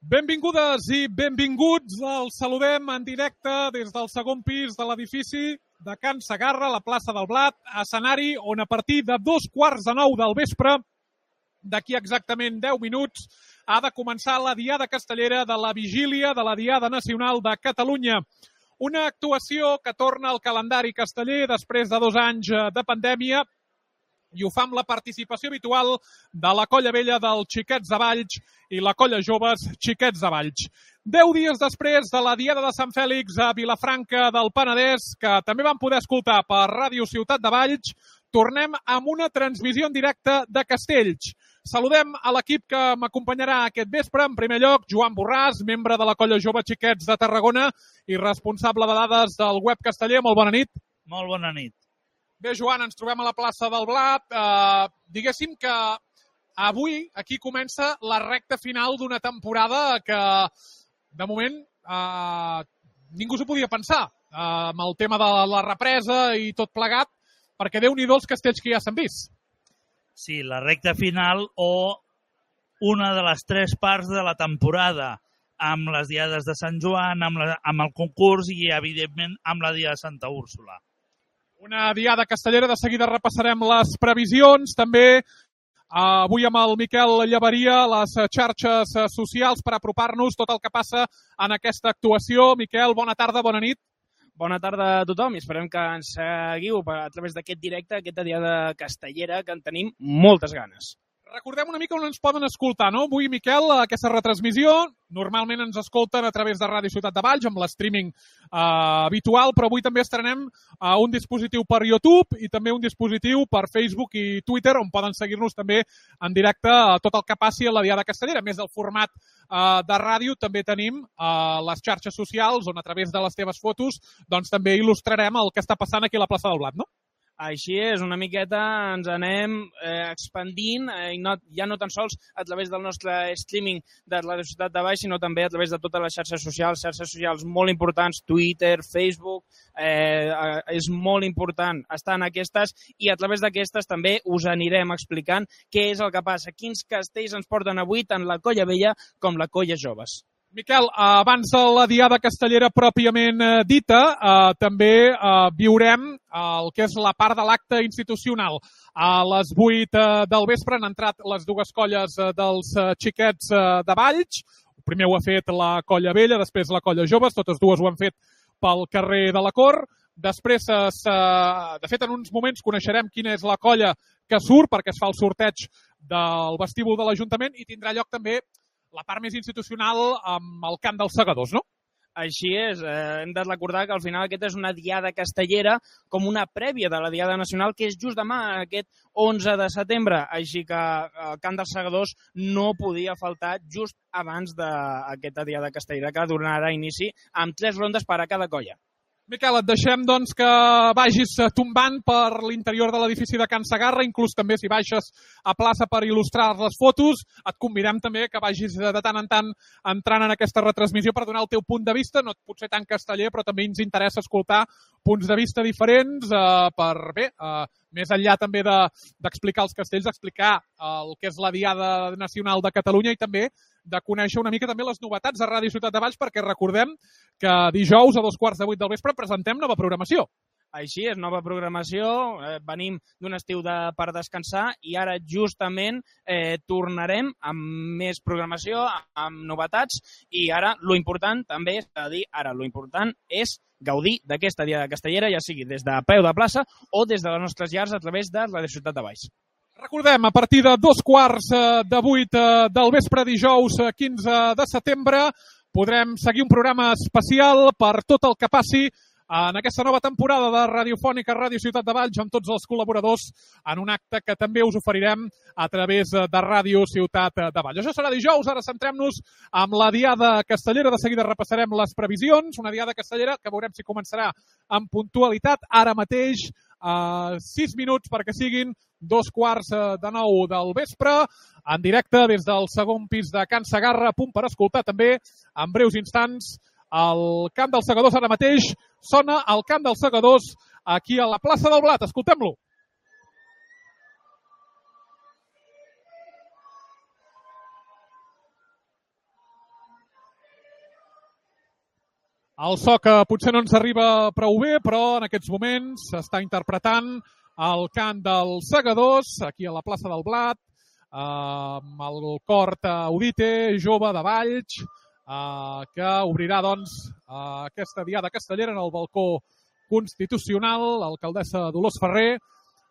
Benvingudes i benvinguts. Els saludem en directe des del segon pis de l'edifici de Can Segarra, la plaça del Blat, escenari on a partir de 8:45 del vespre, d'aquí exactament 10 minuts, ha de començar la Diada Castellera de la vigília de la Diada Nacional de Catalunya. Una actuació que torna al calendari casteller després de 2 anys de pandèmia i ho fa amb la participació habitual de la Colla Vella dels Xiquets de Valls i la Colla Joves Xiquets de Valls. 10 dies després de la Diada de Sant Fèlix a Vilafranca del Penedès, que també vam poder escoltar per Ràdio Ciutat de Valls, tornem amb una transmissió en directe de Castells. Saludem a l'equip que m'acompanyarà aquest vespre. En primer lloc, Joan Borràs, membre de la Colla Jove Xiquets de Tarragona i responsable de dades del web casteller. Molt bona nit. Molt bona nit. Bé, Joan, ens trobem a la plaça del Blat. Diguéssim que avui aquí comença la recta final d'una temporada que, de moment, ningú s'ho podia pensar amb el tema de la represa i tot plegat, perquè Déu-n'hi-do els castells que ja s'han vist. Sí, la recta final o una de les 3 parts de la temporada, amb les diades de Sant Joan, amb el concurs i, evidentment, amb la Diada de Santa Úrsula. Una diada castellera, de seguida repassarem les previsions, també avui amb el Miquel Llaveria, les xarxes socials per apropar-nos tot el que passa en aquesta actuació. Miquel, bona tarda, bona nit. Bona tarda a tothom i esperem que ens seguiu a través d'aquest directe, aquesta diada castellera que en tenim moltes ganes. Recordem una mica on ens poden escoltar, no? Avui, Miquel, aquesta retransmissió, normalment ens escolten a través de Ràdio Ciutat de Valls, amb l'streaming habitual, però avui també estrenem un dispositiu per YouTube i també un dispositiu per Facebook i Twitter, on poden seguir-nos també en directe tot el que passi a la Diada Castellera. A més del format de ràdio, també tenim les xarxes socials, on a través de les teves fotos doncs també il·lustrarem el que està passant aquí a la plaça del Blat, no? Així és, una miqueta ens anem expandint, ja no tan sols a través del nostre streaming de la Ciutat de Valls, sinó també a través de totes les xarxes socials molt importants, Twitter, Facebook, és molt important estar en aquestes i a través d'aquestes també us anirem explicant què és el que passa, quins castells ens porten avui tant la Colla Vella com la Colla Joves. Miquel, abans de la Diada Castellera pròpiament dita, també viurem el que és la part de l'acte institucional. A les 8 del vespre han entrat les 2 colles dels Xiquets de Valls. Primer ho ha fet la Colla Vella, després la Colla Joves, totes dues ho han fet pel carrer de la Cort. Després, de fet, en uns moments coneixerem quina és la colla que surt, perquè es fa el sorteig del vestíbul de l'Ajuntament i tindrà lloc també la part més institucional amb el cant dels segadors, no? Així és, hem de recordar que al final aquesta és una diada castellera com una prèvia de la Diada Nacional, que és just demà, aquest 11 de setembre. Així que el cant dels segadors no podia faltar just abans d'aquesta diada castellera, que donarà inici amb 3 rondes per a cada colla. Miquel, et deixem doncs, que vagis tombant per l'interior de l'edifici de Can Segarra, inclús també si baixes a plaça per il·lustrar les fotos. Et convidem també que vagis de tant en tant entrant en aquesta retransmissió per donar el teu punt de vista, no pot ser tan casteller, però també ens interessa escoltar punts de vista diferents per, bé, més enllà també d'explicar els castells, explicar el que és la Diada Nacional de Catalunya i també de conèixer una mica també les novetats de Ràdio Ciutat de Valls, perquè recordem que dijous a 7:15 del vespre presentem nova programació. Així és, nova programació, venim d'un estiu per descansar i ara justament tornarem amb més programació, amb novetats i ara lo important també és dir, ara lo important és gaudir d'aquesta Diada Castellera, ja sigui des de peu de plaça o des de les nostres llars a través de la Ciutat de Valls. Recordem, a partir de 7:15 del vespre, dijous 15 de setembre, podrem seguir un programa especial per tot el que passi en aquesta nova temporada de Radiofònica Ràdio Ciutat de Valls amb tots els col·laboradors en un acte que també us oferirem a través de Ràdio Ciutat de Valls. Això serà dijous, ara centrem-nos amb la Diada Castellera, de seguida repassarem les previsions, una Diada Castellera que veurem si començarà amb puntualitat ara mateix, 6 minuts perquè siguin 8:45 del vespre, en directe des del segon pis de Can Segarra, a punt per escoltar també en breus instants el cant dels segadors. Ara mateix sona el cant dels segadors aquí a la plaça del Blat. Escoltem-lo. El so que potser no ens arriba prou bé, però en aquests moments s'està interpretant el cant dels segadors, aquí a la plaça del Blat, amb el cor Audite, jove de Valls, que obrirà doncs aquesta diada castellera en el balcó constitucional, l'alcaldessa Dolors Ferrer,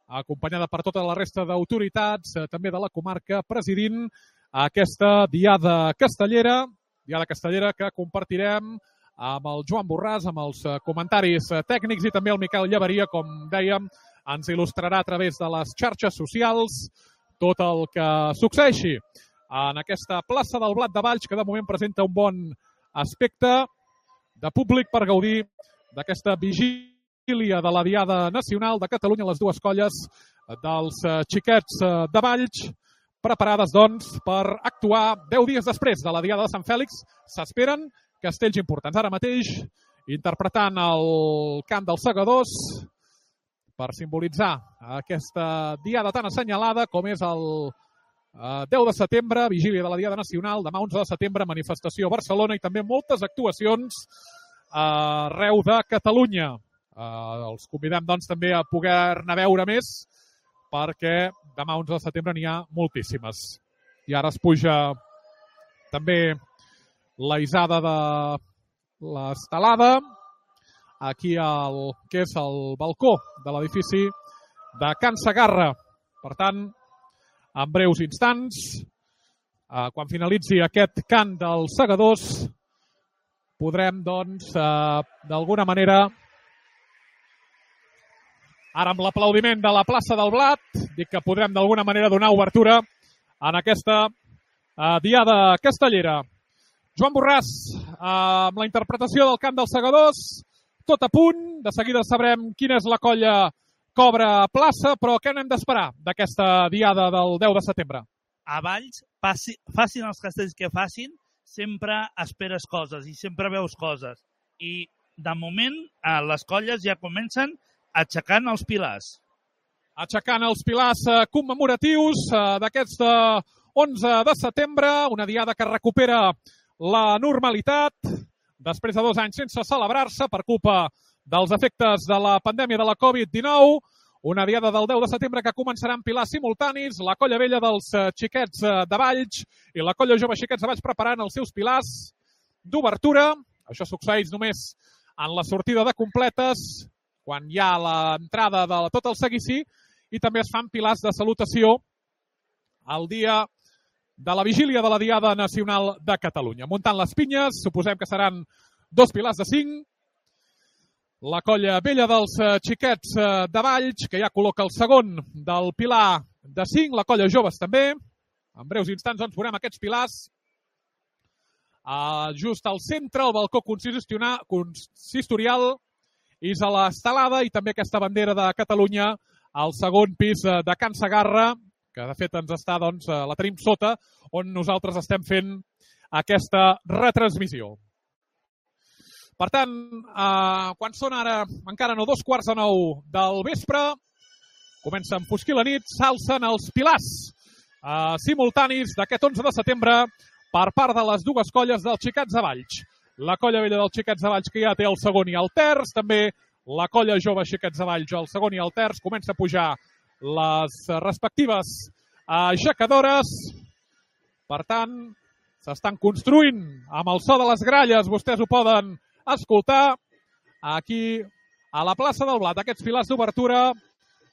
acompanyada per tota la resta d'autoritats, també de la comarca, presidint aquesta diada castellera que compartirem amb el Joan Borràs, amb els comentaris tècnics, i també el Miquel Llaveria, com dèiem, ens il·lustrarà a través de les xarxes socials tot el que succeeixi en aquesta plaça del Blat de Valls, que de moment presenta un bon aspecte de públic per gaudir d'aquesta vigília de la Diada Nacional de Catalunya, les dues colles dels xiquets de Valls, preparades, doncs, per actuar 10 dies després de la Diada de Sant Fèlix. S'esperen castells importants. Ara mateix, interpretant el cant dels segadors per simbolitzar aquesta diada tan assenyalada com és el 10 de setembre, vigília de la Diada Nacional, demà 11 de setembre, manifestació a Barcelona i també moltes actuacions arreu de Catalunya. Els convidem, doncs, també a poder-ne veure més, perquè demà 11 de setembre n'hi ha moltíssimes. I ara es puja també la isada de l'estelada, aquí al que és el balcó de l'edifici de Can Segarra. Per tant, en breus instants, quan finalitzi aquest cant dels segadors, podrem, doncs, d'alguna manera, ara amb l'aplaudiment de la plaça del Blat, dic que podrem d'alguna manera donar obertura en aquesta diada castellera. Joan Borràs, amb la interpretació del cant dels segadors, tot a punt. De seguida sabrem quina és la colla que obre plaça, però què n'hem d'esperar d'aquesta diada del 10 de setembre? A Valls, facin els castells que facin, sempre esperes coses i sempre veus coses. I, de moment, les colles ja comencen aixecant els pilars. Aixecant els pilars commemoratius d'aquest 11 de setembre, una diada que recupera la normalitat després de 2 anys sense celebrar-se per culpa dels efectes de la pandèmia de la Covid-19. Una diada del 10 de setembre que començarà amb pilars simultanis, la colla vella dels xiquets de Valls i la colla jove xiquets de Valls preparant els seus pilars d'obertura. Això succeeix només en la sortida de completes, quan hi ha l'entrada de tot el seguici, i també es fan pilars de salutació el dia de la vigília de la Diada Nacional de Catalunya. Muntant les pinyes, suposem que seran 2 pilars de 5. La colla vella dels xiquets de Valls, que ja col·loca el segon del pilar de 5, la colla joves també. En breus instants doncs veurem aquests pilars. Just al centre, el balcó consistorial, és a l'estelada, i també aquesta bandera de Catalunya al segon pis de Can Segarra, que de fet ens està, doncs, la tenim sota, on nosaltres estem fent aquesta retransmissió. Per tant, quan són ara encara no 8:45 del vespre, comença a enfosquir la nit, s'alcen els pilars simultanis d'aquest 11 de setembre per part de les dues colles dels xiquets de Valls. La colla vella dels xiquets de Valls, que ja té el segon i el terç, també la colla jove xiquets de Valls, el segon i el terç, comença a pujar les respectives aixecadores. Per tant, s'estan construint amb el so de les gralles, vostès ho poden escoltar aquí a la plaça del Blat, aquests pilars d'obertura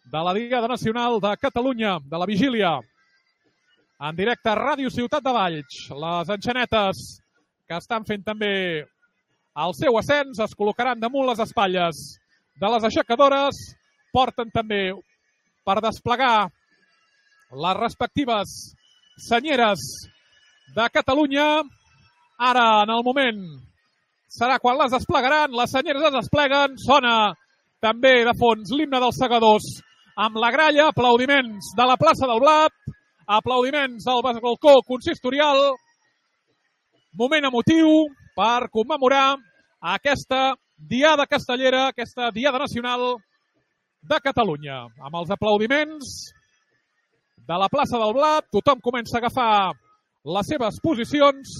de la Diada Nacional de Catalunya, de la vigília. En directe a Ràdio Ciutat de Valls, les enxanetes que estan fent també el seu ascens es col·locaran damunt les espatlles de les aixecadores, porten també per desplegar les respectives senyeres de Catalunya. Ara, en el moment, serà quan les desplegaran, les senyeres es despleguen, sona també de fons l'himne dels segadors amb la gralla, aplaudiments de la plaça del Blat, aplaudiments al balcó consistorial, moment emotiu per commemorar aquesta diada castellera, aquesta diada nacional de Catalunya. Amb els aplaudiments de la plaça del Blat, tothom comença a agafar les seves posicions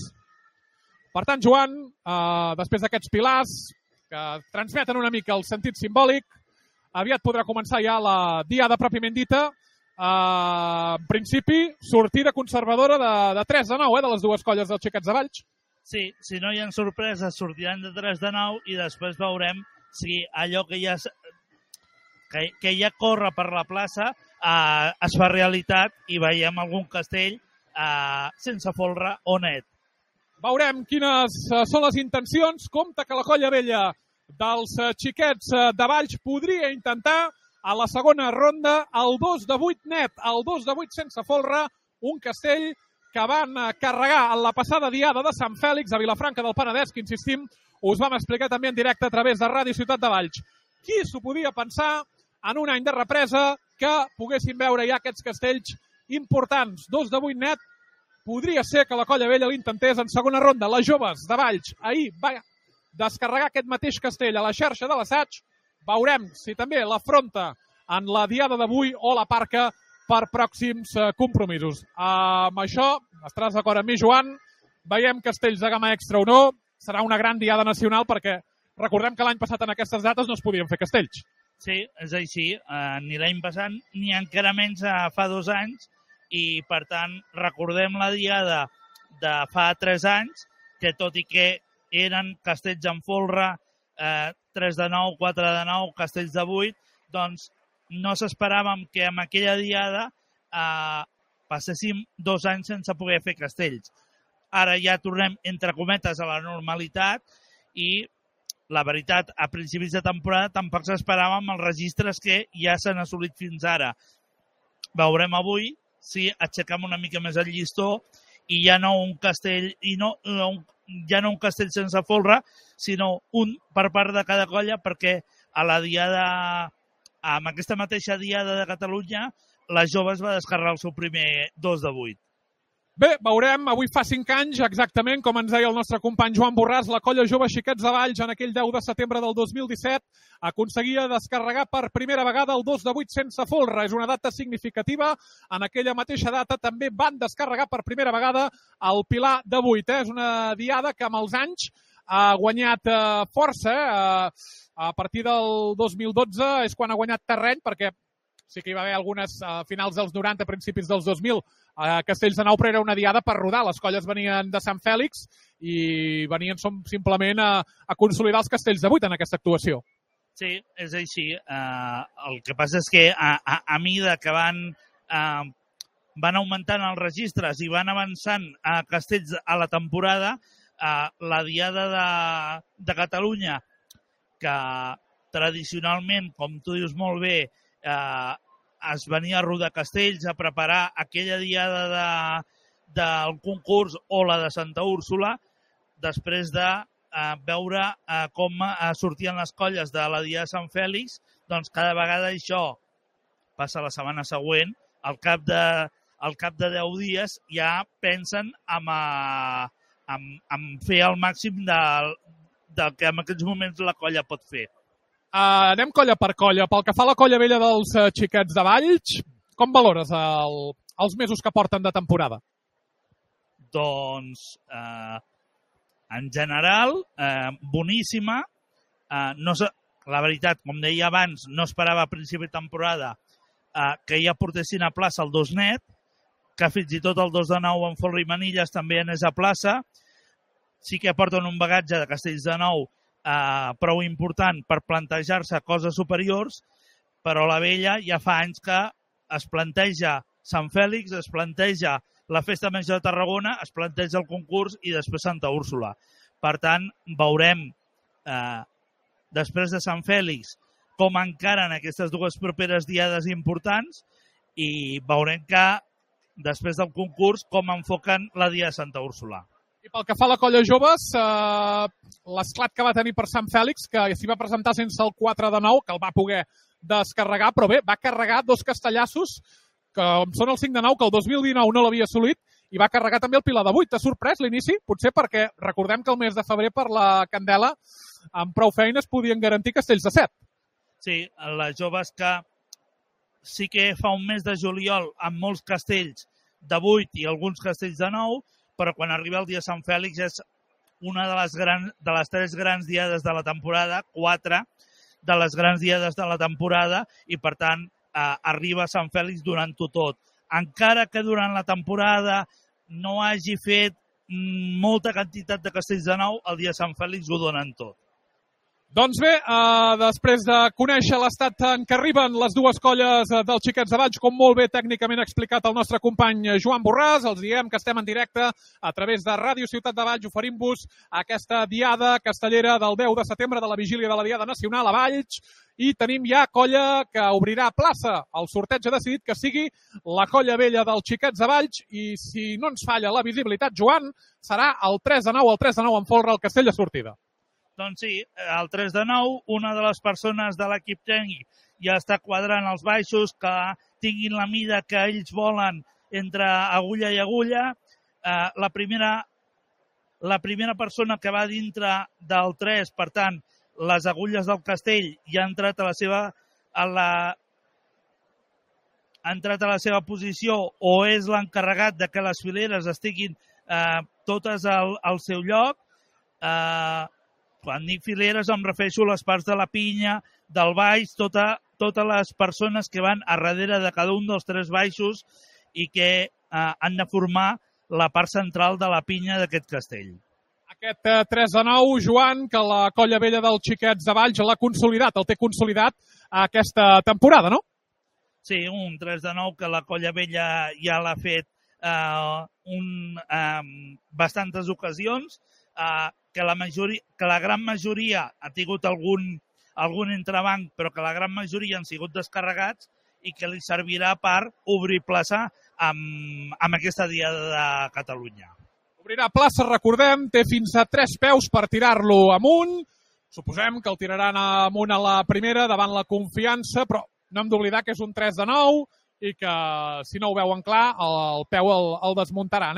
Per tant, Joan, després d'aquests pilars que transmeten una mica el sentit simbòlic, aviat podrà començar ja la diada pròpiament dita. En principi, sortida conservadora de 3-9, de les dues colles dels Xiquets de Valls. Sí, si no hi ha sorpreses, sortiran de 3-9 i després veurem si allò que ja corre per la plaça es fa realitat i veiem algun castell sense folre o net. Veurem quines són les intencions. Compte que la colla vella dels Xiquets de Valls podria intentar a la segona ronda el 2 de 8 net, el 2 de 8 sense folre, un castell que van carregar en la passada diada de Sant Fèlix a Vilafranca del Penedès, que insistim, us vam explicar també en directe a través de Ràdio Ciutat de Valls. Qui s'ho podia pensar en un any de represa que poguessin veure ja aquests castells importants? 2 de 8 net, podria ser que la colla vella l'intentés en segona ronda. Les joves de Valls ahir va descarregar aquest mateix castell a la xarxa de l'assaig. Veurem si també l'afronta en la diada d'avui o la parca per pròxims compromisos. Amb això, estaràs d'acord amb mi, Joan, veiem castells de gamma extra o no, serà una gran diada nacional perquè recordem que l'any passat en aquestes dates no es podien fer castells. Sí, és així, ni l'any passat ni encara menys fa 2 anys i per tant recordem la diada de fa 3 anys que tot i que eren castells en folre, 3 de 9, 4 de 9, castells de 8, doncs no s'esperàvem que amb aquella diada passéssim 2 anys sense poder fer castells. Ara ja tornem, entre cometes, a la normalitat i la veritat, a principis de temporada tampoc s'esperàvem els registres que ja s'han assolit fins ara. Veurem avui si aixequem una mica més el llistó i ja no un castell ja no un castell sense folre, sinó un per part de cada colla, perquè a la diada, amb aquesta mateixa diada de Catalunya, les joves va descarregar el seu primer 2 de 8. Bé, veurem, avui fa 5 anys, exactament, com ens deia el nostre company Joan Borràs, la colla jove Xiquets de Valls, en aquell 10 de setembre del 2017, aconseguia descarregar per primera vegada el 2 de 8 sense folre. És una data significativa. En aquella mateixa data també van descarregar per primera vegada el pilar de 8. És una diada que amb els anys ha guanyat força. A partir del 2012 és quan ha guanyat terreny, perquè sí que hi va haver algunes finals dels 90, principis dels 2000, a Castells de Nou, però era una diada per rodar. Les colles venien de Sant Fèlix i venien simplement a consolidar els Castells de 8 en aquesta actuació. Sí, és així. El que passa és que a mida que van augmentant els registres i van avançant a castells a la temporada, la diada de Catalunya, que tradicionalment, com tu dius molt bé, es venia a rodar castells, a preparar aquella diada del concurs o la de Santa Úrsula, després de veure com sortien les colles de la diada de Sant Fèlix, doncs cada vegada això passa la setmana següent, al cap de 10 dies ja pensen en fer el màxim del que en aquests moments la colla pot fer. Anem colla per colla. Pel que fa a la colla vella dels Xiquets de Valls, com valores els mesos que porten de temporada? Doncs, en general, boníssima. La veritat, com deia abans, no esperava a principi de temporada que ja portessin a plaça el 2 net, que fins i tot el 2 de 9 en folre i manilles també anés a plaça. Sí que aporten un bagatge de castells de 9 prou important per plantejar-se coses superiors, però la vella ja fa anys que es planteja Sant Fèlix, es planteja la Festa Major de Tarragona, es planteja el concurs i després Santa Úrsula. Per tant, veurem després de Sant Fèlix com encaren aquestes dues properes diades importants i veurem que després del concurs com enfoquen la dia de Santa Úrsula. I pel que fa a la colla joves, l'esclat que va tenir per Sant Fèlix, que s'hi va presentar sense el 4 de 9, que el va poder descarregar, però bé, va carregar 2 castellassos, que són el 5 de 9, que el 2019 no l'havia assolit, i va carregar també el pilar de 8. T'ha sorprès l'inici? Potser perquè recordem que el mes de febrer per la Candela, amb prou feines, podien garantir castells de 7. Sí, les joves que sí que fa un mes de juliol amb molts castells de 8 i alguns castells de 9, però quan arriba el dia de Sant Fèlix és una de les 3 grans diades de la temporada, 4 de les grans diades de la temporada, i per tant arriba a Sant Fèlix donant-ho tot. Encara que durant la temporada no hagi fet molta quantitat de castells de nou, el dia de Sant Fèlix ho donen tot. Doncs bé, després de conèixer l'estat en què arriben les dues colles dels Xiquets de Valls, com molt bé tècnicament ha explicat el nostre company Joan Borràs, els diem que estem en directe a través de Ràdio Ciutat de Valls, oferint-vos aquesta diada castellera del 10 de setembre de la vigília de la Diada Nacional a Valls, i tenim ja colla que obrirà plaça. El sorteig ha decidit que sigui la colla vella dels Xiquets de Valls, i si no ens falla la visibilitat, Joan, serà el 3 de 9 en folre al castell de sortida. Doncs sí, el 3 de 9, una de les persones de l'equip tècnic ja està quadrant els baixos que tinguin la mida que ells volen entre agulla i agulla. La primera persona que va dintre del 3, per tant, les agulles del castell, ja ha entrat a la seva posició, o és l'encarregat de que les fileres estiguin totes al seu lloc. Quan dic fileres em refereixo a les parts de la pinya, del baix, totes les persones que van a darrere de cada un dels 3 baixos i que han de formar la part central de la pinya d'aquest castell. Aquest 3 de 9, Joan, que la colla vella dels Xiquets de Valls l'ha consolidat, el té consolidat aquesta temporada, no? Sí, un 3 de 9 que la colla vella ja l'ha fet bastantes ocasions, que la gran majoria ha tingut algun entrebanc, però que la gran majoria han sigut descarregats i que li servirà per obrir plaça amb aquesta Diada de Catalunya. Obrirà plaça, recordem, té fins a 3 peus per tirar-lo amunt. Suposem que el tiraran amunt a la primera davant la confiança, però no hem d'oblidar que és un 3 de 9 i que, si no ho veuen clar, el peu el desmuntaran.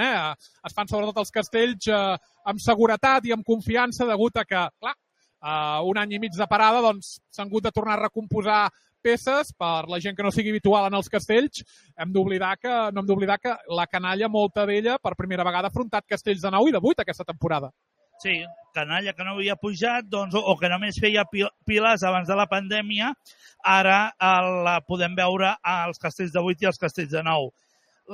Es fan sobretot els castells amb seguretat i amb confiança, degut a que, clar, un any i mig de parada s'han hagut de tornar a recomposar peces per la gent que no sigui habitual en els castells. No hem d'oblidar que la canalla, molta d'ella, per primera vegada ha afrontat castells de 9 i de 8 aquesta temporada. Sí, canalla que no havia pujat o que només feia piles abans de la pandèmia, ara la podem veure als castells de 8 i als castells de 9.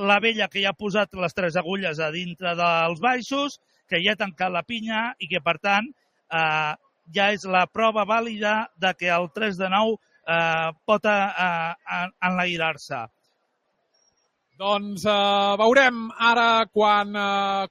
La vella que ja ha posat les 3 agulles a dintre dels baixos, que ja ha tancat la pinya i que, per tant, ja és la prova vàlida de que el 3 de 9 pot enlairar-se. Doncs veurem ara quan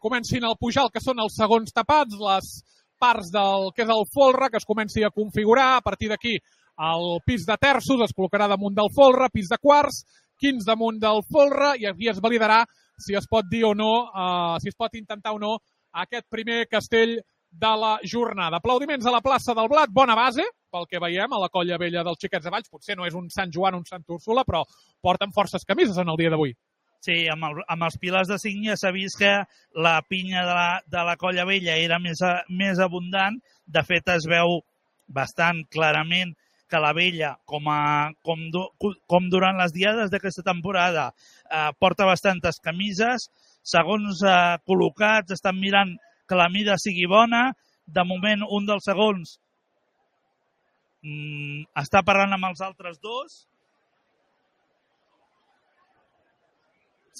comencin a pujar el que són els segons tapats, les parts del que és el folre, que es comenci a configurar. A partir d'aquí el pis de terços es col·locarà damunt del folre, pis de quarts, quins damunt del folre, i aquí es validarà si es pot dir o no, si es pot intentar o no aquest primer castell de la jornada. Aplaudiments a la plaça del Blat, bona base, pel que veiem, a la colla vella dels Xiquets de Valls. Potser no és un Sant Joan o un Sant Úrsula, però porten forces camises en el dia d'avui. Sí, amb els pilars de cinc ja s'ha vist que la pinya de la colla vella era més abundant. De fet, es veu bastant clarament que la vella, com durant les diades d'aquesta temporada, porta bastantes camises. Segons col·locats, estan mirant que la mida sigui bona. De moment, un dels segons està parlant amb els altres dos.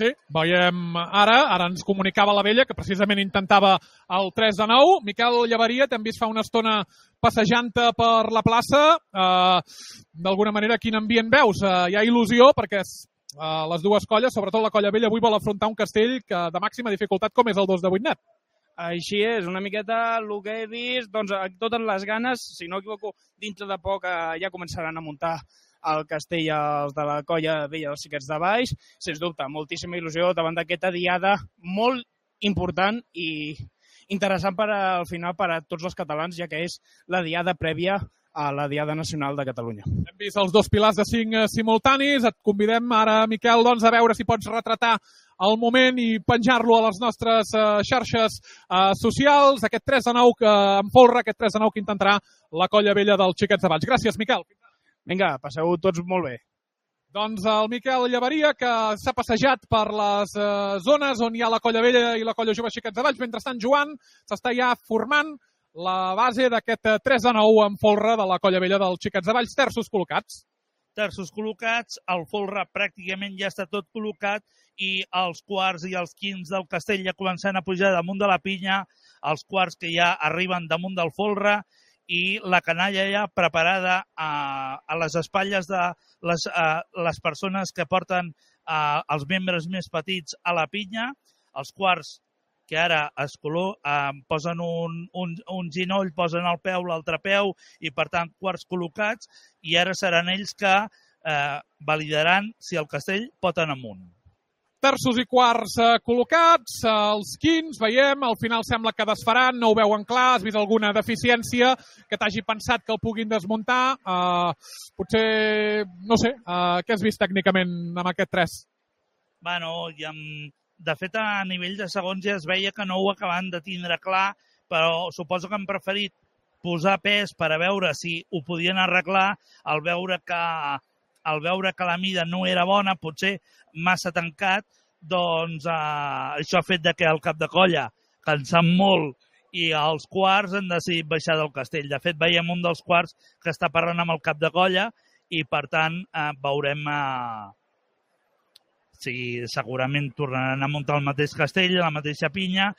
Sí, veiem ara ens comunicava la vella que precisament intentava el 3 de 9. Miquel Llevaria, t'hem vist fa una estona passejant-te per la plaça. D'alguna manera, quin ambient veus? Hi ha il·lusió perquè les dues colles, sobretot la colla vella, avui vol afrontar un castell de màxima dificultat com és el 2 de 8 net. Així és, una miqueta el que he vist, doncs totes les ganes, si no equivoco, dintre de poc ja començaran a muntar el castell els de la colla vella dels Xiquets de Valls. Sens dubte, moltíssima il·lusió davant d'aquesta diada molt important i interessant al final per a tots els catalans, ja que és la diada prèvia a la Diada Nacional de Catalunya. Hem vist els dos pilars de 5 simultanis. Et convidem ara, Miquel, doncs, a veure si pots retratar el moment i penjar-lo a les nostres xarxes socials. Aquest 3 de 9 que en folre, aquest 3 de 9 que intentarà la colla vella dels Xiquets de Valls. Gràcies, Miquel. Vinga, passeu tots molt bé. Doncs el Miquel Llaveria, que s'ha passejat per les zones on hi ha la Colla Vella i la Colla Jove Xiquets de Valls. Mentrestant, Joan, s'està ja formant la base d'aquest 3-9 en folre de la Colla Vella dels Xiquets de Valls. Terços col·locats. Terços col·locats, el folre pràcticament ja està tot col·locat i els quarts i els quints del castell ja començant a pujar damunt de la pinya, els quarts que ja arriben damunt del folre i la canalla ja preparada a les espatlles de les persones que porten els membres més petits a la pinya, els quarts que ara posen un ginoll, posen el peu, l'altre peu, i per tant quarts col·locats, i ara seran ells que validaran si el castell pot anar amunt. Terços i quarts col·locats, els quints, veiem, al final sembla que desfaran, no ho veuen clar, has vist alguna deficiència que t'hagi pensat que el puguin desmuntar, potser, no sé, què has vist tècnicament amb aquest 3? Bueno, de fet, a nivell de segons ja es veia que no ho acaben de tindre clar, però suposo que han preferit posar pes per a veure si ho podien arreglar, al veure que la mida no era bona, potser massa tancat, doncs això ha fet que el cap de colla, cansant molt, i els quarts han decidit baixar del castell. De fet, veiem un dels quarts que està parlant amb el cap de colla i, per tant, veurem si segurament tornaran a muntar el mateix castell, la mateixa pinya,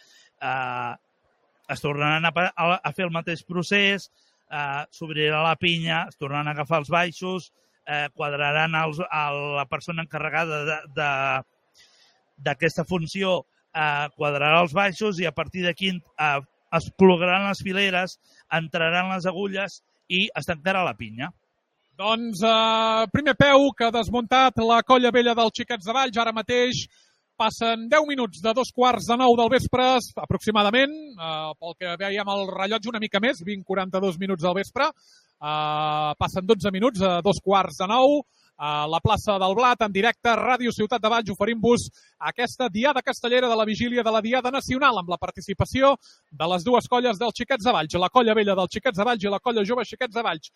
es tornaran a fer el mateix procés, s'obrirà la pinya, es tornaran a agafar els baixos, quadraran la persona encarregada d'aquesta funció, quadrarà els baixos i a partir d'aquí es col·locaran les fileres, entraran les agulles i es tancarà la pinya. Doncs primer peu que ha desmuntat la Colla Vella dels Xiquets de Valls. Ara mateix passen 10 minuts de 8:45 del vespre, aproximadament, pel que veiem el rellotge una mica més, 20:42 minuts del vespre. Passen 12 minuts a 8:45 a la plaça del Blat, en directe, Ràdio Ciutat de Valls, oferint-vos aquesta diada castellera de la vigília de la Diada Nacional, amb la participació de les dues colles dels Xiquets de Valls, la Colla Vella dels Xiquets de Valls i la Colla Jove Xiquets de Valls.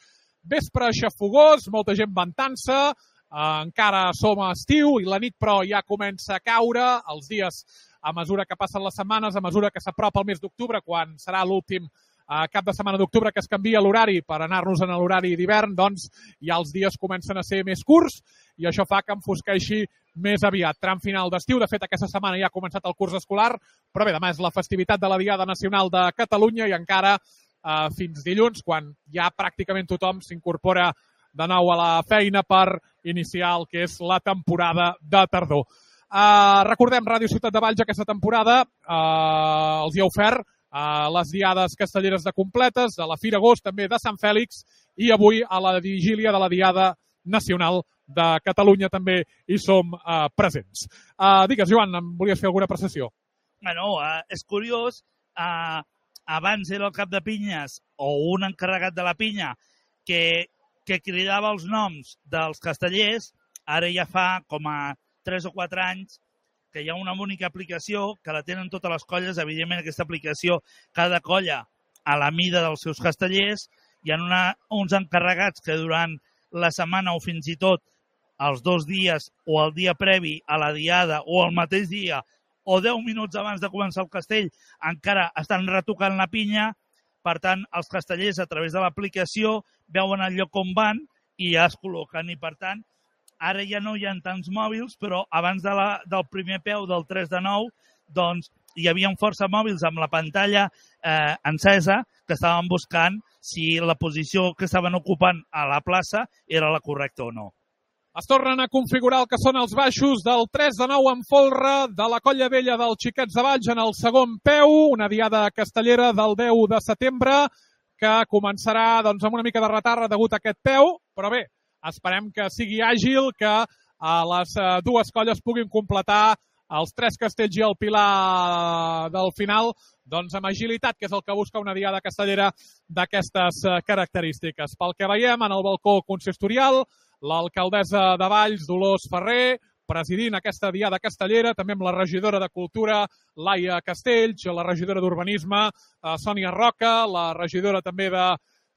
Vespre xafogós, molta gent ventant-se, encara som a estiu i la nit però ja comença a caure, els dies a mesura que passen les setmanes, a mesura que s'apropa el mes d'octubre, quan serà l'últim cap de setmana d'octubre que es canvia l'horari per anar-nos en l'horari d'hivern, doncs ja els dies comencen a ser més curts i això fa que enfosqueixi més aviat. Tram final d'estiu, de fet aquesta setmana ja ha començat el curs escolar, però bé, demà és la festivitat de la Diada Nacional de Catalunya i encara fins dilluns, quan ja pràcticament tothom s'incorpora de nou a la feina per iniciar el que és la temporada de tardor. Recordem, Ràdio Ciutat de Valls aquesta temporada els hi ha ofert les diades castelleres de completes, de la Fira Agost, també de Sant Fèlix, i avui a la vigília de la Diada Nacional de Catalunya també hi som presents. Digues, Joan, em volies fer alguna apreciació? Bueno, és curiós, abans era el cap de pinyes o un encarregat de la pinya que cridava els noms dels castellers, ara ja fa com a 3 o 4 anys que hi ha una única aplicació que la tenen totes les colles. Evidentment, aquesta aplicació, cada colla a la mida dels seus castellers, hi ha uns encarregats que durant la setmana o fins i tot els 2 dies o el dia previ a la diada o el mateix dia o 10 minuts abans de començar el castell encara estan retocant la pinya. Per tant, els castellers a través de l'aplicació veuen el lloc on van i ja es col·loquen. I per tant, ara ja no hi ha tants mòbils, però abans del primer peu del 3-9, doncs hi havia força mòbils amb la pantalla encesa que estaven buscant si la posició que estaven ocupant a la plaça era la correcta o no. Es tornen a configurar el que són els baixos del 3-9 en folre de la Colla Vella dels Xiquets de Valls en el segon peu, una diada castellera del 10 de setembre que començarà doncs, amb una mica de retard degut a aquest peu, però bé, esperem que sigui àgil, que les dues colles puguin completar els 3 castells i el pilar del final doncs amb agilitat, que és el que busca una diada castellera d'aquestes característiques. Pel que veiem en el balcó consistorial, l'alcaldessa de Valls, Dolors Ferrer, presidint aquesta diada castellera, també amb la regidora de Cultura, Laia Castells, la regidora d'Urbanisme, Sònia Roca, la regidora també de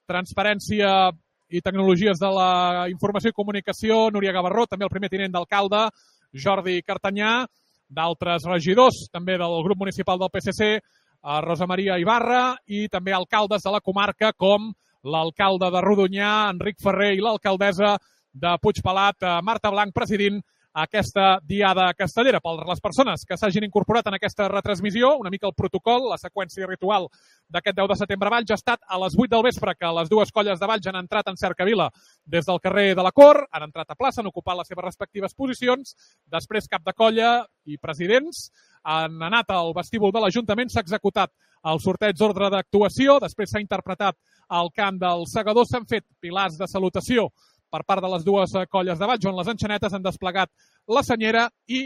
Transparència i Tecnologies de la Informació i Comunicació, Núria Gavarró, també el primer tinent d'alcalde, Jordi Cartanyà, d'altres regidors, també del grup municipal del PSC, Rosa Maria Ibarra, i també alcaldes de la comarca, com l'alcalde de Rodonyà, Enric Ferrer, i l'alcaldessa de Puigpelat, Marta Blanc, presidint aquesta diada castellera. Per les persones que s'hagin incorporat en aquesta retransmissió, una mica el protocol, la seqüència ritual d'aquest 10 de setembre a Valls ha estat a les 8 del vespre que les dues colles de Valls han entrat en cercavila des del carrer de la Cort, han entrat a plaça, han ocupat les seves respectives posicions, després cap de colla i presidents han anat al vestíbul de l'Ajuntament, s'ha executat el sorteig d'ordre d'actuació, després s'ha interpretat el cant del segador, s'han fet pilars de salutació per part de les dues colles de Valls, on les enxanetes han desplegat la senyera i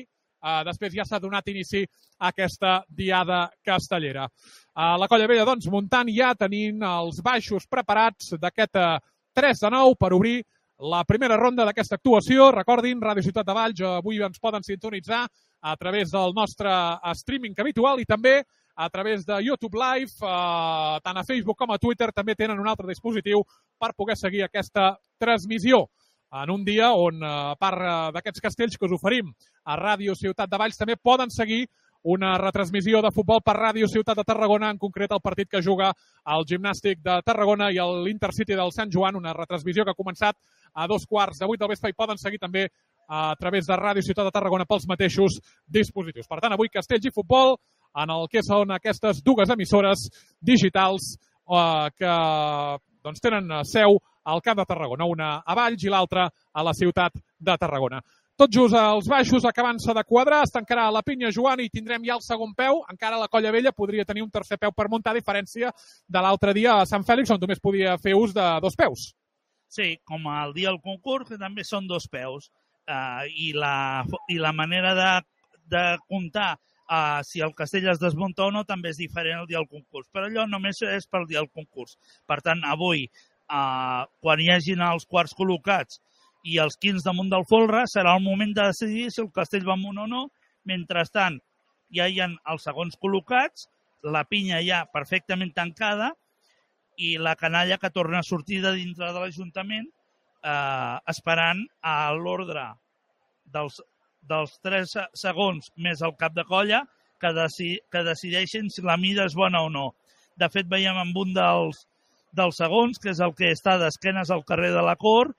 després ja s'ha donat inici a aquesta diada castellera. La Colla Vella, doncs, muntant ja tenint els baixos preparats d'aquest 3 de 9 per obrir la primera ronda d'aquesta actuació. Recordin, Ràdio Ciutat de Valls, avui ens poden sintonitzar a través del nostre streaming habitual i també a través de YouTube Live, tant a Facebook com a Twitter, també tenen un altre dispositiu per poder seguir aquesta transmissió. En un dia on, a part d'aquests castells que us oferim a Ràdio Ciutat de Valls, també poden seguir una retransmissió de futbol per Ràdio Ciutat de Tarragona, en concret el partit que juga el Gimnàstic de Tarragona i l'Intercity del Sant Joan, una retransmissió que ha començat a 7:15 del vespre i poden seguir també a través de Ràdio Ciutat de Tarragona pels mateixos dispositius. Per tant, avui castells i futbol en el que són aquestes dues emissores digitals que doncs, tenen seu al Camp de Tarragona, una a Valls i l'altra a la ciutat de Tarragona. Tot just als baixos, acabant-se de quadrar, es tancarà la pinya Joan i tindrem ja el segon peu. Encara la Colla Vella podria tenir un tercer peu per muntar, a diferència de l'altre dia a Sant Fèlix, on només podia fer ús de 2 peus. Sí, com el dia del concurs, que també són 2 peus. I la manera de comptar si el castell es desmunta o no també és diferent el dia del concurs. Però allò només és pel dia del concurs. Per tant, avui, quan hi hagin els quarts col·locats i els 15 damunt del folre, serà el moment de decidir si el castell va amunt o no. Mentrestant, ja hi ha els segons col·locats, la pinya ja perfectament tancada i la canalla que torna a sortir de dintre de l'Ajuntament esperant a l'ordre dels 3 segons més el cap de colla que decideixin si la mida és bona o no. De fet, veiem amb un dels segons, que és el que està d'esquenes al carrer de la Cort,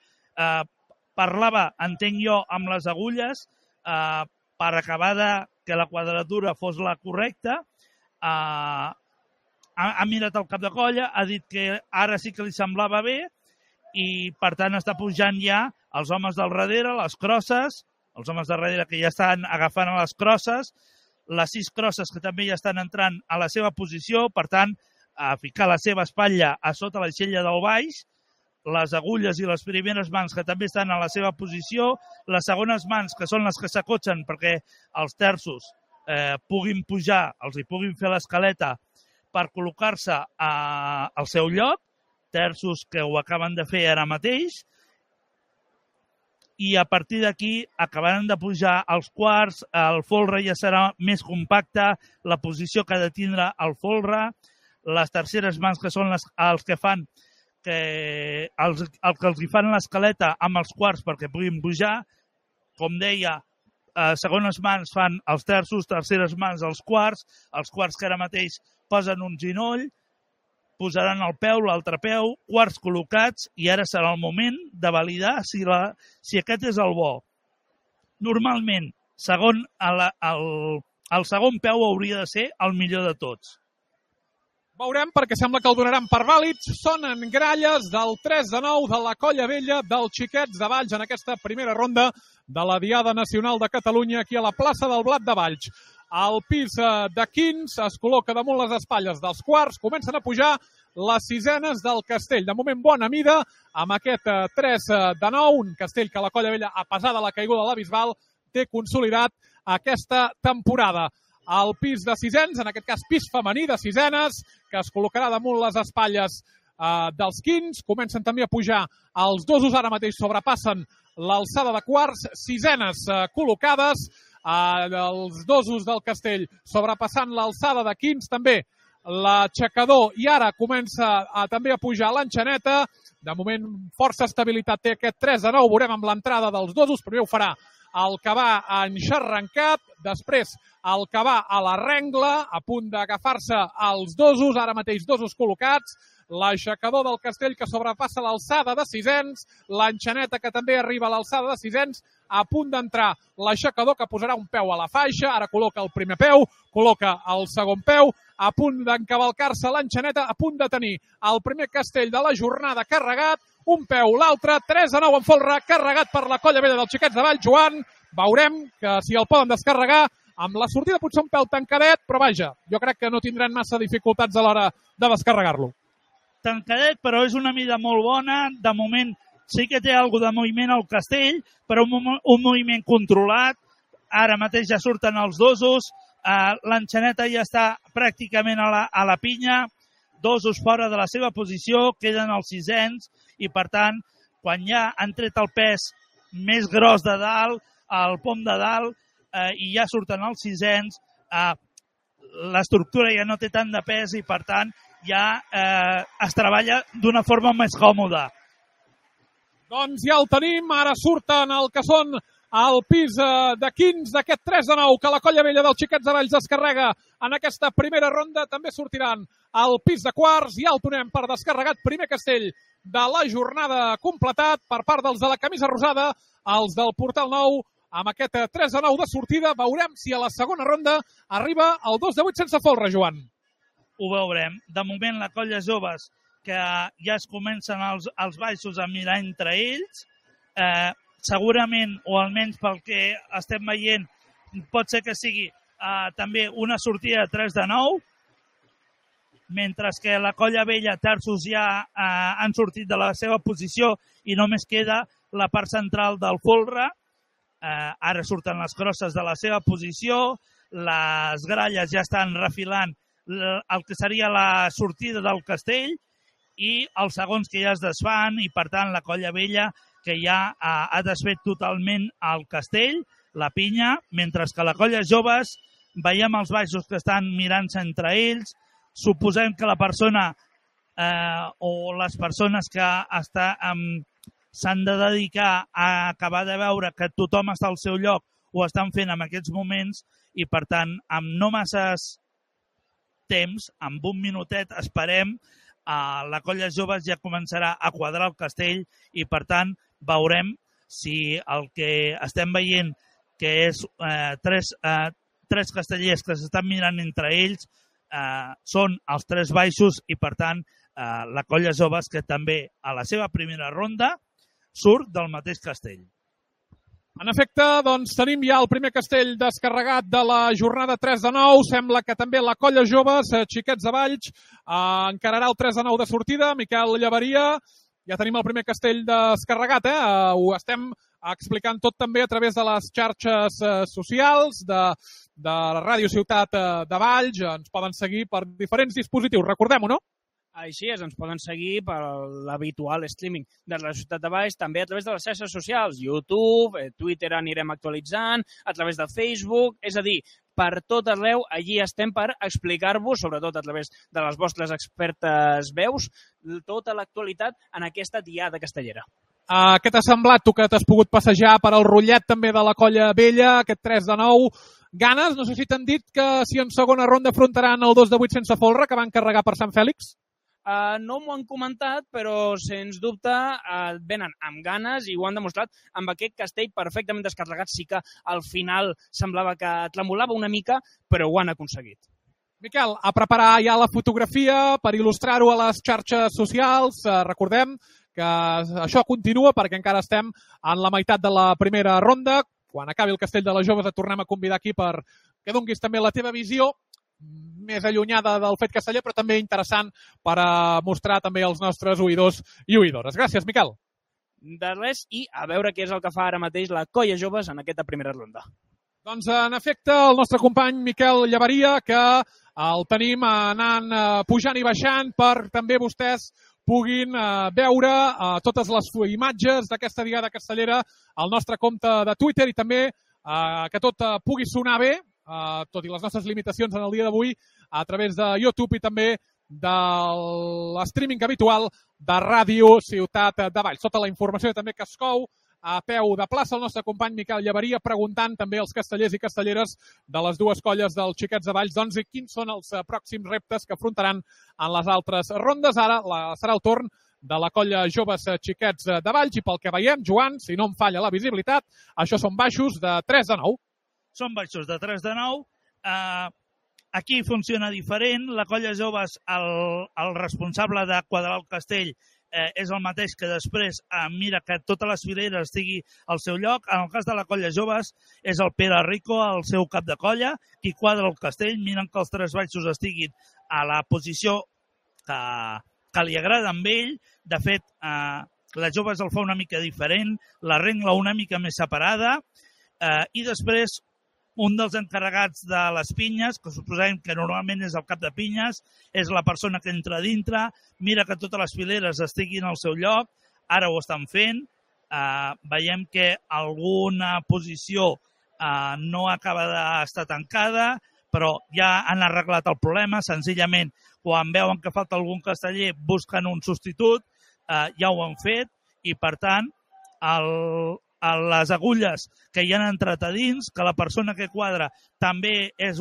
parlava, entenc jo, amb les agulles per acabar que la quadratura fos la correcta. Ha mirat el cap de colla, ha dit que ara sí que li semblava bé i, per tant, està pujant ja els homes del darrere, les crosses, els homes de darrere que ja estan agafant a les crosses, les 6 crosses que també ja estan entrant a la seva posició, per tant, a ficar la seva espatlla a sota l'aixella del baix, les agulles i les primeres mans que també estan a la seva posició, les segones mans que són les que s'acotxen perquè els terços puguin pujar, els hi puguin fer l'escaleta per col·locar-se al seu lloc, terços que ho acaben de fer ara mateix, i a partir d'aquí acabaran de pujar els quarts, el folre ja serà més compacte, la posició que ha de tindre el folre, les terceres mans que són els que fan el que els hi fan l'escaleta amb els quarts perquè puguin pujar. Com deia, segones mans fan els terços, terceres mans els quarts que ara mateix posen un ginoll, posaran el peu, l'altre peu, quarts col·locats i ara serà el moment de validar si aquest és el bo. Normalment, el segon peu hauria de ser el millor de tots. Veurem, perquè sembla que el donaran per vàlids. Sonen gralles del 3 de 9 de la Colla Vella dels Xiquets de Valls en aquesta primera ronda de la Diada Nacional de Catalunya aquí a la plaça del Blat de Valls. El pis de quins es col·loca damunt les espatlles dels quarts. Comencen a pujar les sisenes del castell. De moment, bona mida amb aquest 3 de 9, un castell que la Colla Vella, a pesar de la caiguda de la Bisbal, té consolidat aquesta temporada. El pis de sisens, en aquest cas pis femení de sisenes, que es col·locarà damunt les espatlles dels quins. Comencen també a pujar els dosos, ara mateix sobrepassen l'alçada de quarts, sisenes col·locades, els dosos del castell sobrepassant l'alçada de quins, també l'aixecador, i ara comença també a pujar l'enxaneta, De moment, força estabilitat té aquest 3-9. Veurem amb l'entrada dels dosos. Primer ho farà el que va enxarrancat, després el que va a la rengla, a punt d'agafar-se els dosos, ara mateix dosos col·locats, l'aixecador del Castell que sobrepassa l'alçada de sisens, l'enxaneta que també arriba a l'alçada de sisens, a punt d'entrar l'aixecador que posarà un peu a la faixa, ara col·loca el primer peu, col·loca el segon peu, a punt d'encavalcar-se l'enxaneta, a punt de tenir el primer Castell de la jornada carregat, un peu, l'altre, 3-9 en folre, carregat per la colla vella dels Xiquets de Valls. Joan, veurem que si el poden descarregar, amb la sortida potser un pèl tancadet, però vaja, jo crec que no tindran massa dificultats a l'hora de descarregar-lo. Tancadet, però és una mida molt bona. De moment sí que té alguna de moviment al Castell, però un moviment controlat. Ara mateix ja surten els dosos, l'enxaneta ja està pràcticament a la pinya, dosos fora de la seva posició, queden els sisens, i per tant, quan ja han tret el pes més gros de dalt, el pom de dalt, i ja surten els sisens, l'estructura ja no té tant de pes i per tant ja es treballa d'una forma més còmoda. Doncs ja el tenim, ara surten el que són al pis de 15 d'aquest 3-9 que la colla vella dels Xiquets de Valls descarrega en aquesta primera ronda. També sortiran al pis de quarts, ja el donem per descarregat. Primer Castell de la jornada completat per part dels de la camisa rosada, els del Portal Nou, amb aquest 3-9 de sortida. Veurem si a la segona ronda arriba el 2-8 sense folre, Joan. Ho veurem. De moment la colla joves que ja es comencen els baixos a mirar entre ells, segurament, o almenys pel que estem veient, pot ser que sigui també una sortida de 3-9, mentre que la colla vella, terços, ja han sortit de la seva posició i només queda la part central del folre. Ara surten les crosses de la seva posició, les gralles ja estan refilant el que seria la sortida del Castell i els segons que ja es desfan, i per tant la colla vella que ja ha desfet totalment el Castell, la pinya, mentre que la colla joves veiem els baixos que estan mirant-se entre ells. Suposem que la persona o les persones que s'han de dedicar a acabar de veure que tothom està al seu lloc ho estan fent en aquests moments i, per tant, amb no masses temps, amb un minutet, esperem, la colla joves ja començarà a quadrar el Castell i, per tant, veurem si el que estem veient, que és tres castellers que s'estan mirant entre ells, són els tres baixos i, per tant, la colla joves que també a la seva primera ronda surt del mateix castell. En efecte, doncs tenim ja el primer castell descarregat de la jornada 3-9. Sembla que també la colla joves, Xiquets de Valls, encararà el 3-9 de sortida. Miquel Llaveria, ja tenim el primer castell descarregat, ho estem explicant tot també a través de les xarxes socials de Ràdio Ciutat de Valls. Ens poden seguir per diferents dispositius, recordem-ho, no? Així és, ens poden seguir per l'habitual streaming de la Ciutat de Valls, també a través de les xarxes socials, YouTube, Twitter anirem actualitzant, a través de Facebook, és a dir, per tot arreu, allí estem per explicar-vos, sobretot a través de les vostres expertes veus, tota l'actualitat en aquesta diada castellera. Què t'ha semblat, tu que t'has pogut passejar per el rotllet també de la colla vella, aquest 3-9? Ganes? No sé si t'han dit que si en segona ronda afrontaran el 2-8 sense folre, que van carregar per Sant Fèlix? No m'ho han comentat, però sens dubte venen amb ganes i ho han demostrat amb aquest castell perfectament descarregat. Sí que al final semblava que tremolava una mica, però ho han aconseguit. Miquel, a preparar ja la fotografia per il·lustrar-ho a les xarxes socials. Recordem que això continua perquè encara estem en la meitat de la primera ronda. Quan acabi el castell de les joves et tornem a convidar aquí per que donguis també la teva visió més allunyada del fet casteller, però també interessant per mostrar també als nostres oïdors i oïdores. Gràcies, Miquel. De res, i a veure què és el que fa ara mateix la colla joves en aquesta primera ronda. Doncs, en efecte, el nostre company Miquel Llaveria, que el tenim anant pujant i baixant per també vostès puguin veure totes les imatges d'aquesta diada castellera al nostre compte de Twitter i també que tot pugui sonar bé, tot i les nostres limitacions en el dia d'avui, a través de YouTube i també de l'streaming habitual de Ràdio Ciutat de Valls. Tota la informació també que es cou a peu de plaça el nostre company Miquel Llaveria, preguntant també als castellers i castelleres de les dues colles dels Xiquets de Valls doncs, quins són els pròxims reptes que afrontaran en les altres rondes. Ara serà el torn de la colla Joves Xiquets de Valls i pel que veiem, Joan, si no em falla la visibilitat, això són baixos de 3 de 9. Són baixos de 3 de 9. Aquí funciona diferent. La colla Joves, el responsable de quadrar el castell és el mateix que després mira que totes les fileres estigui al seu lloc. En el cas de la colla Joves és el Pere Rico, el seu cap de colla, qui quadra el castell, miren que els 3 baixos estiguin a la posició que li agrada amb ell. De fet, la Joves el fa una mica diferent, la rengla una mica més separada i després un dels encarregats de les pinyes, que suposem que normalment és el cap de pinyes, és la persona que entra dintre, mira que totes les fileres estiguin al seu lloc, ara ho estan fent, veiem que alguna posició no acaba d'estar tancada, però ja han arreglat el problema, senzillament quan veuen que falta algun casteller busquen un substitut, ja ho han fet i per tant les agulles que hi han entrat a dins, que la persona que quadra també és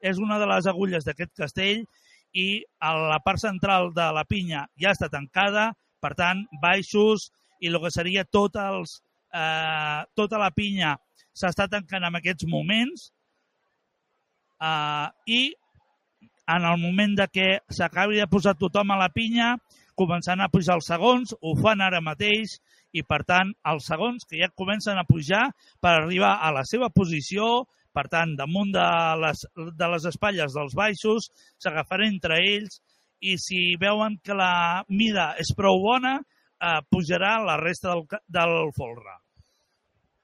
és una de les agulles d'aquest castell i la part central de la pinya ja està tancada, per tant, baixos i el que seria tota la pinya s'està tancant en aquests moments i en el moment de que s'acabi de posar tothom a la pinya, començant a pujar els segons, ho fan ara mateix i, per tant, els segons que ja comencen a pujar per arribar a la seva posició, per tant, damunt de les espatlles dels baixos, s'agafaran entre ells i si veuen que la mida és prou bona, pujarà la resta del folre.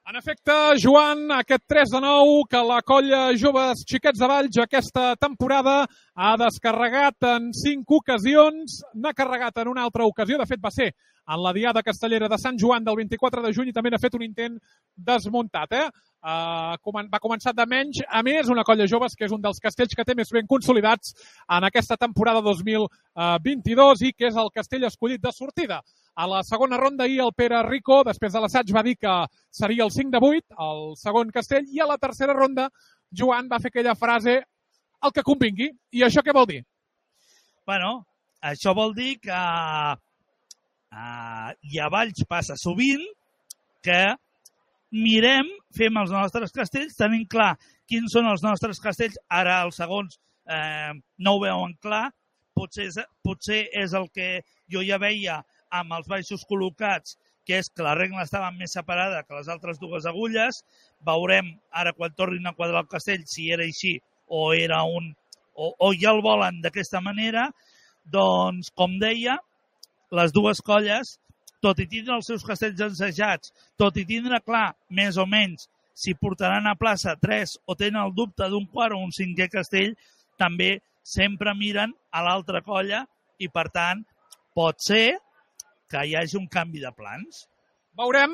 En efecte, Joan, aquest 3 de 9 que la colla Joves Xiquets de Valls aquesta temporada ha descarregat en 5 ocasions, n'ha carregat en una altra ocasió, de fet va ser en la Diada Castellera de Sant Joan del 24 de juny i també n'ha fet un intent desmuntat. Va començar de menys a més, una colla Joves que és un dels castells que té més ben consolidats en aquesta temporada 2022 i que és el castell escollit de sortida. A la segona ronda ahir el Pere Rico, després de l'assaig, va dir que seria el 5 de 8, el segon castell, i a la tercera ronda Joan va fer aquella frase el que convingui. I això què vol dir? Bueno, això vol dir que i a Valls passa sovint que mirem, fem els nostres castells, tenim clar quins són els nostres castells, ara els segons no ho veuen clar, potser és el que jo ja veia amb els baixos col·locats, que és que la regla estava més separada que les altres dues agulles. Veurem ara quan tornin a quadrar el castell si era així o ja el volen d'aquesta manera. Doncs, com deia, les dues colles, tot i tindre els seus castells ensajats, tot i tindre clar, més o menys, si portaran a plaça 3 o tenen el dubte d'un quart o un cinquè castell, també sempre miren a l'altra colla i, per tant, pot ser que hi hagi un canvi de plans. Veurem,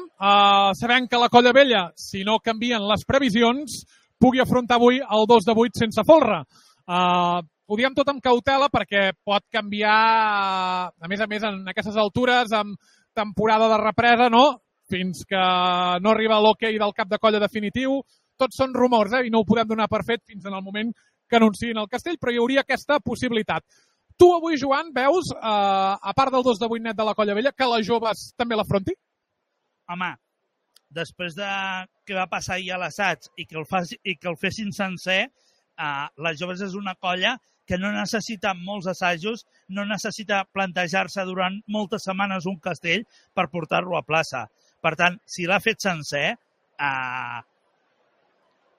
sabem que la colla vella, si no canvien les previsions, pugui afrontar avui el 2 de 8 sense folre. Ho diem tot amb cautela perquè pot canviar, a més, en aquestes altures, amb temporada de represa, no? Fins que no arriba l'hoquei del cap de colla definitiu. Tots són rumors, i no ho podem donar per fet fins en el moment que anunciïn el castell, però hi hauria aquesta possibilitat. Tu avui, Joan, veus, a part del 2 de 8 net de la colla vella, que les Joves també l'afronti? Home, després de que va passar ahir a l'assaig i que el fessin sencer, les Joves és una colla que no necessita molts assajos, no necessita plantejar-se durant moltes setmanes un castell per portar-lo a plaça. Per tant, si l'ha fet sencer,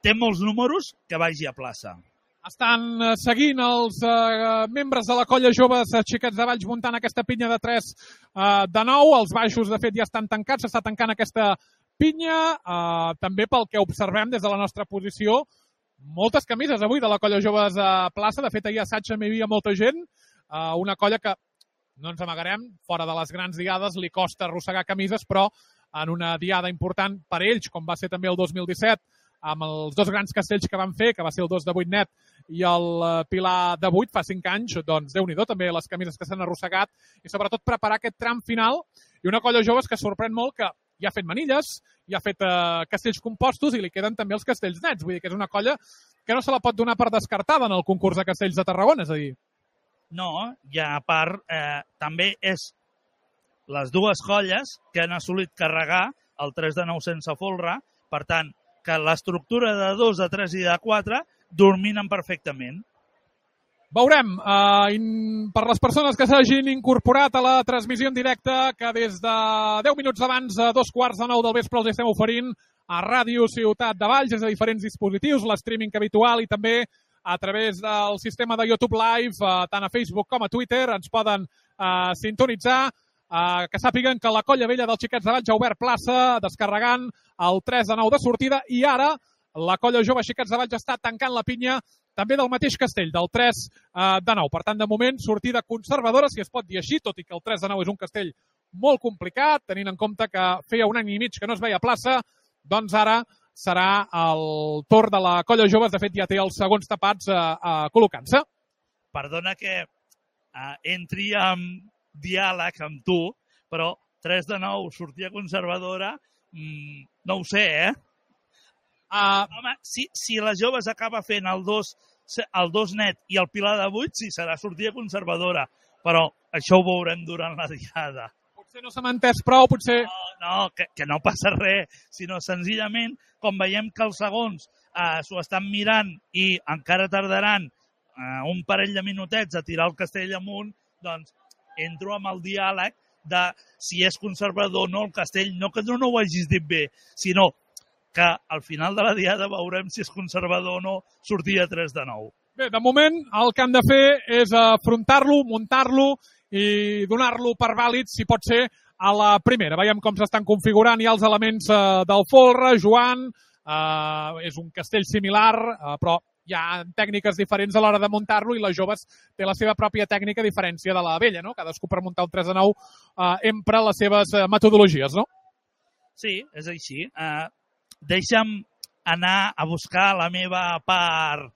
té molts números que vagi a plaça. Estan seguint els membres de la colla Joves Xiquets de Valls muntant aquesta pinya de 3 de 9. Els baixos, de fet, ja estan tancats. S'està tancant aquesta pinya. També pel que observem des de la nostra posició, moltes camises avui de la colla Joves a plaça. De fet, ahir a assaig també hi havia molta gent. Una colla que, no ens amagarem, fora de les grans diades li costa arrossegar camises, però en una diada important per ells, com va ser també el 2017, amb els dos grans castells que van fer, que va ser el 2 de 8 net i el Pilar de 8 fa 5 anys, doncs Déu-n'hi-do també les camises que s'han arrossegat i sobretot preparar aquest tram final i una colla joves que sorprèn molt que ja ha fet manilles, ja ha fet castells compostos i li queden també els castells nets. Vull dir que és una colla que no se la pot donar per descartada en el concurs de castells de Tarragona, és a dir. No, i a part també és les dues colles que han assolit carregar el 3 de 9 sense folre, per tant, que l'estructura de 2, de 3 i de 4 dominen perfectament. Veurem, per les persones que s'hagin incorporat a la transmissió en directe, que des de 10 minuts abans, a 2:45 del vespre, els estem oferint a Ràdio Ciutat de Valls, des de diferents dispositius, l'streaming habitual i també a través del sistema de YouTube Live, tant a Facebook com a Twitter, ens poden sintonitzar. Que sàpiguen que la colla vella dels Xiquets de Valls ha obert plaça descarregant el 3 de 9 de sortida i ara la colla jove Xiquets de Valls està tancant la pinya també del mateix castell, del 3 de 9. Per tant, de moment, sortida conservadora, si es pot dir així, tot i que el 3 de 9 és un castell molt complicat, tenint en compte que feia un any i mig que no es veia plaça, doncs ara serà el torn de la colla joves. De fet, ja té els segons tapats col·locant-se. Perdona que entri en diàleg amb tu, però 3 de 9, sortida conservadora, no ho sé, Home, si les joves acaba fent el 2 net i el Pilar de 8, sí, serà sortida conservadora, però això ho veurem durant la diada. Potser no s'ha entès prou, potser... No, que no passa res, sinó senzillament, com veiem que els segons s'ho estan mirant i encara tardaran un parell de minutets a tirar el castell amunt, doncs entro amb el diàleg de si és conservador o no el castell, no que no ho hagis dit bé, sinó que al final de la diada veurem si és conservador o no sortir a 3 de 9. Bé, de moment el que han de fer és afrontar-lo, muntar-lo i donar-lo per vàlid, si pot ser, a la primera. Veiem com s'estan configurant ja els elements del folre, Joan, és un castell similar, però hi ha tècniques diferents a l'hora de muntar-lo i les joves té la seva pròpia tècnica a diferència de la vella, no? Cadascú per muntar un 3 de 9 empra les seves metodologies, no? Sí, és així. Deixa'm anar a buscar la meva part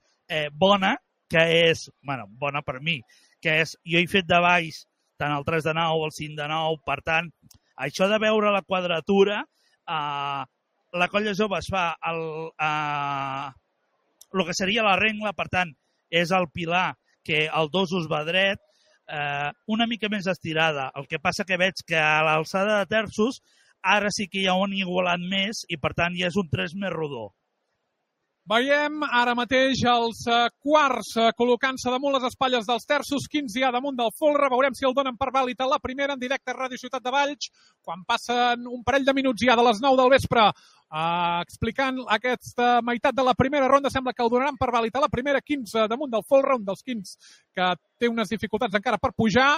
bona, que és, bona per mi, que és, jo he fet de baix tant el 3 de 9, el 5 de 9, per tant, això de veure la quadratura, la colla jove es fa el que seria la rengla, per tant, és el pilar que el 2 us va dret, una mica més estirada. El que passa que veig que a l'alçada de terços ara sí que ja ho han igualat més i, per tant, ja és un 3 més rodó. Veiem ara mateix els quarts col·locant-se damunt les espatlles dels terços, 15 ja damunt del folre. Veurem si el donen per vàlid a la primera en directe a Ràdio Ciutat de Valls, quan passen un parell de minuts ja de les 9 del vespre explicant aquesta meitat de la primera ronda. Sembla que el donaran per vàlid a la primera, 15 damunt del folre, un dels 15 que té unes dificultats encara per pujar.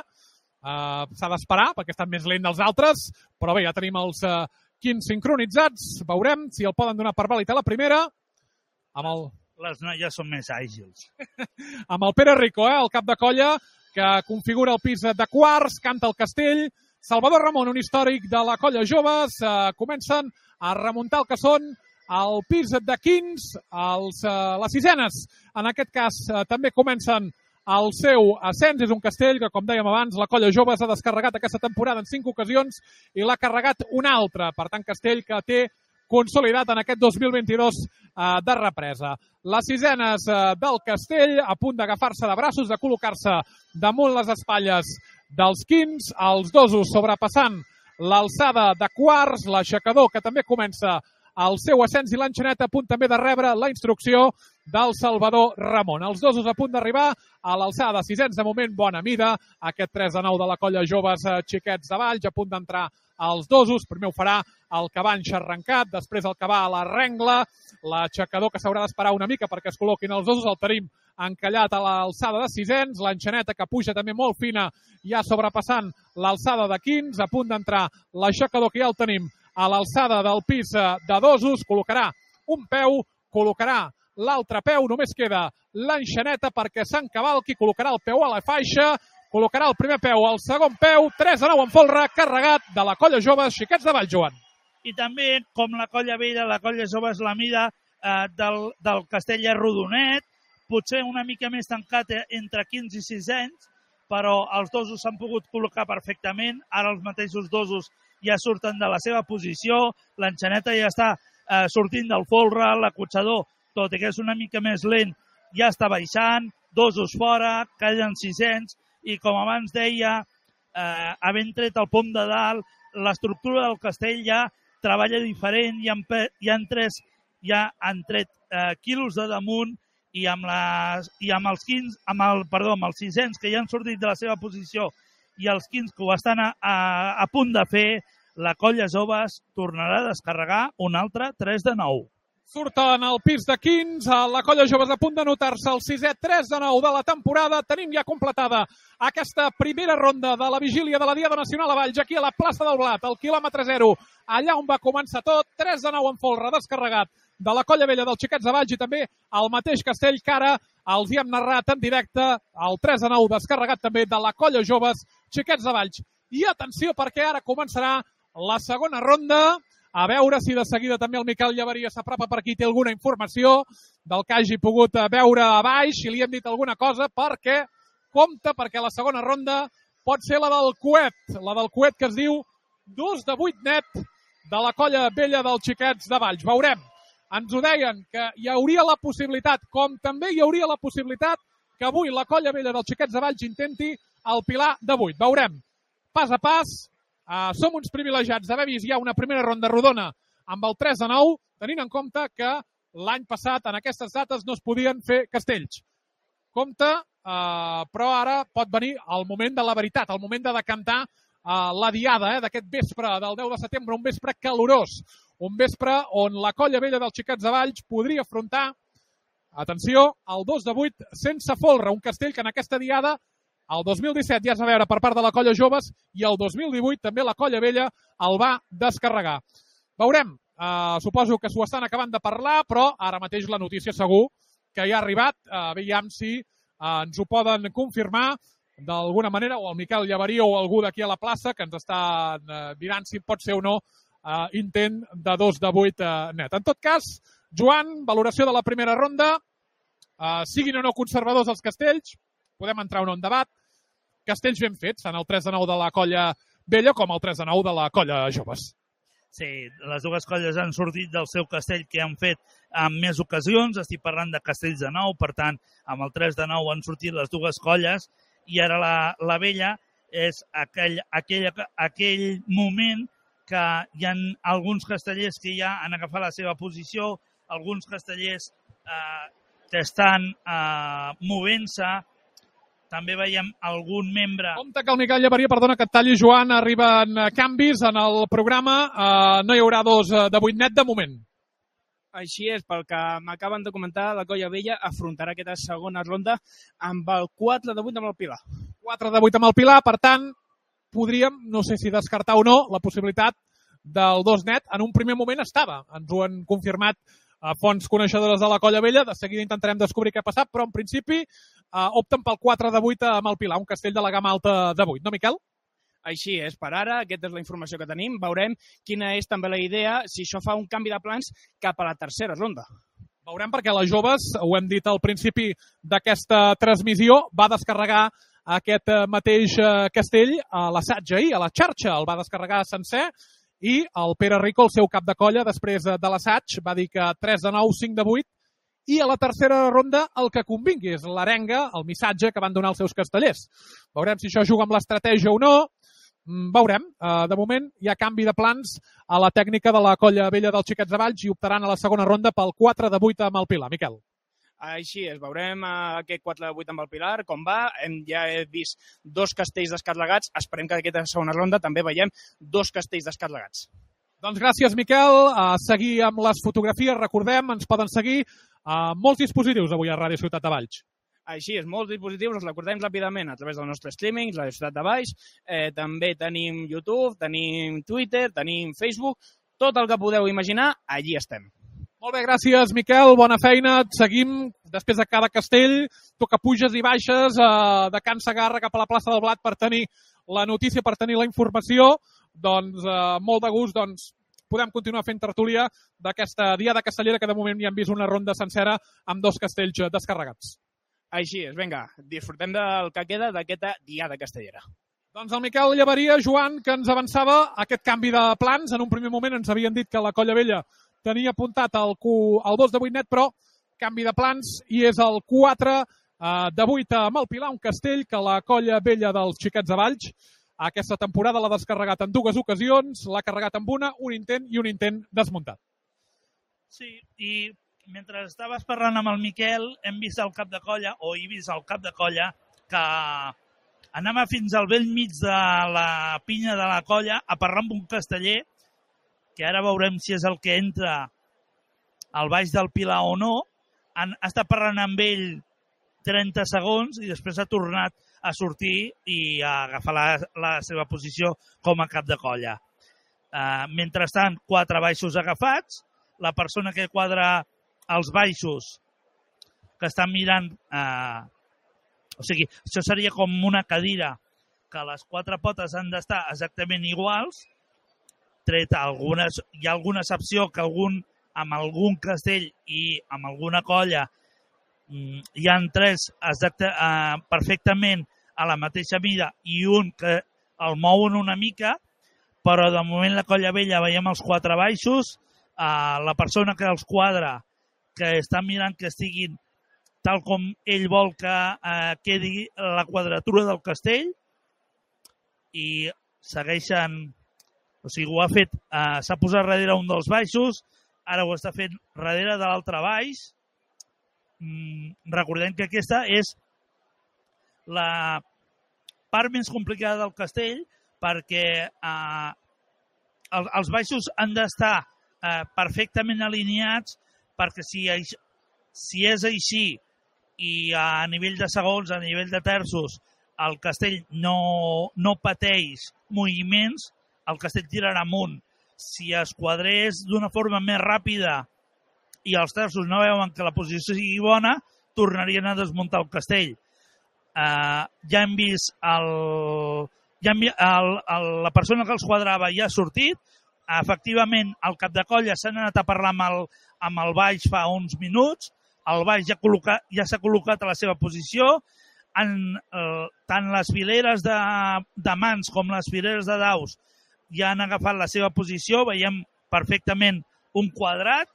S'ha d'esperar perquè estan més lent dels altres, però bé, ja tenim els 15 sincronitzats. Veurem si el poden donar per vàlid a la primera. Les noies són més àgils. Amb el Pere Rico, el cap de colla, que configura el pis de quarts, canta el castell. Salvador Ramon, un històric de la colla joves, comencen a remuntar el que són el pis de quins, les sisenes. En aquest cas també comencen el seu ascens. És un castell que, com dèiem abans, la colla joves ha descarregat aquesta temporada en 5 ocasions i l'ha carregat una altra. Per tant, castell que té consolidat en aquest 2022 de represa. Les sisenes del castell a punt d'agafar-se de braços, de col·locar-se damunt les espatlles dels quins, els dosos sobrepassant l'alçada de quarts, l'aixecador que també comença el seu ascens i l'enxaneta a punt també de rebre la instrucció del Salvador Ramon. Els dosos a punt d'arribar a l'alçada de sisens, de moment bona mida, aquest 3 de 9 de la colla joves Xiquets de Valls, a punt d'entrar als dosos. Primer ho farà el cabanx arrencat, després el que va a la rengla, l'aixecador que s'haurà d'esperar una mica perquè es col·loquin els dosos, el tenim encallat a l'alçada de sisens, l'enxaneta que puja també molt fina, ja sobrepassant l'alçada de quins, a punt d'entrar l'aixecador que ja el tenim a l'alçada del pis de dosos, col·locarà un peu, col·locarà l'altre peu, només queda l'enxaneta perquè s'encavalqui, col·locarà el peu a la faixa, col·locarà el primer peu, el segon peu, 3 de 9 en folre, carregat de la colla jove Xiquets de Valls, Joan. I també, com la colla vella, la colla jove és la mida del castell és rodonet, potser una mica més tancat entre 15 i 6 anys, però els dosos s'han pogut col·locar perfectament. Ara els mateixos dosos ja surten de la seva posició, l'enxaneta ja està sortint del folre, l'acotxador, tot i que és una mica més lent, ja està baixant, dosos fora, callen 600, i com abans deia, havent tret el pom de dalt, l'estructura del castell ja treballa diferent, ja han tret quilos de damunt, i amb els 600 que ja han sortit de la seva posició i els 15 que ho estan a punt de fer, la Colla Joves tornarà a descarregar un altre 3 de 9. Surten al pis de 15, la Colla Joves a punt de notar-se el 6è 3 de 9 de la temporada. Tenim ja completada aquesta primera ronda de la vigília de la Diada Nacional a Valls, aquí a la plaça del Blat, al quilòmetre 0, allà on va començar tot, 3 de 9 en folre descarregat de la Colla Vella dels Xiquets de Valls i també el mateix castell que ara els hi hem narrat en directe, el 3 de 9 descarregat també de la Colla Joves Xiquets de Valls. I atenció perquè ara començarà la segona ronda. A veure si de seguida també el Miquel Llaveria s'apropa per aquí, té alguna informació del que hagi pogut veure a baix, si li hem dit alguna cosa, perquè compte, perquè la segona ronda pot ser la del coet que es diu 2 de 8 net de la Colla Vella dels Xiquets de Valls. Veurem. Ens ho deien que hi hauria la possibilitat, com també hi hauria la possibilitat que avui la Colla Vella dels Xiquets de Valls intenti el pilar de 8. Veurem. Pas a pas. Som uns privilegiats d'haver vist ja una primera ronda rodona amb el 3 de 9, tenint en compte que l'any passat en aquestes dates no es podien fer castells. Compte, però ara pot venir el moment de la veritat, el moment de decantar la diada d'aquest vespre del 10 de setembre, un vespre calorós, un vespre on la Colla Vella dels Xiquets de Valls podria afrontar, atenció, el 2 de 8 sense folre, un castell que en aquesta diada el 2017 ja es va veure per part de la Colla Joves i el 2018 també la Colla Vella el va descarregar. Veurem, suposo que s'ho estan acabant de parlar, però ara mateix la notícia segur que ja ha arribat. Veiem si ens ho poden confirmar d'alguna manera, o el Miquel Llaveria o algú d'aquí a la plaça que ens està mirant si pot ser o no intent de 2 de 8 net. En tot cas, Joan, valoració de la primera ronda, siguin o no conservadors els castells, podem entrar o no en debat. Castells ben fets, tant el 3 de 9 de la Colla Vella com el 3 de 9 de la Colla Joves. Sí, les dues colles han sortit del seu castell que han fet en més ocasions. Estic parlant de castells de 9, per tant, amb el 3 de 9 han sortit les dues colles i ara la Vella és aquell moment que hi ha alguns castellers que ja han agafat la seva posició, alguns castellers que estan movent-se. També veiem algun membre... Compte que el Miquel Llaveria, perdona que et talli, Joan, arriben canvis en el programa. No hi haurà 2 de 8 net de moment. Així és, pel que m'acaben de comentar, la Colla Vella afrontarà aquesta segona ronda amb el 4 de 8 amb el Pilar. 4 de 8 amb el Pilar, per tant, podríem, no sé si descartar o no, la possibilitat del 2 net. En un primer moment estava, ens ho han confirmat fonts coneixedores de la Colla Vella, de seguida intentarem descobrir què ha passat, però en principi opten pel 4 de 8 amb el Pilar, un castell de la gamma alta de 8, no, Miquel? Així és, per ara, aquesta és la informació que tenim. Veurem quina és també la idea, si això fa un canvi de plans cap a la tercera ronda. Veurem perquè les joves, ho hem dit al principi d'aquesta transmissió, va descarregar aquest mateix castell a l'assaig ahir, a la xarxa, el va descarregar sencer, i el Pere Rico, el seu cap de colla, després de l'assaig, va dir que 3 de 9, 5 de 8, i a la tercera ronda el que convingui és l'arenga, el missatge que van donar els seus castellers. Veurem si això juga amb l'estratègia o no, veurem. De moment hi ha canvi de plans a la tècnica de la Colla Vella dels Xiquets de Valls i optaran a la segona ronda pel 4 de 8 amb el Pilar. Miquel. Així és, veurem aquest 4 de 8 amb el Pilar, com va. Ja he vist 2 castells descarregats. Esperem que aquesta segona ronda també veiem 2 castells descarregats. Doncs gràcies, Miquel. A seguir amb les fotografies, recordem, ens poden seguir molts dispositius avui a Ràdio Ciutat de Valls. Així és, molts dispositius, els recordem ràpidament a través del nostre streaming, Ràdio Ciutat de Valls. També tenim YouTube, tenim Twitter, tenim Facebook. Tot el que podeu imaginar, allí estem. Molt bé, gràcies, Miquel. Bona feina. Et seguim després de cada castell. Tu que puges i baixes de Can Segarra cap a la plaça del Blat per tenir la notícia, per tenir la informació. Doncs molt de gust podem continuar fent tertúlia d'aquesta Diada Castellera, que de moment ja hem vist una ronda sencera amb 2 castells descarregats. Així és, vinga, disfrutem del que queda d'aquesta Diada Castellera. Doncs el Miquel Llaveria, Joan, que ens avançava aquest canvi de plans. En un primer moment ens havien dit que la Colla Vella tenia apuntat el 2 de 8 net, però canvi de plans i és el 4 de 8 amb el Pilar, un castell que la Colla Vella dels Xiquets de Valls aquesta temporada l'ha descarregat en 2 ocasions, l'ha carregat amb un intent i un intent desmuntat. Sí, i mentre estaves parlant amb el Miquel, hem vist el cap de colla, o he vist el cap de colla, que anava fins al vell mig de la pinya de la colla a parlar amb un casteller, que ara veurem si és el que entra al baix del Pilar o no. Ha estat parlant amb ell 30 segons i després ha tornat a sortir i a agafar la seva posició com a cap de colla. Mentrestant, 4 baixos agafats, la persona que quadra els baixos que estan mirant, o sigui, això seria com una cadira que les 4 potes han d'estar exactament iguals, tret hi ha alguna excepció que amb algun castell i amb alguna colla hi ha 3 perfectament a la mateixa mida i un que el mouen una mica, però de moment la Colla Vella veiem els 4 baixos, la persona que els quadra, que està mirant que estiguin tal com ell vol que quedi la quadratura del castell, i segueixen, o sigui, ho ha fet, s'ha posat darrere un dels baixos, ara ho està fent darrere de l'altre baix. Recordem que aquesta és la part més complicada del castell, perquè els baixos han d'estar perfectament alineats, perquè si és així i a nivell de segons, a nivell de terços, el castell no pateix moviments, el castell tirarà amunt. Si es quadrés d'una forma més ràpida i els terços no veuen que la posició sigui bona, tornarien a desmuntar el castell. Ja hem vist la persona que els quadrava ja ha sortit. Efectivament, el cap de colla s'han anat a parlar amb el baix fa uns minuts. El baix ja s'ha col·locat a la seva posició. Tant les fileres de mans com les fileres de daus ja han agafat la seva posició. Veiem perfectament un quadrat.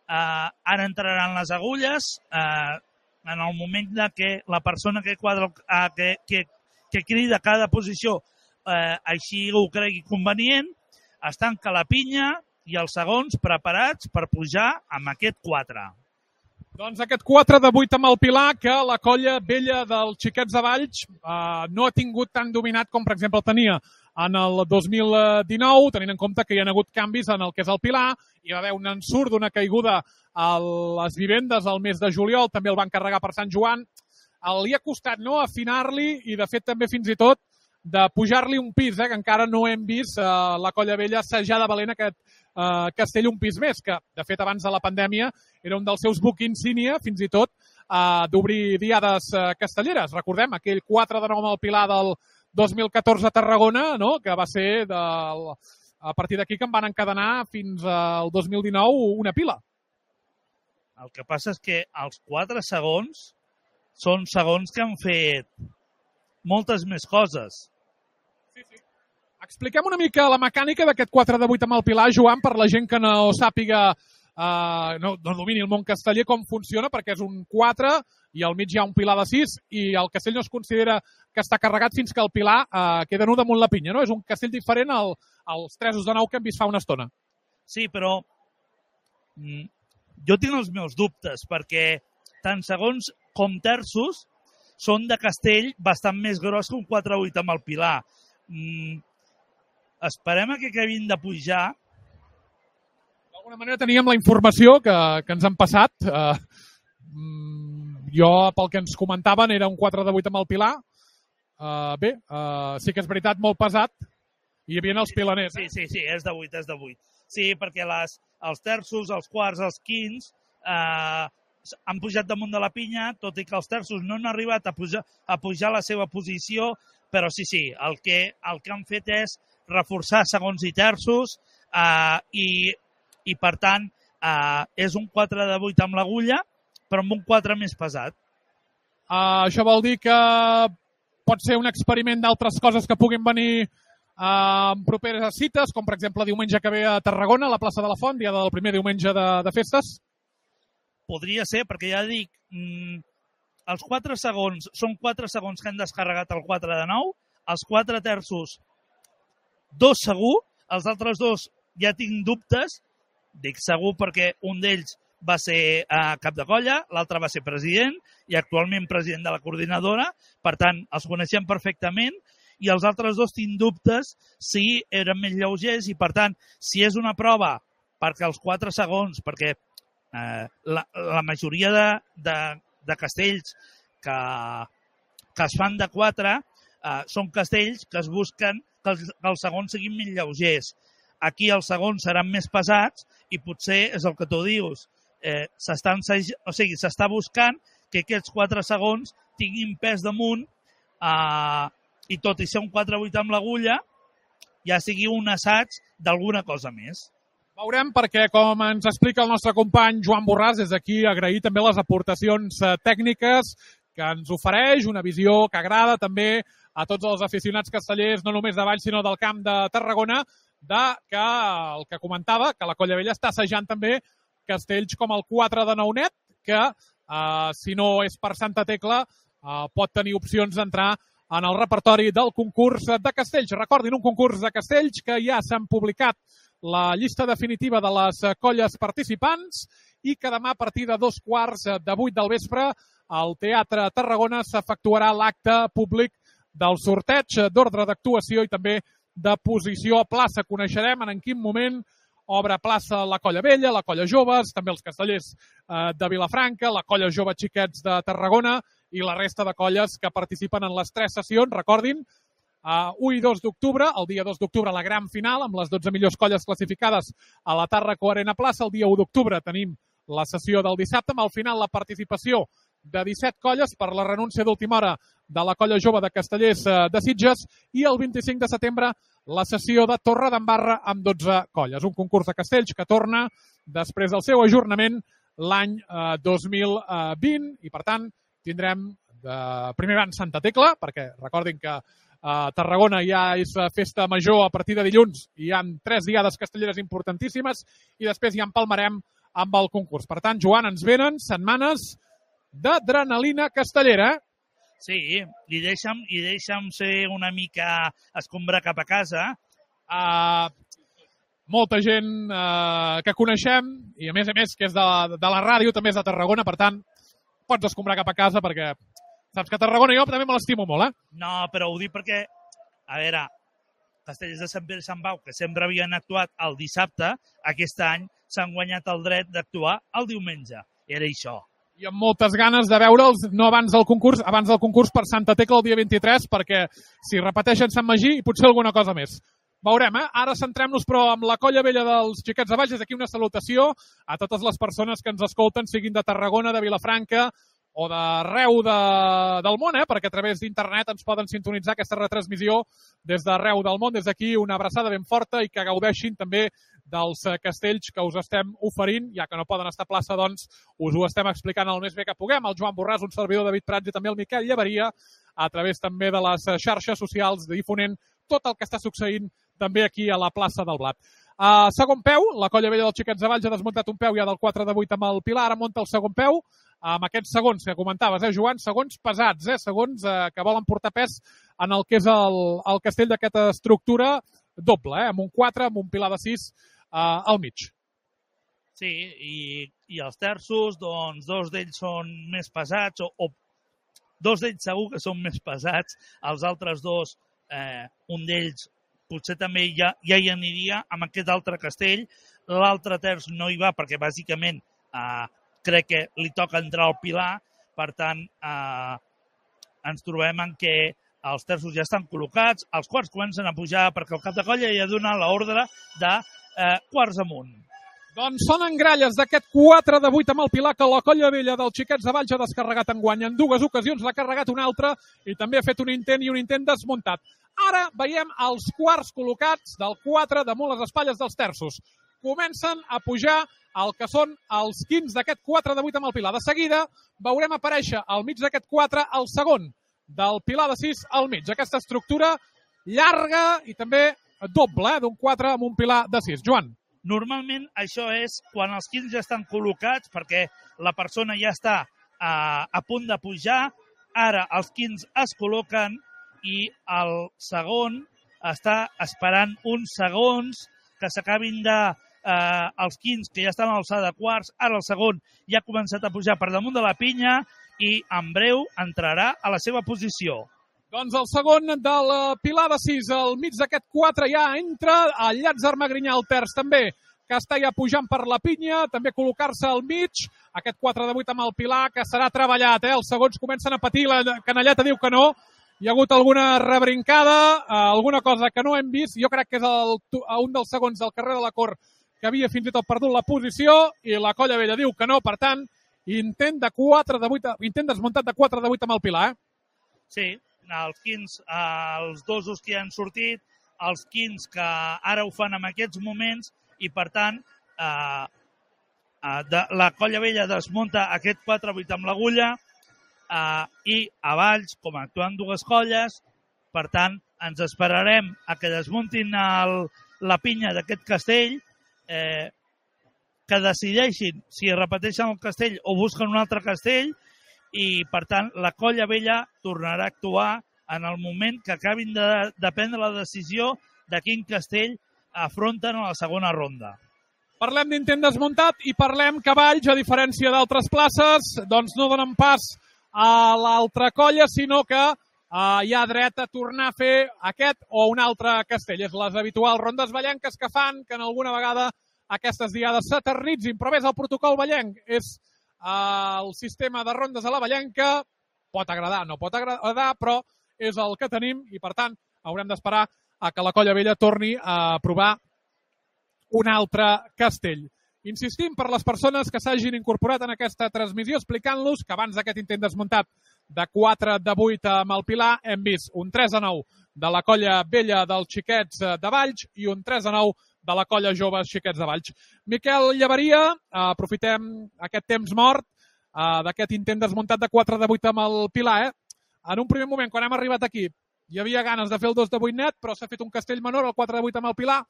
Ara entraran les agulles. En el moment que la persona que quadra, que crida cada posició així ho cregui convenient, es tanca la pinya i els segons preparats per pujar amb aquest 4. Doncs aquest 4 de 8 amb el Pilar, que la Colla Vella dels Xiquets de Valls no ha tingut tan dominat com, per exemple, tenia en el 2019, tenint en compte que hi ha hagut canvis en el que és el Pilar, hi va haver un ensurt d'una caiguda a les vivendes al mes de juliol, també el van carregar per Sant Joan. Li ha costat afinar-li i, de fet, també fins i tot de pujar-li un pis, que encara no hem vist la Colla Vella assajar de valent aquest castell un pis més, que, de fet, abans de la pandèmia era un dels seus buc insígnia, fins i tot, d'obrir diades castelleres. Recordem aquell 4 de 9 amb el Pilar del 2014 a Tarragona, no? Que va ser a partir d'aquí que en van encadenar fins al 2019 una pila. El que passa és que els 4 segons són segons que han fet moltes més coses. Sí. Expliquem una mica la mecànica d'aquest 4 de 8 amb el Pilar, Joan, per la gent que no sàpiga, no domini el món casteller, com funciona, perquè és un 4 i al mig hi ha un Pilar de 6 i el castell no es considera que està carregat fins que el Pilar queda nu damunt la pinya, no? És un castell diferent als 3 de 9 que hem vist fa una estona. Sí, però jo tinc els meus dubtes, perquè tant segons com terços són de castell bastant més gros que un 4-8 amb el Pilar. Esperem que acabin de pujar. D'alguna manera teníem la informació que ens han passat. Jo, pel que ens comentaven, era un 4 de 8 amb el Pilar. Sí que és veritat, molt pesat. I hi havia els pilaners. Sí, és de 8, és de 8. Sí, perquè els terços, els quarts, els quints han pujat damunt de la pinya, tot i que els terços no han arribat a pujar la seva posició, però sí, el que han fet és reforçar segons i terços, i per tant és un 4 de 8 amb l'agulla, però amb un 4 més pesat. Això vol dir que pot ser un experiment d'altres coses que puguin venir en properes cites, com per exemple diumenge que ve a Tarragona, a la plaça de la Font, dia del primer diumenge de festes? Podria ser, perquè ja dic, els 4 segons són 4 segons que han descarregat el 4 de 9, els 4 terços 2 segur, els altres 2 ja tinc dubtes, dic segur perquè un d'ells va ser cap de colla, l'altre va ser president i actualment president de la coordinadora, per tant, els coneixem perfectament, i els altres 2 tinc dubtes si eren més lleugers i, per tant, si és una prova perquè els 4 segons, perquè la majoria de castells que es fan de 4 són castells que es busquen que els segons siguin més lleugers. Aquí els segons seran més pesats i potser és el que tu dius. S'està buscant que aquests 4 segons tinguin pes damunt i tot i ser un 4-8 amb l'agulla ja sigui un assaig d'alguna cosa més. Veurem perquè, com ens explica el nostre company Joan Borràs, des d'aquí agrair també les aportacions tècniques que ens ofereix, una visió que agrada també a tots els aficionats castellers, no només de Valls, sinó del Camp de Tarragona, que el que comentava, que la Colla Vella està assajant també castells com el 4 de Nounet, que si no és per Santa Tecla pot tenir opcions d'entrar en el repertori del concurs de castells. Recordin, un concurs de castells que ja s'han publicat la llista definitiva de les colles participants i que demà a partir de 7:15 del vespre al Teatre Tarragona s'efectuarà l'acte públic del sorteig d'ordre d'actuació i també de posició a plaça. Coneixerem en quin moment obre plaça la Colla Vella, la Colla Joves, també els castellers de Vilafranca, la Colla Jove Xiquets de Tarragona i la resta de colles que participen en les 3 sessions. Recordin, 1 i 2 d'octubre, el dia 2 d'octubre la gran final amb les 12 millors colles classificades a la Tàrraco Arena Plaça. El dia 1 d'octubre tenim la sessió del dissabte, amb al final la participació de 17 colles per la renúncia d'última hora de la Colla Jove de Castellers de Sitges i el 25 de setembre la sessió de Torredembarra amb 12 colles. Un concurs de castells que torna després del seu ajornament l'any 2020 i, per tant, tindrem primer van Santa Tecla, perquè recordin que a Tarragona ja és festa major a partir de dilluns i hi ha 3 diades castelleres importantíssimes i després ja empalmarem amb el concurs. Per tant, Joan, ens venen setmanes d'adrenalina castellera. Sí, i deixa'm ser una mica escombrar cap a casa. Molta gent que coneixem i a més que és de la ràdio, també és de Tarragona, per tant, pots escombrar cap a casa perquè saps que a Tarragona jo també me l'estimo molt, No, però ho dic perquè, a veure, Castellers de Sant Pere i Sant Pau, que sempre havien actuat el dissabte, aquest any s'han guanyat el dret d'actuar el diumenge. Era això. I amb moltes ganes de veure'ls, no abans del concurs per Santa Tecla el dia 23, perquè si repeteixen Sant Magí i potser alguna cosa més. Veurem, Ara centrem-nos, però, amb la Colla Vella dels Xiquets de Valls. Des d'aquí una salutació a totes les persones que ens escolten, siguin de Tarragona, de Vilafranca o d'arreu del món, perquè a través d'internet ens poden sintonitzar aquesta retransmissió des d'arreu del món. Des d'aquí una abraçada ben forta i que gaudeixin també dels castells que us estem oferint, ja que no poden estar a plaça, doncs us ho estem explicant el més bé que puguem. El Joan Borràs, un servidor David Prats i també el Miquel Llevaria, a través també de les xarxes socials, difonent tot el que està succeint també aquí a la plaça del Blat. Segon peu, la Colla Vella dels Xiquets de Valls ha desmuntat un peu ja del 4 de 8 amb el Pilar, ara munta el segon peu, amb aquests segons que comentaves, Joan, segons pesats, segons que volen portar pes en el que és el castell d'aquesta estructura doble, amb un 4, amb un Pilar de 6 al mig. Sí, i els terços, doncs, 2 d'ells són més pesats, o 2 d'ells segur que són més pesats, els altres 2, un d'ells potser també ja hi aniria amb aquest altre castell, l'altre terç no hi va perquè bàsicament crec que li toca entrar al Pilar, per tant ens trobem en què els terços ja estan col·locats, els quarts comencen a pujar perquè el cap de colla ja ha donat l'ordre de quarts amunt. Doncs sonen gralles d'aquest 4 de 8 amb el Pilar que la Colla Vella del Xiquets de Valls ha descarregat enguany. En 2 ocasions l'ha carregat una altra i també ha fet un intent i un intent desmuntat. Ara veiem els quarts col·locats del 4 damunt les espatlles dels terços. Comencen a pujar el que són els 15 d'aquest 4 de 8 amb el Pilar. De seguida veurem aparèixer al mig d'aquest 4 el segon del Pilar de 6 al mig. Aquesta estructura llarga i també doble, d'un 4 amb un Pilar de 6. Joan. Normalment això és quan els 15 ja estan col·locats perquè la persona ja està a punt de pujar. Ara els 15 es col·loquen i el segon està esperant uns segons que s'acabin els 15 que ja estan a l'alçada de quarts. Ara el segon ja ha començat a pujar per damunt de la pinya i en breu entrarà a la seva posició. Doncs el segon del Pilar de 6 al mig d'aquest 4 ja entra, el Llàtzer Magrinyà al terç també, que està ja pujant per la pinya, també col·locar-se al mig, aquest 4 de 8 amb el Pilar, que serà treballat, Els segons comencen a patir, la canalleta diu que no, hi ha hagut alguna rebrincada, alguna cosa que no hem vist, jo crec que és un dels segons del carrer de la Cort que havia fins i tot perdut la posició, i la Colla Vella diu que no, per tant, intent desmuntat de 4 de 8 amb el Pilar, Sí, els 15, els dosos que han sortit, els 15 que ara ho fan en aquests moments i, per tant, la Colla Vella desmunta aquest 4-8 amb l'agulla i a Valls, com actuen dues colles, per tant, ens esperarem a que desmuntin la pinya d'aquest castell, que decideixin si repeteixen el castell o busquen un altre castell, i, per tant, la Colla Vella tornarà a actuar en el moment que acabin de prendre la decisió de quin castell afronten a la segona ronda. Parlem d'intent desmuntat i parlem que Valls, a diferència d'altres places, doncs no donen pas a l'altra colla, sinó que hi ha dret a tornar a fer aquest o un altre castell. És les habituals rondes vallenques que fan que en alguna vegada aquestes diades s'eternitzin, però és el protocol vallenc, és el sistema de rondes a la vallenca, pot agradar, no pot agradar, però és el que tenim i, per tant, haurem d'esperar a que la Colla Vella torni a provar un altre castell. Insistim per les persones que s'hagin incorporat en aquesta transmissió explicant-los que abans d'aquest intent desmuntat de 4 de 8 amb el Pilar hem vist un 3-9 de la Colla Vella dels Xiquets de Valls i un 3-9 de la Colla Joves Xiquets de Valls. Miquel Llaveria, aprofitem aquest temps mort d'aquest intent desmuntat de 4 de 8 amb el Pilar. En un primer moment, quan hem arribat aquí, hi havia ganes de fer el 2 de 8 net, però s'ha fet un castell menor, el 4 de 8 amb el Pilar,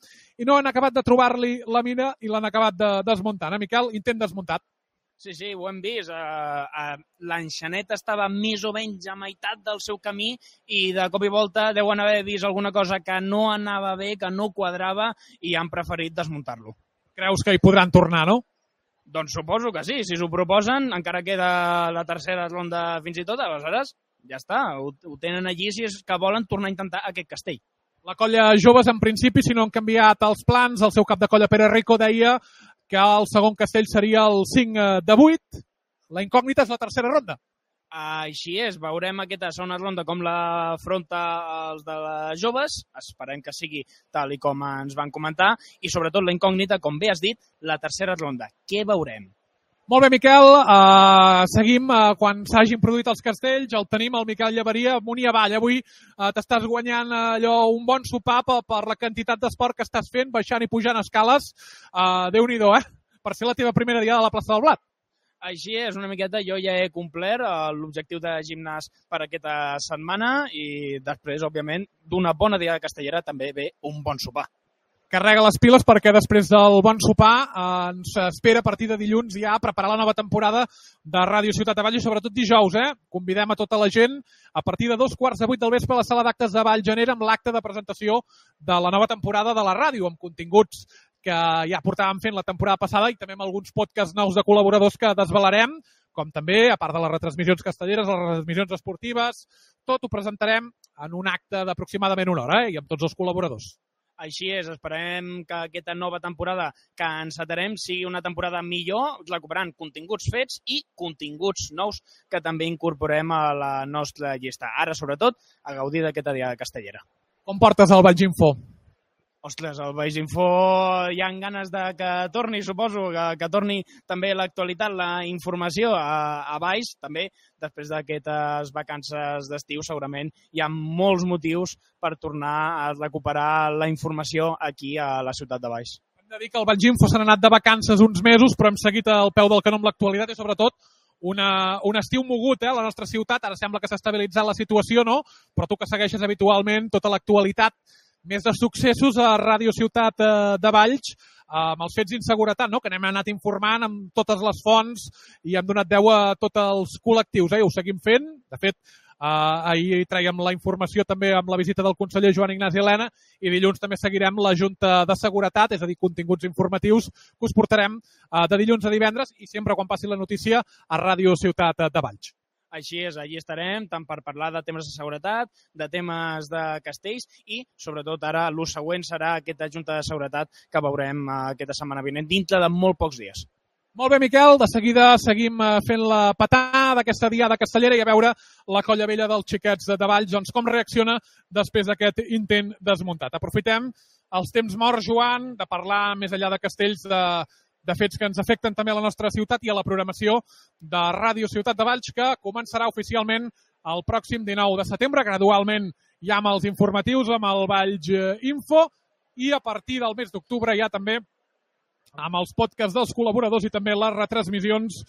i no han acabat de trobar-li la mina i l'han acabat de desmuntar. Miquel, intent desmuntat. Sí, ho hem vist. L'enxanet estava més o menys a meitat del seu camí i de cop i volta deuen haver vist alguna cosa que no anava bé, que no quadrava i han preferit desmuntar-lo. Creus que hi podran tornar, no? Doncs suposo que sí. Si s'ho proposen, encara queda la tercera ronda fins i tot, aleshores ja està. Ho tenen allí si és que volen tornar a intentar aquest castell. La Colla Joves, en principi, si no han canviat els plans, el seu cap de colla Pere Rico deia que el segon castell seria el 5 de 8. La incògnita és la tercera ronda. Així és, veurem aquesta segona ronda com l'afronta els de les joves. Esperem que sigui tal i com ens van comentar. I sobretot la incògnita, com bé has dit, la tercera ronda. Què veurem? Molt bé, Miquel. Seguim quan s'hagin produït els castells. El tenim, el Miquel Llaveria, amunt i avall. Avui t'estàs guanyant un bon sopar per la quantitat d'esport que estàs fent, baixant i pujant escales. Déu-n'hi-do, per ser la teva primera diada a la plaça del Blat. Així és, una miqueta. Jo ja he complert l'objectiu de gimnàs per aquesta setmana i després, òbviament, d'una bona diada castellera també ve un bon sopar. Carrega les piles perquè després del bon sopar ens espera a partir de dilluns ja preparar la nova temporada de Ràdio Ciutat de Valls i sobretot dijous. Convidem a tota la gent a partir de 2:45 del vespre a la sala d'actes de Vallgenera amb l'acte de presentació de la nova temporada de la ràdio amb continguts que ja portàvem fent la temporada passada i també amb alguns podcasts nous de col·laboradors que desvelarem, com també, a part de les retransmissions castelleres, les retransmissions esportives, tot ho presentarem en un acte d'aproximadament una hora i amb tots els col·laboradors. Així és, esperem que aquesta nova temporada que encetarem sigui una temporada millor, recuperant continguts fets i continguts nous que també incorporem a la nostra llista. Ara, sobretot, a gaudir d'aquesta diada castellera. Com portes el Valls Info? Ostres, el Baix Info hi ha ganes de que torni, suposo, que torni també l'actualitat, la informació a Baix, també després d'aquestes vacances d'estiu segurament hi ha molts motius per tornar a recuperar la informació aquí a la ciutat de Baix. Hem de dir que el Baix Info s'han anat de vacances uns mesos, però hem seguit al peu del canó amb l'actualitat i sobretot un estiu mogut, a la nostra ciutat. Ara sembla que s'ha estabilitzat la situació, no? Però tu que segueixes habitualment tota l'actualitat, més de successos a Ràdio Ciutat de Valls, amb els fets d'inseguretat, no? Que n'hem anat informant amb totes les fonts i hem donat veu a tots els col·lectius. Ho seguim fent. De fet, ahir traiem la informació també amb la visita del conseller Joan Ignasi Elena i dilluns també seguirem la Junta de Seguretat, és a dir, continguts informatius que us portarem de dilluns a divendres i sempre quan passi la notícia a Ràdio Ciutat de Valls. Així és, allí estarem, tant per parlar de temes de seguretat, de temes de castells i, sobretot, ara l'ús següent serà aquesta Junta de Seguretat que veurem aquesta setmana vinent, dintre de molt pocs dies. Molt bé, Miquel, de seguida seguim fent la patada d'aquesta diada castellera i a veure la colla vella dels xiquets de Valls, doncs com reacciona després d'aquest intent desmuntat. Aprofitem els temps morts, Joan, de parlar més enllà de castells de fets que ens afecten també a la nostra ciutat i a la programació de Ràdio Ciutat de Valls, que començarà oficialment el pròxim 19 de setembre, gradualment ja amb els informatius, amb el Valls Info, i a partir del mes d'octubre ja també amb els podcasts dels col·laboradors i també les retransmissions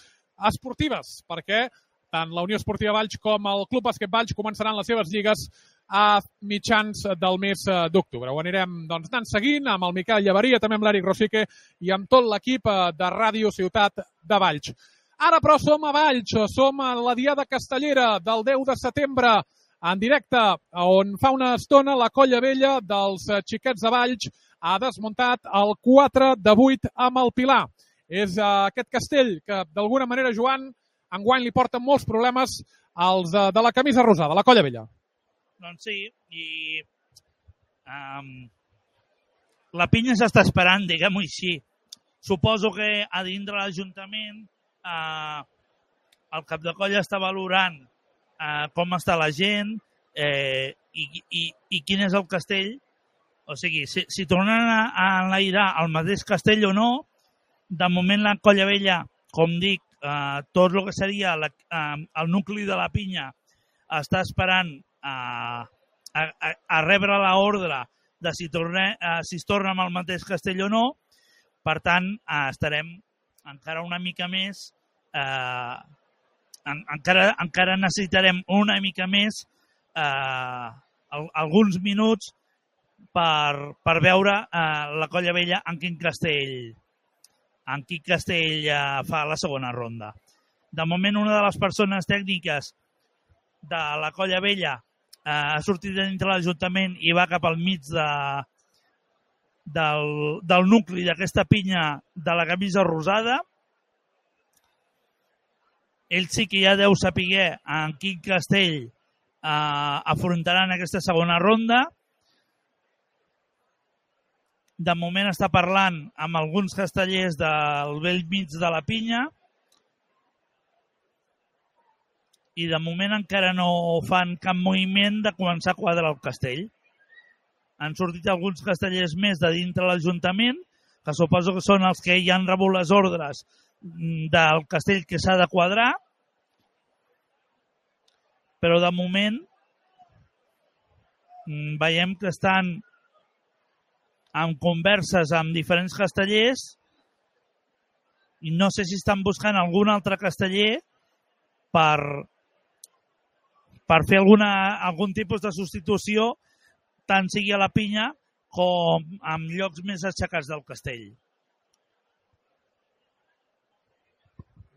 esportives, perquè tant la Unió Esportiva Valls com el Club Bàsquet Valls començaran les seves lligues a mitjans del mes d'octubre. Ho anirem doncs, anant seguint amb el Miquel Llaveria, també amb l'Eric Rosique i amb tot l'equip de Ràdio Ciutat de Valls. Ara, però, som a Valls, som a la Diada Castellera del 10 de setembre, en directe, on fa una estona la colla vella dels xiquets de Valls ha desmuntat el 4 de 8 amb el Pilar. És aquest castell que, d'alguna manera, Joan, enguany li porta molts problemes als de la camisa rosada, la colla vella. Doncs sí, i la pinya s'està esperant, diguem-ho així. Suposo que a dintre l'Ajuntament el cap de colla està valorant com està la gent i quin és el castell. O sigui, si tornen a enlairar el mateix castell o no, de moment la colla vella, com dic, tot el que seria el nucli de la pinya està esperant a rebre l'ordre de si es torna amb el mateix castell o no. Per tant, estarem encara una mica més, encara necessitarem una mica més, alguns minuts per veure la colla vella en quin castell fa la segona ronda. De moment, una de les persones tècniques de la colla vella ha sortit dintre l'Ajuntament i va cap al mig del nucli d'aquesta pinya de la camisa rosada. Ell sí que ja deu saber en quin castell afrontaran aquesta segona ronda. De moment està parlant amb alguns castellers del vell mig de la pinya i de moment encara no fan cap moviment de començar a quadrar el castell. Han sortit alguns castellers més de dintre l'Ajuntament, que suposo que són els que ja han rebut les ordres del castell que s'ha de quadrar, però de moment veiem que estan en converses amb diferents castellers i no sé si estan buscant algun altre casteller per fer algun tipus de substitució, tant sigui a la pinya com en llocs més aixecats del castell.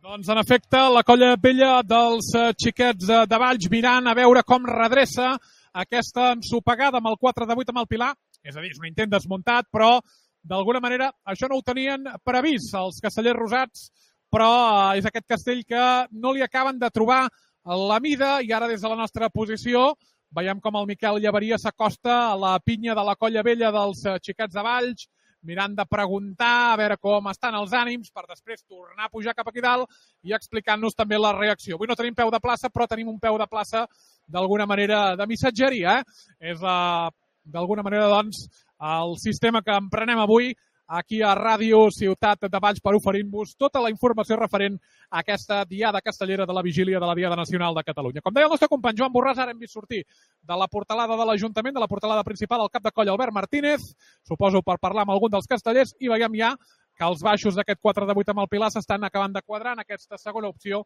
Doncs, en efecte, la colla vella dels xiquets de Valls mirant a veure com redreça aquesta ensopegada amb el 4 de 8 amb el Pilar. És a dir, és un intent desmuntat, però d'alguna manera això no ho tenien previst els castellers rosats, però és aquest castell que no li acaben de trobar la mida i ara des de la nostra posició veiem com el Miquel Llaveria s'acosta a la pinya de la colla vella dels xiquets de Valls, mirant de preguntar a veure com estan els ànims per després tornar a pujar cap aquí dalt i explicant-nos també la reacció. Avui no tenim peu de plaça, però tenim un peu de plaça d'alguna manera de missatgeria. És d'alguna manera, doncs, el sistema que emprenem avui aquí a Ràdio Ciutat de Valls per oferir-vos tota la informació referent a aquesta Diada Castellera de la vigília de la Diada Nacional de Catalunya. Com deia el nostre company Joan Borràs, ara hem vist sortir de la portalada de l'Ajuntament, de la portalada principal, el cap de colla Albert Martínez, suposo per parlar amb algun dels castellers, i veiem ja que els baixos d'aquest 4 de 8 amb el Pilar s'estan acabant de quadrar en aquesta segona opció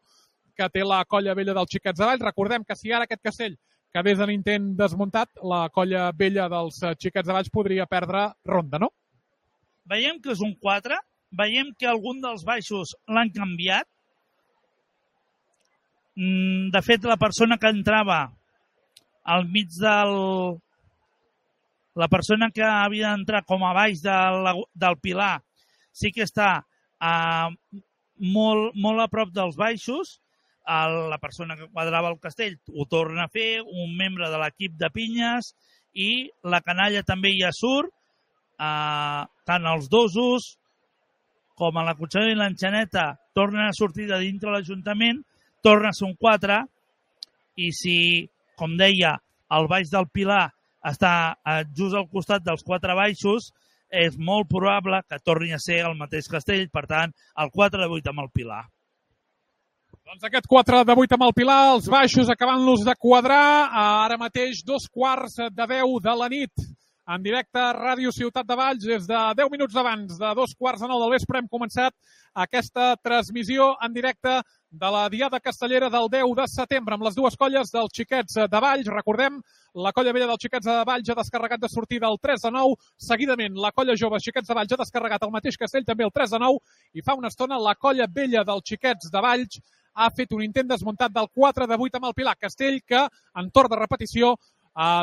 que té la colla vella dels Xiquets de Valls. Recordem que si ara aquest castell quedés en intent desmuntat, la colla vella dels Xiquets de Valls podria perdre ronda, no? Veiem que és un 4, veiem que algun dels baixos l'han canviat. De fet, la persona que entrava al mig del... La persona que havia d'entrar com a baix del Pilar sí que està molt a prop dels baixos. La persona que quadrava el castell ho torna a fer, un membre de l'equip de pinyes, i la canalla també ja surt. Tant els dosos com a la Cotxera i l'Enxaneta tornen a sortir de dintre l'Ajuntament, torna a ser un 4, i si, com deia, el baix del Pilar està just al costat dels 4 baixos, és molt probable que torni a ser el mateix castell, per tant, el 4 de 8 amb el Pilar. Doncs aquest 4 de 8 amb el Pilar, els baixos acabant-los de quadrar, ara mateix 2:45 de la nit. En directe a Ràdio Ciutat de Valls, des de 10 minuts abans de 2:45 del vespre, hem començat aquesta transmissió en directe de la Diada Castellera del 10 de setembre amb les dues colles dels Xiquets de Valls. Recordem, la colla vella dels Xiquets de Valls ha descarregat de sortida el 3 de 9. Seguidament, la colla jove Xiquets de Valls ha descarregat el mateix castell, també el 3 de 9. I fa una estona, la colla vella dels Xiquets de Valls ha fet un intent desmuntat del 4 de 8 amb el Pilar. Castell que, en torn de repetició,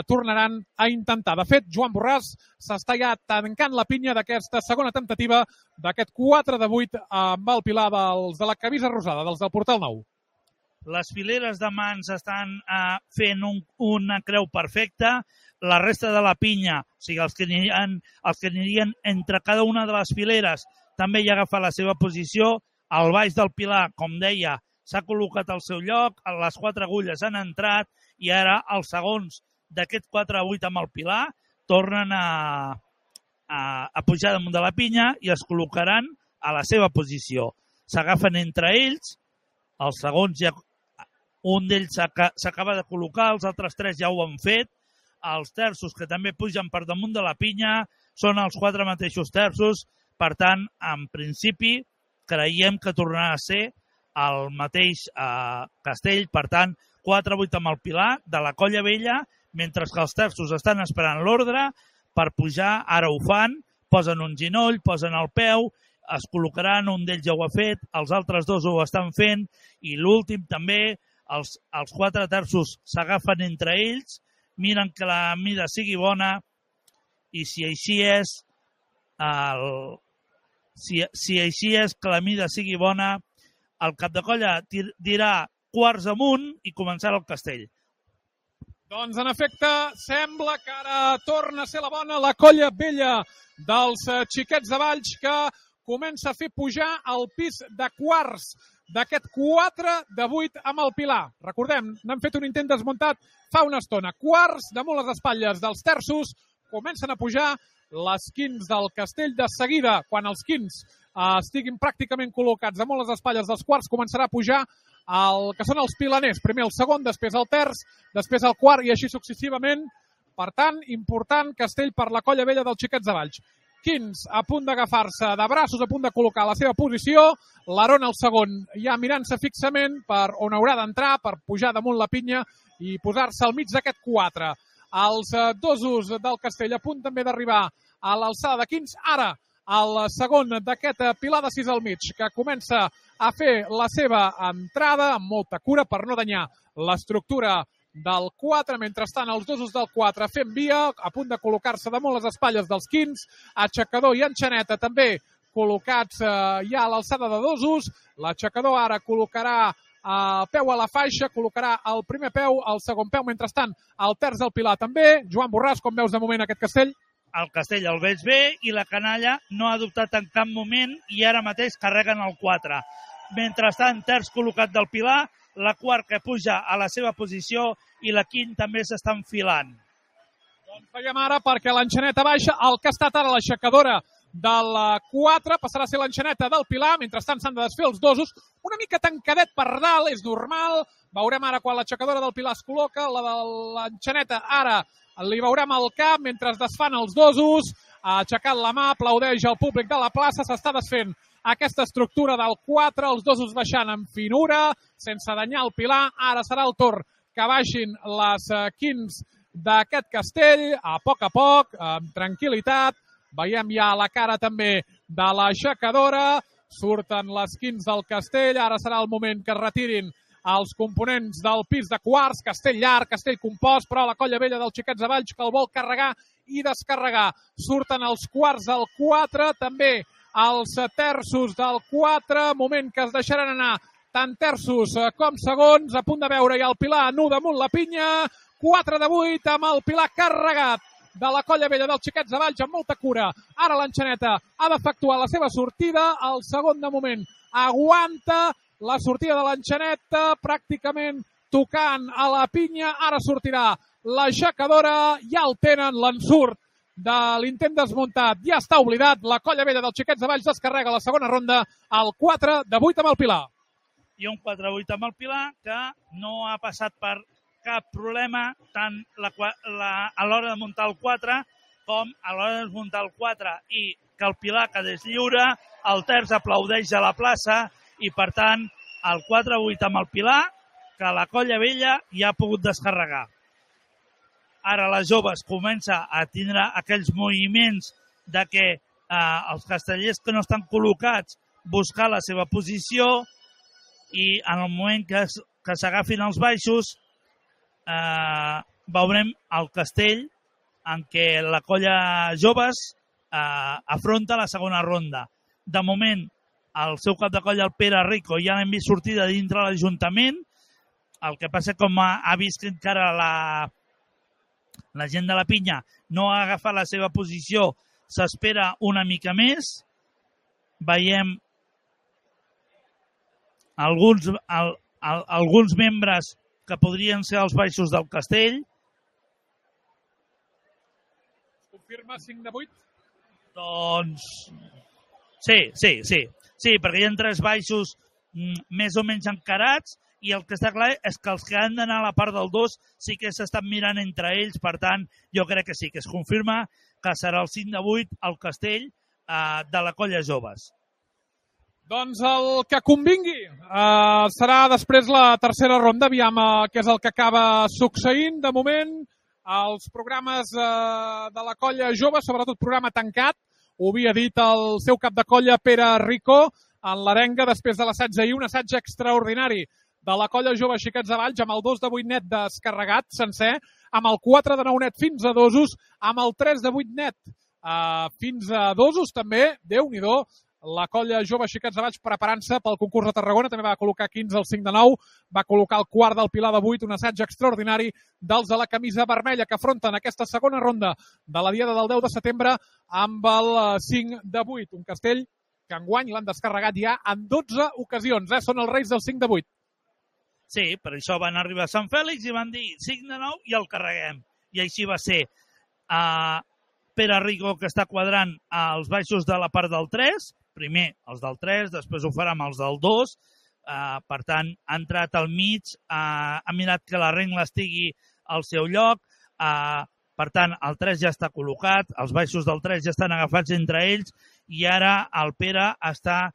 tornaran a intentar. De fet, Joan Borràs s'està ja tancant la pinya d'aquesta segona temptativa d'aquest 4 de 8 amb el Pilar dels de la camisa rosada, dels del Portal Nou. Les fileres de mans estan fent una creu perfecta. La resta de la pinya, o sigui, els que anirien entre cada una de les fileres, també ja agafa la seva posició. El baix del Pilar, com deia, s'ha col·locat al seu lloc, les 4 agulles han entrat i ara els segons d'aquest 4 a 8 amb el Pilar tornen a pujar damunt de la pinya i es col·locaran a la seva posició. S'agafen entre ells, els segons ja, un d'ells s'acaba de col·locar, els altres 3 ja ho han fet, els terços que també pugen per damunt de la pinya són els 4 mateixos terços, per tant, en principi, creiem que tornarà a ser el mateix castell, per tant, 4-8 amb el Pilar de la colla vella, mentre que els terços estan esperant l'ordre per pujar, ara ho fan, posen un ginoll, posen el peu, es col·locaran, un d'ells ja ho ha fet, els altres 2 ho estan fent, i l'últim també, els 4 terços s'agafen entre ells, miren que la mida sigui bona, i si així és, que la mida sigui bona, el cap de colla dirà quarts amunt i començarà el castell. Doncs, en efecte, sembla que ara torna a ser la bona la colla vella dels Xiquets de Valls, que comença a fer pujar al pis de quarts d'aquest 4 de 8 amb el Pilar. Recordem, n'han fet un intent desmuntat fa una estona. Quarts damunt les espatlles dels terços, comencen a pujar les quins del castell. De seguida, quan els quins estiguin pràcticament col·locats damunt les espatlles dels quarts, començarà a pujar el que són els pilaners. Primer el segon, després el terç, després el quart i així successivament. Per tant, important castell per la colla vella dels Xiquets de Valls. Quins a punt d'agafar-se de braços, a punt de col·locar la seva posició. L'Arona, el segon, ja mirant-se fixament per on haurà d'entrar, per pujar damunt la pinya i posar-se al mig d'aquest 4. Els dosos del castell a punt també d'arribar a l'alçada de quins. Ara, el segon d'aquest Pilar de 6 al mig, que comença a fer la seva entrada amb molta cura per no danyar l'estructura del 4. Mentrestant, els dosos del 4 fent via, a punt de col·locar-se damunt les espatlles dels quins. Aixecador i enxaneta també col·locats ja a l'alçada de dosos. L'aixecador ara col·locarà el peu a la faixa, col·locarà el primer peu, el segon peu. Mentrestant, el terç del Pilar també. Joan Borràs, com veus de moment aquest castell? El castell el veig bé i la canalla no ha dubtat en cap moment i ara mateix carreguen el 4. Mentrestant, terç col·locat del Pilar, la quart que puja a la seva posició i la quint també s'està enfilant. Doncs veiem ara perquè l'enxaneta baixa, el que ha estat ara l'aixecadora del 4 passarà a ser l'enxaneta del Pilar, mentrestant s'han de desfer els dosos, una mica tancadet per dalt, és normal, veurem ara quan l'aixecadora del Pilar es col·loca, la de l'enxaneta ara li veurem el cap mentre es desfan els dosos, ha aixecat la mà, aplaudeix el públic de la plaça, s'està desfent aquesta estructura del 4, els dosos baixant amb finura, sense danyar el Pilar, ara serà el torn que baixin les quins d'aquest castell, a poc, amb tranquil·litat. Veiem ja la cara també de l'aixecadora, surten les quins del castell, ara serà el moment que es retirin els components del pis de quarts, castell llarg, castell compost, però la colla vella dels xiquets de Valls que el vol carregar i descarregar. Surten els quarts del 4, també els terços del 4, moment que es deixaran anar tant terços com segons, a punt de veure ja el Pilar nu damunt la pinya, 4 de 8 amb el Pilar carregat de la colla vella dels xiquets de Valls amb molta cura. Ara l'enxaneta ha d'efectuar la seva sortida, el segon de moment aguanta la sortida de l'enxaneta, pràcticament tocant a la pinya, ara sortirà l'aixecadora, ja el tenen, l'ensurt de l'intent desmuntat, ja està oblidat, la colla vella dels xiquets de Valls descarrega la segona ronda, el 4 de 8 amb el Pilar. I un 4-8 amb el Pilar que no ha passat per cap problema tant a l'hora de muntar el 4 com a l'hora de desmuntar el 4 i que el Pilar quedés lliure, el terç aplaudeix a la plaça i per tant el 4-8 amb el Pilar que la colla vella ja ha pogut descarregar. Ara les joves comença a tindre aquells moviments de que els castellers que no estan col·locats buscar la seva posició i en el moment que s'agafin els baixos veurem el castell en què la colla joves afronta la segona ronda. De moment, el seu cap de colla, el Pere Rico, ja l'hem vist sortir de dintre l'Ajuntament. El que passa com ha vist que encara la gent de la pinya no ha agafat la seva posició, s'espera una mica més. Veiem alguns membres que podrien ser els baixos del castell. Confirma 5 de 8? Doncs sí, perquè hi ha 3 baixos més o menys encarats i el que està clar és que els que han d'anar a la part del 2 sí que s'estan mirant entre ells, per tant, jo crec que sí, que es confirma que serà el 5 de 8 al castell de la colla joves. Doncs el que convingui serà després la tercera ronda, aviam què és el que acaba succeint. De moment, els programes de la colla jove, sobretot programa tancat, ho havia dit el seu cap de colla Pere Rico en l'arenga després de l'assaig d'ahir, un assaig extraordinari de la colla jove Xiquets de Valls amb el 2 de 8 net descarregat sencer, amb el 4 de 9 net fins a dosos, amb el 3 de 8 net fins a dosos també, Déu-n'hi-do, la colla jove Xiquets de Valls preparant-se pel concurs de Tarragona, també va col·locar 15 al 5 de 9, va col·locar el quart del Pilar de 8, un assaig extraordinari dels de la camisa vermella que afronten aquesta segona ronda de la diada del 10 de setembre amb el 5 de 8, un castell que enguany l'han descarregat ja en 12 ocasions, són els reis del 5 de 8. Sí, per això van arribar a Sant Fèlix i van dir 5 de 9 i el carreguem. I així va ser. Pere Rico, que està quadrant els baixos de la part del 3, primer els del 3, després ho farà amb els del 2, per tant, ha entrat al mig, ha mirat que la rengla estigui al seu lloc, per tant, el 3 ja està col·locat, els baixos del 3 ja estan agafats entre ells i ara el Pere està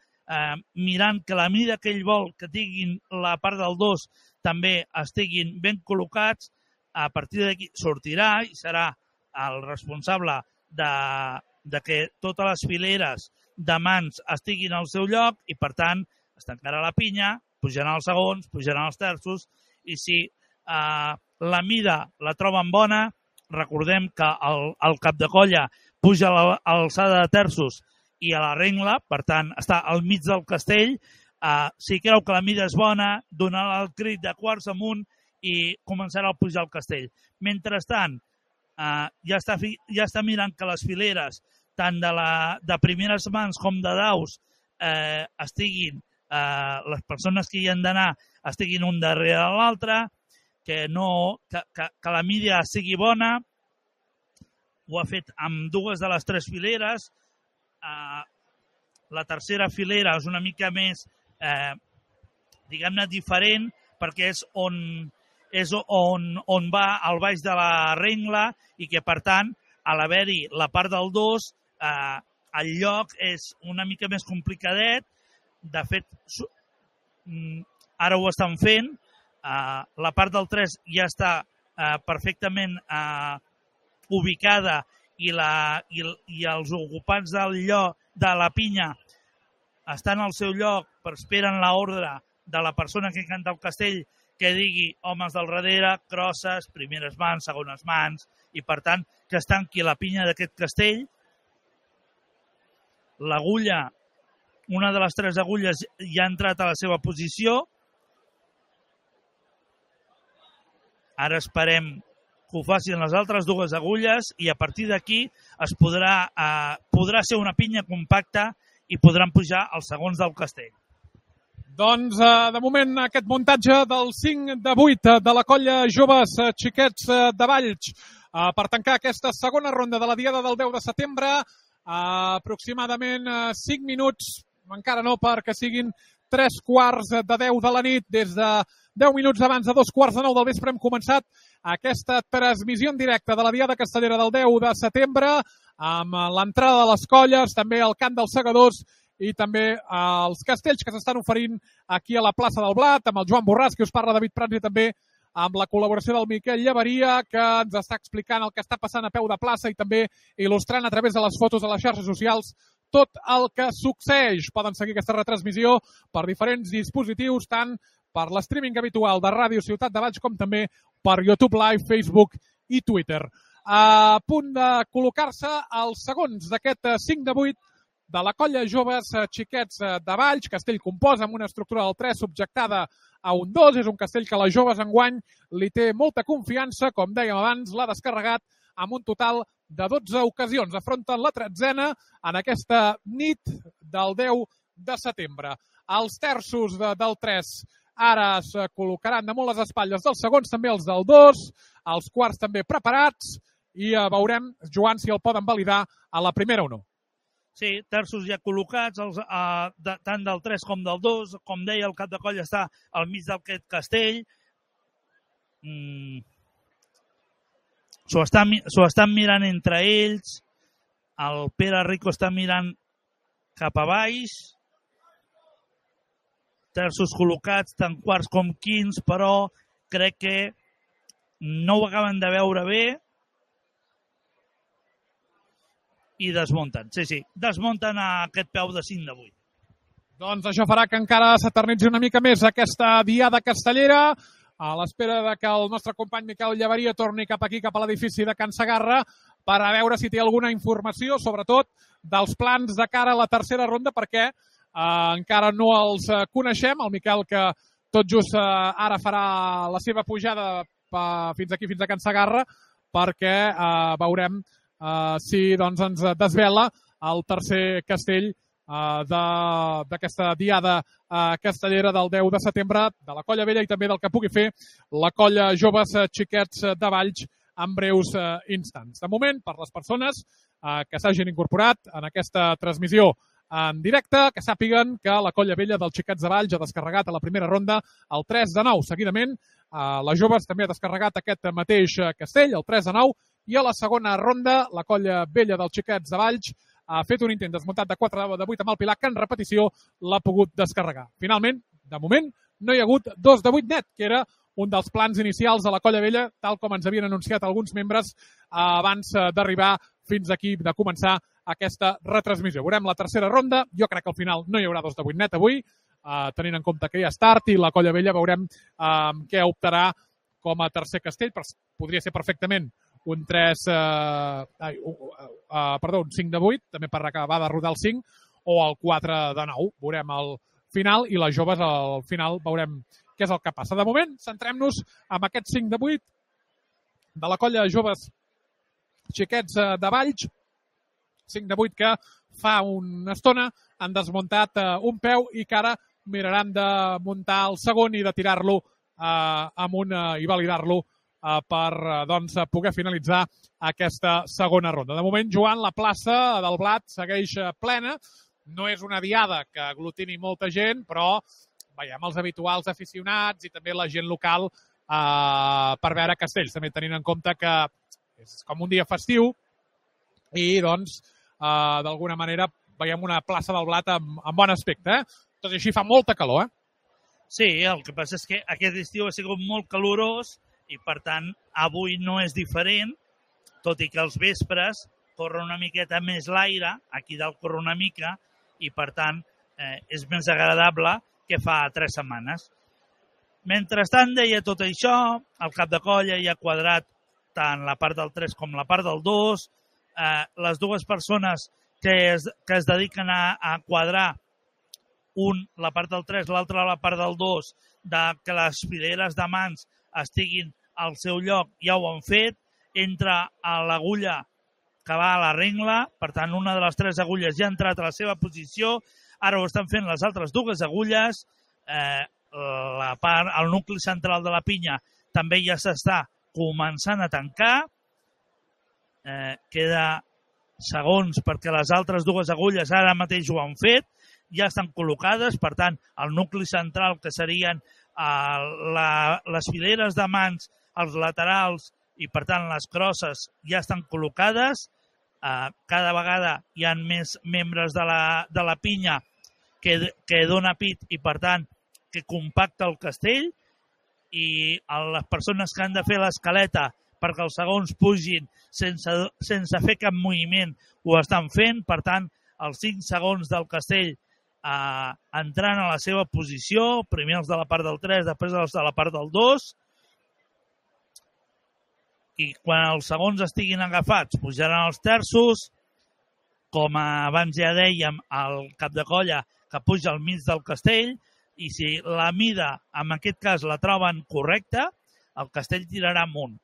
mirant que la mida que ell vol que tinguin la part del 2 també estiguin ben col·locats. A partir d'aquí sortirà i serà el responsable de que totes les fileres de mans estiguin al seu lloc i, per tant, es tancarà la pinya, pujaran els segons, pujaran els terços i si la mida la troben bona, recordem que el cap de colla puja a l'alçada de terços i a la rengla, per tant, està al mig del castell. Si creu que la mida és bona, donarà el crit de quarts amunt i començarà a pujar al castell. Mentrestant, ja està mirant que les fileres, tant de primeres mans com de daus, estiguin, les persones que hi han d'anar estiguin un darrere l'altre, que la mida sigui bona ho ha fet amb dues de les tres fileres. La tercera filera és una mica més, diguem-ne, diferent, perquè és on va al baix de la rengla i que, per tant, a l'haver-hi la part del 2, el lloc és una mica més complicadet. De fet, ara ho estan fent. La part del 3 ja està perfectament ubicada i els ocupants del lloc de la pinya estan al seu lloc, però esperen l'ordre de la persona que canta el castell que digui homes del darrere, crosses, primeres mans, segones mans, i per tant que es tanqui la pinya d'aquest castell. L'agulla, una de les tres agulles ja ha entrat a la seva posició. Ara esperem que ho facin les altres dues agulles i a partir d'aquí es podrà ser una pinya compacta i podran pujar els segons del castell. Doncs, de moment, aquest muntatge del 5 de 8 de la colla Joves Xiquets de Valls per tancar aquesta segona ronda de la diada del 10 de setembre. Aproximadament 5 minuts, encara no perquè siguin 3:15 de 10 de la nit. Des de 10 minuts abans de 2:15 del vespre hem començat aquesta transmissió en directe de la diada castellera del 10 de setembre amb l'entrada de les colles, també el cant dels segadors i també els castells que s'estan oferint aquí a la plaça del Blat, amb el Joan Borràs, que us parla David Prats, i també amb la col·laboració del Miquel Llaveria, que ens està explicant el que està passant a peu de plaça i també il·lustrant a través de les fotos a les xarxes socials tot el que succeeix. Poden seguir aquesta retransmissió per diferents dispositius, tant per l'streaming habitual de Ràdio Ciutat de Valls com també per YouTube Live, Facebook i Twitter. A punt de col·locar-se els segons d'aquest 5 de 8 de la colla Joves Xiquets de Valls, castell compost amb una estructura del 3 subjectada a un 2. És un castell que les joves enguany li té molta confiança, com dèiem abans, l'ha descarregat amb un total de 12 ocasions. Afronten la 13a en aquesta nit del 10 de setembre. Els terços del 3 ara es col·locaran damunt les espatlles dels segons, també els del 2, els quarts també preparats, i veurem, Joan, si el poden validar a la primera o no. Sí, terços ja col·locats, tant del 3 com del 2. Com deia, el cap de colla està al mig d'aquest castell. S'ho estan mirant entre ells. El Pere Rico està mirant cap a baix. Terços col·locats, tant quarts com quints, però crec que no ho acaben de veure bé. I desmunten, sí, desmunten aquest peu de 5 de 8. Doncs això farà que encara s'eternitzi una mica més aquesta diada castellera, a l'espera de que el nostre company Miquel Llaveria torni cap aquí, cap a l'edifici de Can Segarra, per a veure si té alguna informació, sobretot dels plans de cara a la tercera ronda, perquè encara no els coneixem. El Miquel, que tot just ara farà la seva pujada fins aquí, fins a Can Segarra, perquè veurem si doncs, ens desvela el tercer castell d'aquesta diada castellera del 10 de setembre de la Colla Vella i també del que pugui fer la Colla Joves Xiquets de Valls en breus instants. De moment, per les persones que s'hagin incorporat en aquesta transmissió en directe, que sàpiguen que la Colla Vella dels Xiquets de Valls ha descarregat a la primera ronda el 3 de 9. Seguidament, la Joves també ha descarregat aquest mateix castell, el 3 de 9, i a la segona ronda, la Colla Vella dels Xiquets de Valls ha fet un intent desmuntat de 4 de 8 amb el Pilar, que en repetició l'ha pogut descarregar. Finalment, de moment, no hi ha hagut 2 de 8 net, que era un dels plans inicials de la Colla Vella, tal com ens havien anunciat alguns membres abans d'arribar fins aquí, de començar aquesta retransmissió. Veurem la tercera ronda. Jo crec que al final no hi haurà 2 de 8 net avui, tenint en compte que hi ha start, i la Colla Vella veurem què optarà com a tercer castell. Podria ser perfectament un 5 de 8, també per acabar de rodar el 5, o el 4 de 9. Veurem al final, i les joves al final veurem què és el que passa. De moment, centrem-nos en aquest 5 de 8 de la Colla Joves Xiquets de Valls. 5 de 8 que fa una estona han desmuntat un peu i que ara miraran de muntar el segon i de tirar-lo amunt i validar-lo per poder finalitzar aquesta segona ronda. De moment, Joan, la plaça del Blat segueix plena. No és una diada que aglutini molta gent, però veiem els habituals aficionats i també la gent local per veure castells, també tenint en compte que és com un dia festiu i, doncs, d'alguna manera veiem una plaça del Blat amb bon aspecte. Tot i així fa molta calor, Sí, el que passa és que aquest estiu ha sigut molt calorós i, per tant, avui no és diferent, tot i que als vespres corre una miqueta més l'aire, aquí dalt corre una mica, i, per tant, és més agradable que fa 3 setmanes. Mentrestant, deia tot això, el cap de colla ja ha quadrat tant la part del 3 com la part del 2. Les dues persones que es dediquen a quadrar, un la part del 3, l'altre la part del 2, que les fileres de mans estiguin al seu lloc, ja ho han fet. Entra a l'agulla que va a la rengla, per tant, una de les 3 agulles ja ha entrat a la seva posició. Ara ho estan fent les altres 2 agulles. El nucli central de la pinya també ja s'està començant a tancar. Queda segons perquè les altres 2 agulles ara mateix ho han fet, ja estan col·locades, per tant, el nucli central, que serien les fileres de mans, els laterals i, per tant, les crosses, ja estan col·locades. Cada vegada hi ha més membres de la pinya que dona pit i, per tant, que compacta el castell, i les persones que han de fer l'escaleta perquè els segons pugin sense fer cap moviment ho estan fent. Per tant, els 5 segons del castell entrant a la seva posició, primer els de la part del 3, després els de la part del 2, i quan els segons estiguin agafats pujaran els terços. Com abans ja dèiem, el cap de colla que puja al mig del castell, i si la mida, en aquest cas, la troben correcta, el castell tirarà amunt.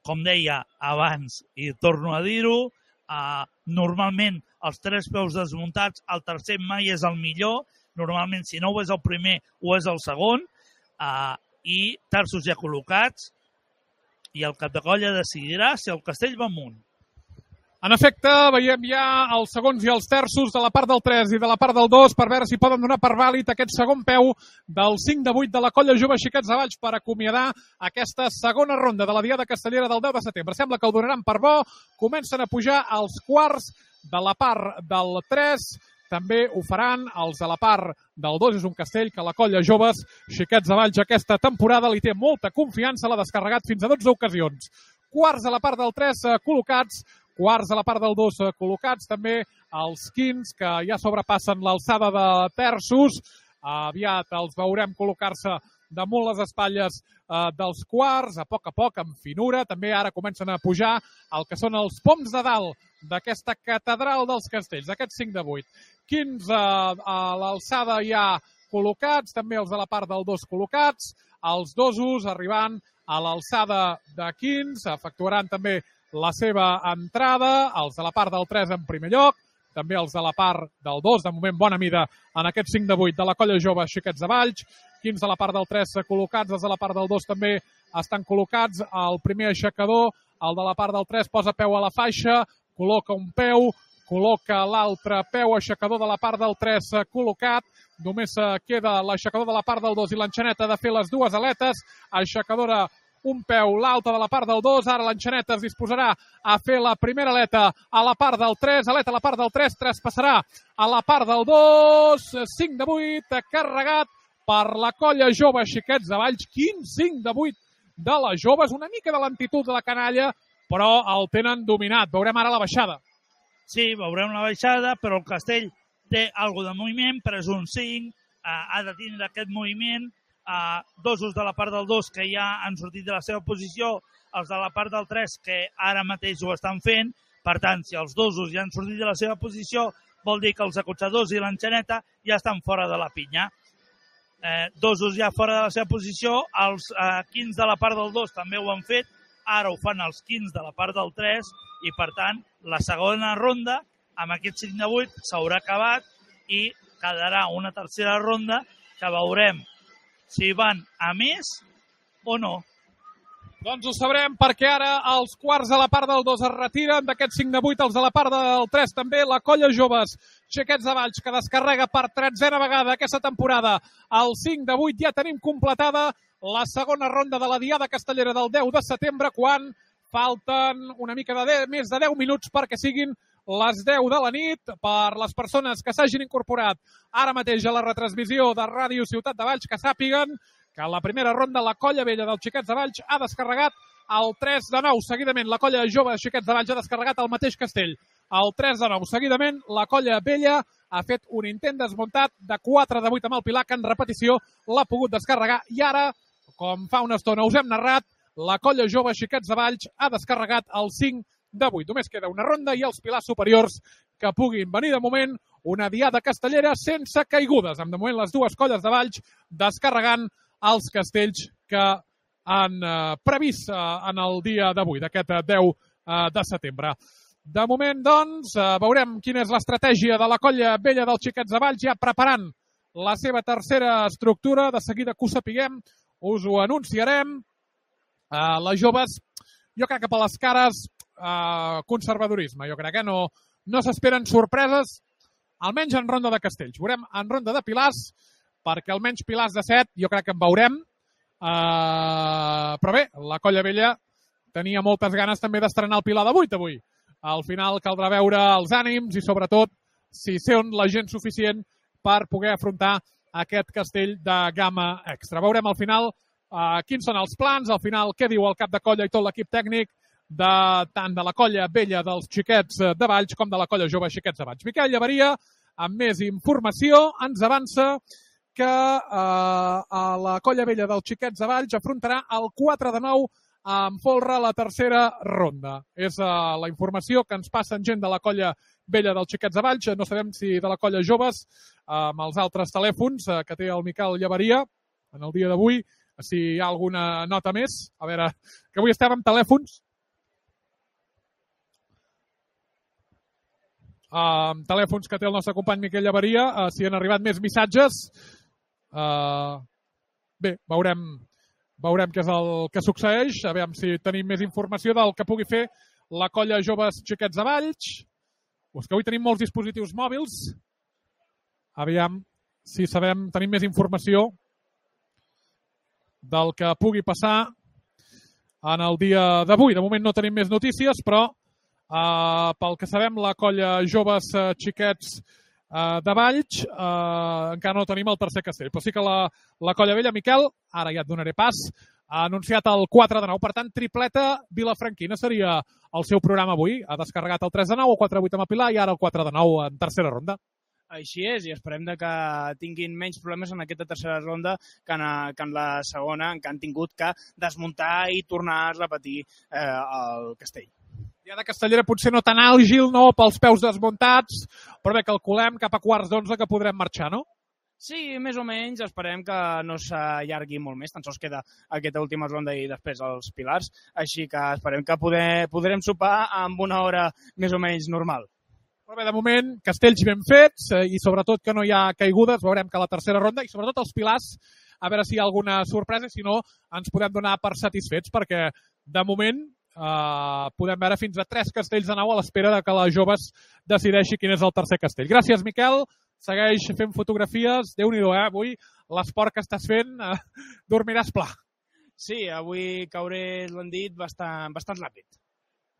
Com deia abans, i torno a dir-ho, normalment els 3 peus desmuntats, el tercer mai és el millor. Normalment, si no ho és el primer, ho és el segon. I terços ja col·locats, i el cap de colla decidirà si el castell va amunt. En efecte, veiem ja els segons i els terços de la part del 3 i de la part del 2 per veure si poden donar per vàlid aquest segon peu del 5 de 8 de la colla jove Xiquets de Valls per acomiadar aquesta segona ronda de la Diada Castellera del 10 de setembre. Sembla que ho donaran per bo. Comencen a pujar els quarts de la part del 3. També ho faran els de la part del 2. És un castell que la colla joves Xiquets de Valls aquesta temporada li té molta confiança. L'ha descarregat fins a 12 ocasions. Quarts a la part del 3 col·locats. Quarts a la part del 2 col·locats, també els quints que ja sobrepassen l'alçada de terços. Aviat els veurem col·locar-se damunt les espatlles dels quarts, a poc, amb finura. També ara comencen a pujar el que són els poms de dalt d'aquesta catedral dels castells, aquests 5 de 8. Quins a l'alçada ja col·locats, també els de la part del 2 col·locats. Els dosos arribant a l'alçada de quins, efectuaran també la seva entrada, els de la part del 3 en primer lloc, també els de la part del 2, de moment bona mida en aquest 5 de 8 de la colla jove Xiquets de Valls. Quins de la part del 3 col·locats, els de la part del 2 també estan col·locats. El primer aixecador, el de la part del 3, posa peu a la faixa, col·loca un peu, col·loca l'altre peu, aixecador de la part del 3 col·locat. Només queda l'aixecador de la part del 2 i l'enxaneta de fer les 2 aletes. Aixecadora un peu, l'alta de la part del 2, ara l'enxaneta es disposarà a fer la primera aleta a la part del 3, aleta a la part del 3, traspassarà a la part del 2, 5 de 8, carregat per la colla jove Xiquets de Valls. Quin 5 de 8 de les joves, una mica de lentitud de la canalla, però el tenen dominat. Veurem ara la baixada. Sí, veurem la baixada, però el castell té alguna de moviment, però és un 5, ha de tindre aquest moviment. Dosos de la part del 2 que ja han sortit de la seva posició, els de la part del 3 que ara mateix ho estan fent. Per tant, si els dosos ja han sortit de la seva posició, vol dir que els acotxadors i l'enxaneta ja estan fora de la pinya. Dosos ja fora de la seva posició, els quins de la part del 2 també ho han fet, ara ho fan els quins de la part del 3 i, per tant, la segona ronda amb aquest 5 de 8 s'haurà acabat i quedarà una tercera ronda que veurem si van a més o no. Doncs ho sabrem perquè ara els quarts a la part del 2 es retiren, d'aquests 5 de 8 els a la part del 3 també, la colla joves Xiquets de Valls que descarrega per 13a vegada aquesta temporada. El 5 de 8 ja tenim completada la segona ronda de la Diada Castellera del 10 de setembre quan falten una mica més de 10 minuts perquè siguin les 10 de la nit per les persones que s'hagin incorporat ara mateix a la retransmissió de Ràdio Ciutat de Valls que sàpiguen que a la primera ronda la colla vella dels Xiquets de Valls ha descarregat el 3 de 9. Seguidament la colla jove Xiquets de Valls ha descarregat el mateix castell. El 3 de 9. Seguidament la colla vella ha fet un intent desmuntat de 4 de 8 amb el Pilar que en repetició l'ha pogut descarregar. I ara, com fa una estona us hem narrat, la colla jove Xiquets de Valls ha descarregat el 5 de 8. Només queda una ronda i els pilars superiors que puguin venir de moment una diada castellera sense caigudes. De moment les dues colles de Valls descarregant els castells que han previst en el dia d'avui, d'aquest 10 de setembre. De moment, doncs, veurem quina és l'estratègia de la colla vella dels Xiquets de Valls, ja preparant la seva tercera estructura. De seguida que ho sapiguem, us ho anunciarem. Les joves, jo crec que per les cares, conservadorisme. Jo crec que no s'esperen sorpreses, almenys en ronda de castells. Veurem en ronda de pilars, perquè almenys pilars de 7 jo crec que en veurem. Però bé, la colla vella tenia moltes ganes també d'estrenar el pilar de 8 avui. Al final caldrà veure els ànims i sobretot si són la gent suficient per poder afrontar aquest castell de gamma extra. Veurem al final quins són els plans, al final què diu el cap de colla i tot l'equip tècnic tant de la colla vella dels Xiquets de Valls com de la colla jove Xiquets de Valls. Miquel Llaveria, amb més informació, ens avança que la colla vella dels Xiquets de Valls afrontarà el 4 de 9 amb folre la tercera ronda. És la informació que ens passen gent de la colla vella dels Xiquets de Valls. No sabem si de la colla joves, amb els altres telèfons que té el Miquel Llaveria en el dia d'avui, si hi ha alguna nota més. A veure, que avui estem amb telèfons. Amb telèfons que té el nostre company Miquel Llaveria, si han arribat més missatges. Bé, veurem què és el que succeeix, a veure si tenim més informació del que pugui fer la colla joves Xiquets de Valls. És que avui tenim molts dispositius mòbils. Aviam si tenim més informació del que pugui passar en el dia d'avui. De moment no tenim més notícies, però pel que sabem, la colla joves Xiquets de Valls encara no tenim el tercer castell. Però sí que la colla vella, Miquel, ara ja et donaré pas, ha anunciat el 4 de 9. Per tant, tripleta vilafranquina seria el seu programa avui. Ha descarregat el 3 de 9, el 4 de 8 amb el Pilar i ara el 4 de 9 en tercera ronda. Així és, i esperem que tinguin menys problemes en aquesta tercera ronda que en la segona, en què han tingut que desmuntar i tornar a repetir el castell. Diada castellera potser no tan àgil, no, pels peus desmuntats, però bé, calculem cap a quarts d'11 que podrem marxar, no? Sí, més o menys, esperem que no s'allargui molt més, tan sols queda aquesta última ronda i després els pilars, així que esperem que podrem sopar amb una hora més o menys normal. Però bé, de moment, castells ben fets i sobretot que no hi ha caigudes, veurem que a la tercera ronda i sobretot els pilars, a veure si hi ha alguna sorpresa, si no ens podem donar per satisfets, perquè de moment podem veure fins a 3 castells de 9 a l'espera que les joves decideixi quin és el tercer castell. Gràcies, Miquel. Segueix fent fotografies. Déu-n'hi-do, avui l'esport que estàs fent dormiràs pla. Sí, avui cauré, l'han dit, bastant ràpid.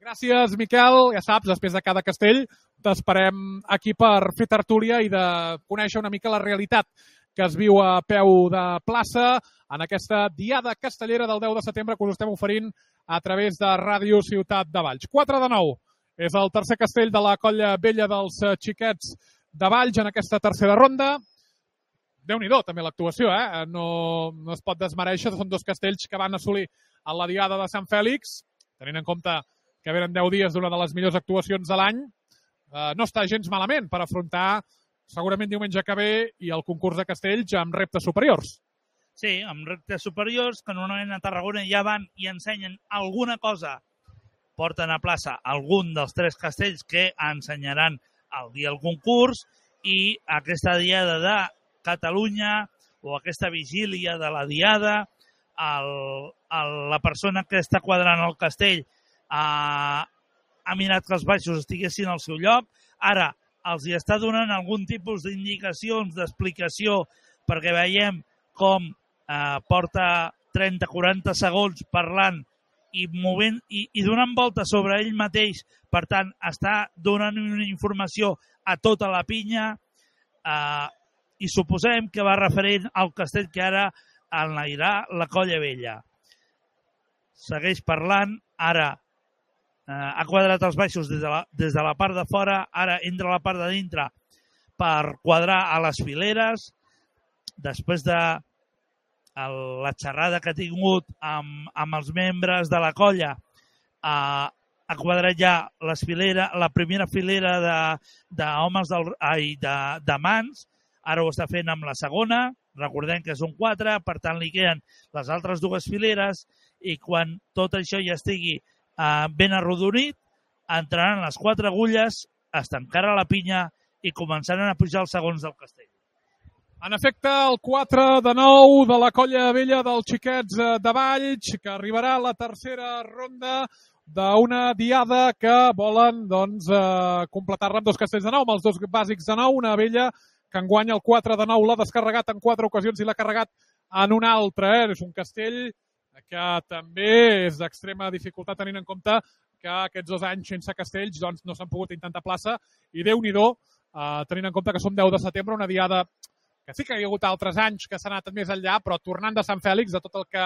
Gràcies, Miquel. Ja saps, després de cada castell t'esperem aquí per fer tertúlia i de conèixer una mica la realitat que es viu a peu de plaça en aquesta diada castellera del 10 de setembre que us estem oferint a través de Ràdio Ciutat de Valls. 4 de 9 és el tercer castell de la colla vella dels Xiquets de Valls en aquesta tercera ronda. Déu-n'hi-do, també l'actuació, no es pot desmereixer. Són 2 castells que van assolir a la diada de Sant Fèlix, tenint en compte que venen 10 dies d'una de les millors actuacions de l'any. No està gens malament per afrontar segurament diumenge que ve i el concurs de castells amb reptes superiors. Sí, amb reptes superiors, que normalment a Tarragona ja van i ensenyen alguna cosa. Porten a plaça algun dels 3 castells que ensenyaran el dia del concurs i aquesta diada de Catalunya o aquesta vigília de la diada, la persona que està quadrant el castell ha mirat que els baixos estiguessin al seu lloc. Ara els hi està donant algun tipus d'indicacions, d'explicació, perquè veiem com porta 30-40 segons parlant i movent i donant voltes sobre ell mateix. Per tant, està donant una informació a tota la pinya i suposem que va referent al castell que ara enlairà la Colla Vella. Segueix parlant, ara ha quadrat els baixos des de la part de fora, ara entra a la part de dintre per quadrar a les fileres. Després de la xerrada que ha tingut amb els membres de la colla, ha quadrat ja la primera filera d'homes de mans. Ara ho està fent amb la segona. Recordem que són 4, per tant li queden les altres 2 fileres i quan tot això ja estigui ben arrodonit, entraran les 4 agulles, es tancarà la pinya i començaran a pujar els segons del castell. En efecte, el 4 de 9 de la Colla Vella dels Xiquets de Valls, que arribarà a la tercera ronda d'una diada que volen completar-la amb 2 castells de 9, amb els 2 bàsics de 9, una vella que enguany el 4 de 9 l'ha descarregat en 4 ocasions i l'ha carregat en una altra. És un castell que també és d'extrema dificultat tenint en compte que aquests 2 anys sense castells no s'han pogut intentar plaça i Déu-n'hi-do, tenint en compte que som 10 de setembre, una diada que sí que hi ha hagut altres anys que s'ha anat més enllà, però tornant de Sant Fèlix, de tot el que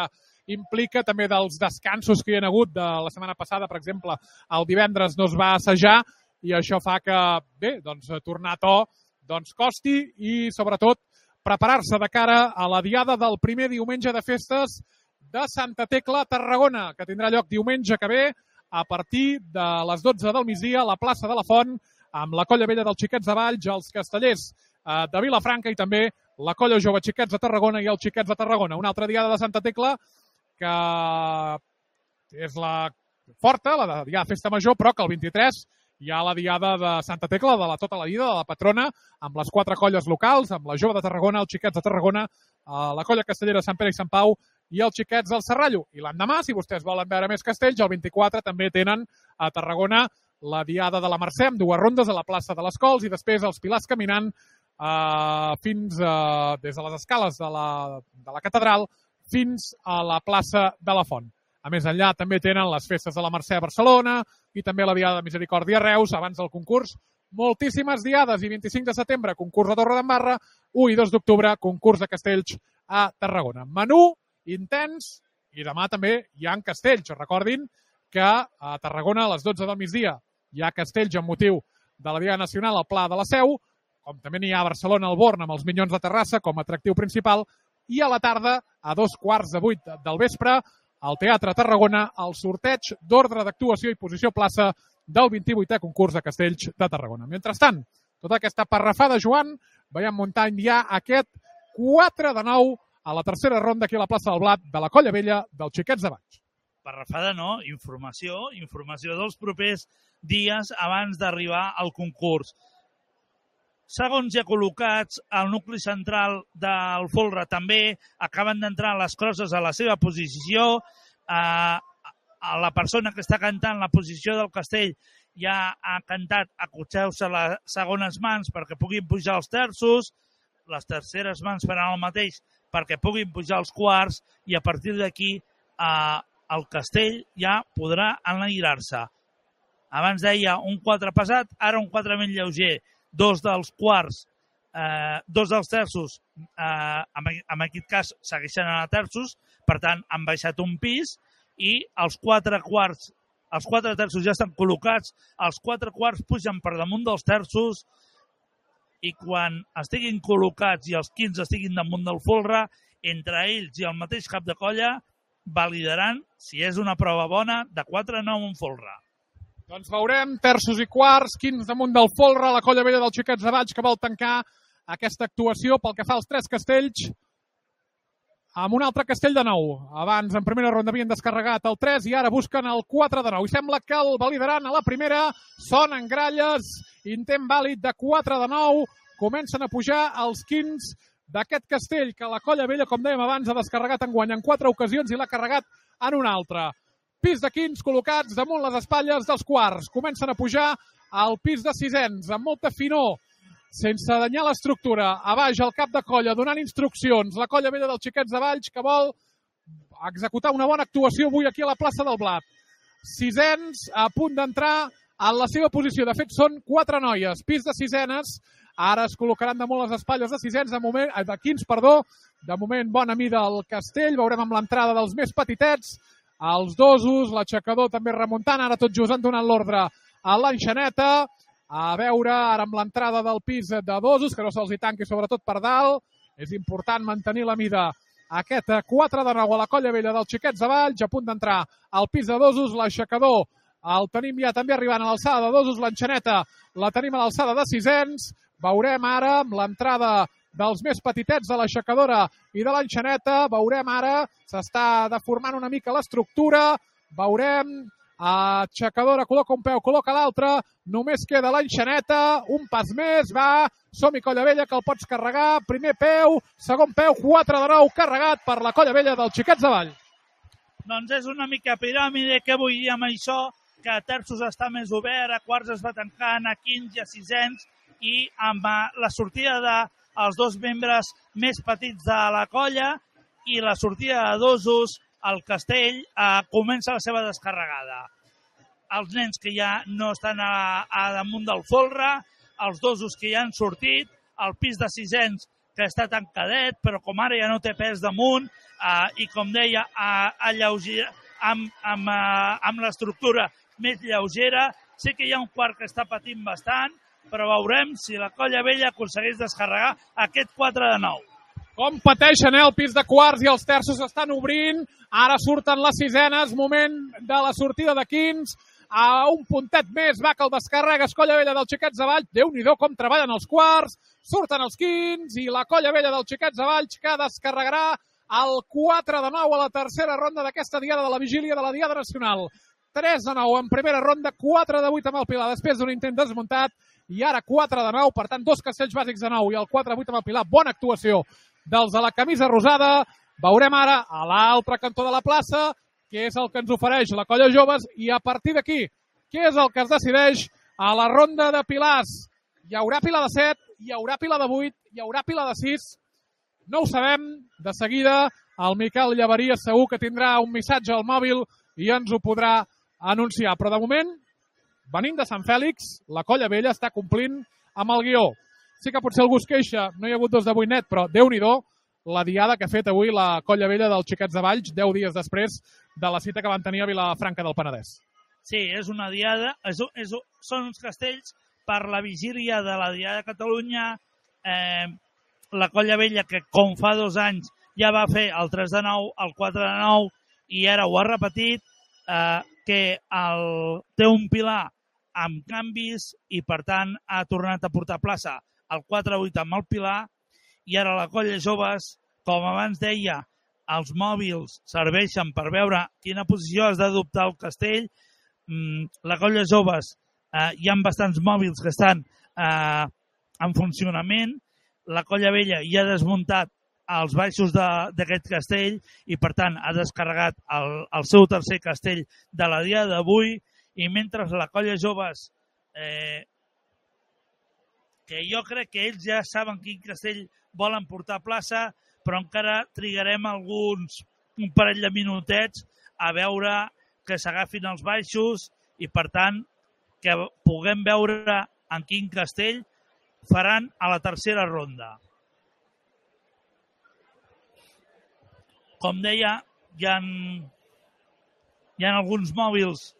implica també dels descansos que hi ha hagut de la setmana passada, per exemple, el divendres no es va assajar i això fa que, bé, tornar a to costi i, sobretot, preparar-se de cara a la diada del primer diumenge de festes de Santa Tecla, Tarragona, que tindrà lloc diumenge que ve a partir de les 12 del migdia a la plaça de la Font, amb la Colla Vella dels Xiquets de Valls, els Castellers de Vilafranca i també la Colla Jove Xiquets de Tarragona i els Xiquets de Tarragona. Una altra diada de Santa Tecla que és la forta, la diada de Festa Major, però que el 23 hi ha la diada de Santa Tecla, de tota la vida, de la patrona, amb les 4 colles locals, amb la Jove de Tarragona, els Xiquets de Tarragona, la Colla Castellera Sant Pere i Sant Pau i els Xiquets del Serrallo. I l'endemà, si vostès volen veure més castells, el 24 també tenen a Tarragona la diada de la Mercè, amb 2 rondes a la plaça de les Cols i després els Pilars caminant fins des de les escales de la catedral fins a la plaça de la Font. A més enllà també tenen les festes de la Mercè a Barcelona i també la Diada de Misericòrdia a Reus abans del concurs. Moltíssimes diades i 25 de setembre concurs a Torredembarra, 1 i 2 d'octubre concurs de castells a Tarragona. Menú intens i demà també hi ha castells. Recordin que a Tarragona a les 12 del migdia hi ha castells amb motiu de la Diada Nacional al Pla de la Seu, com també n'hi ha a Barcelona al Born amb els Minyons de Terrassa com a atractiu principal, i a la tarda, a 7:15 del vespre, al Teatre Tarragona, el sorteig d'ordre d'actuació i posició plaça del 28è concurs de castells de Tarragona. Mentrestant, tota aquesta parrafada, Joan, veiem muntant ja aquest 4 de 9 a la tercera ronda aquí a la plaça del Blat de la Colla Vella dels Xiquets de Valls. Parrafada no, informació dels propers dies abans d'arribar al concurs. Segons ja col·locats, al nucli central del folre també acaben d'entrar les crosses a la seva posició. A la persona que està cantant la posició del castell ja ha cantat acotxeu-se les segones mans perquè puguin pujar els terços, les terceres mans faran el mateix perquè puguin pujar els quarts i a partir d'aquí el castell ja podrà enlairar-se. Abans deia un 4 pesat, ara un 4 més lleuger. 2 dels quarts, 2 dels terços, en aquest cas segueixen a terços, per tant han baixat un pis i els 4 quarts, els 4 terços ja estan col·locats, els 4 quarts pugen per damunt dels terços i quan estiguin col·locats i els 15 estiguin damunt del folre, entre ells i el mateix cap de colla validaran si és una prova bona de 4 a 9 un folre. Doncs veurem terços i quarts, quins damunt del folre, la Colla Vella dels Xiquets de Valls que vol tancar aquesta actuació pel que fa als 3 castells amb un altre castell de 9. Abans, en primera ronda, havien descarregat el 3 i ara busquen el 4 de 9. I sembla que el validaran a la primera. Sonen gralles, intent vàlid de 4 de 9. Comencen a pujar els 15 d'aquest castell que la Colla Vella, com dèiem abans, ha descarregat enguany en 4 ocasions i l'ha carregat en un altre. Pis de quins col·locats damunt les espatlles dels quarts. Comencen a pujar al pis de sisens, amb molta finor, sense danyar l'estructura. A baix, el cap de colla, donant instruccions. La colla vella dels Xiquets de Valls, que vol executar una bona actuació avui aquí a la plaça del Blat. Sisens a punt d'entrar en la seva posició. De fet, són 4 noies. Pis de sisenes. Ara es col·locaran damunt les espatlles de sisens, de quins, perdó. De moment, bona mida al castell. Veurem amb l'entrada dels més petitets. Els dosos, l'aixecador també remuntant. Ara tot just han donat l'ordre a l'enxaneta. A veure, ara amb l'entrada del pis de dosos, que no se'ls hi tanqui sobretot per dalt. És important mantenir la mida. Aquest 4 de 9 a la colla vella dels Xiquets de Valls, a punt d'entrar al pis de dosos, l'aixecador. El tenim ja també arribant a l'alçada de dosos, l'enxaneta la tenim a l'alçada de sisens. Veurem ara amb l'entrada dels més petitets de l'aixecadora i de l'enxaneta. Veurem ara, s'està deformant una mica l'estructura. Veurem, aixecadora col·loca un peu, col·loca l'altre. Només queda l'enxaneta, un pas més, va. Som-hi, colla vella, que el pots carregar. Primer peu, segon peu, 4 de 9, carregat per la colla vella dels Xiquets de Valls. Doncs és una mica piràmide, què vull dir amb això? Que a terços està més obert, a quarts es va tancant, a quints i a sisens, i amb la sortida dels 2 membres més petits de la colla i la sortida de dosos, el castell comença la seva descarregada. Els nens que ja no estan a damunt del folre, els dosos que ja han sortit, el pis de sisens que està tancadet, però com ara ja no té pes damunt, i com deia, amb l'estructura més lleugera. Sé que hi ha un quart que està patint bastant, però veurem si la colla vella aconsegueix descarregar aquest 4 de 9. Com pateixen, el pis de quarts i els terços estan obrint. Ara surten les sisenes, moment de la sortida de quins. A un puntet més va que el descarregues, colla vella dels Xiquets de Valls. Déu-n'hi-do com treballen els quarts. Surten els quins i la colla vella dels Xiquets de Valls que descarregarà el 4 de 9 a la tercera ronda d'aquesta diada de la vigília de la Diada Nacional. 3 de 9 en primera ronda, 4 de 8 amb el Pilar després d'un intent desmuntat i ara 4 de 9, per tant 2 castells bàsics de 9 i el 4 de 8 amb el Pilar. Bona actuació dels de la camisa rosada. Veurem ara a l'altre cantó de la plaça què és el que ens ofereix la colla joves i a partir d'aquí què és el que es decideix a la ronda de pilars. Hi haurà Pilar de 7, hi haurà Pilar de 8, hi haurà Pilar de 6. No ho sabem. De seguida el Miquel Llaveria segur que tindrà un missatge al mòbil i ens ho podrà anunciar. Però de moment, venint de Sant Fèlix, la colla vella està complint amb el guió. Sí que potser algú es queixa, no hi ha hagut 2 de 8 net, però Déu-n'hi-do la diada que ha fet avui la colla vella dels Xiquets de Valls 10 dies després de la cita que van tenir a Vilafranca del Penedès. Sí, és una diada, són uns castells per la vigília de la Diada de Catalunya. La colla vella, que com fa 2 anys ja va fer el 3 de 9, el 4 de 9 i ara ho ha repetit, que té un pilar amb canvis i per tant ha tornat a portar plaça el 4-8 amb el pilar i ara la colla joves, com abans deia, els mòbils serveixen per veure quina posició has d'adoptar el castell. La colla joves, hi ha bastants mòbils que estan en funcionament. La colla vella ja ha desmuntat els baixos d'aquest castell i per tant ha descarregat el seu tercer castell de la dia d'avui i mentre la colla joves, que jo crec que ells ja saben quin castell volen portar a plaça, però encara trigarem un parell de minutets a veure que s'agafin els baixos i per tant que puguem veure en quin castell faran a la tercera ronda. Com deia, hi ha alguns mòbils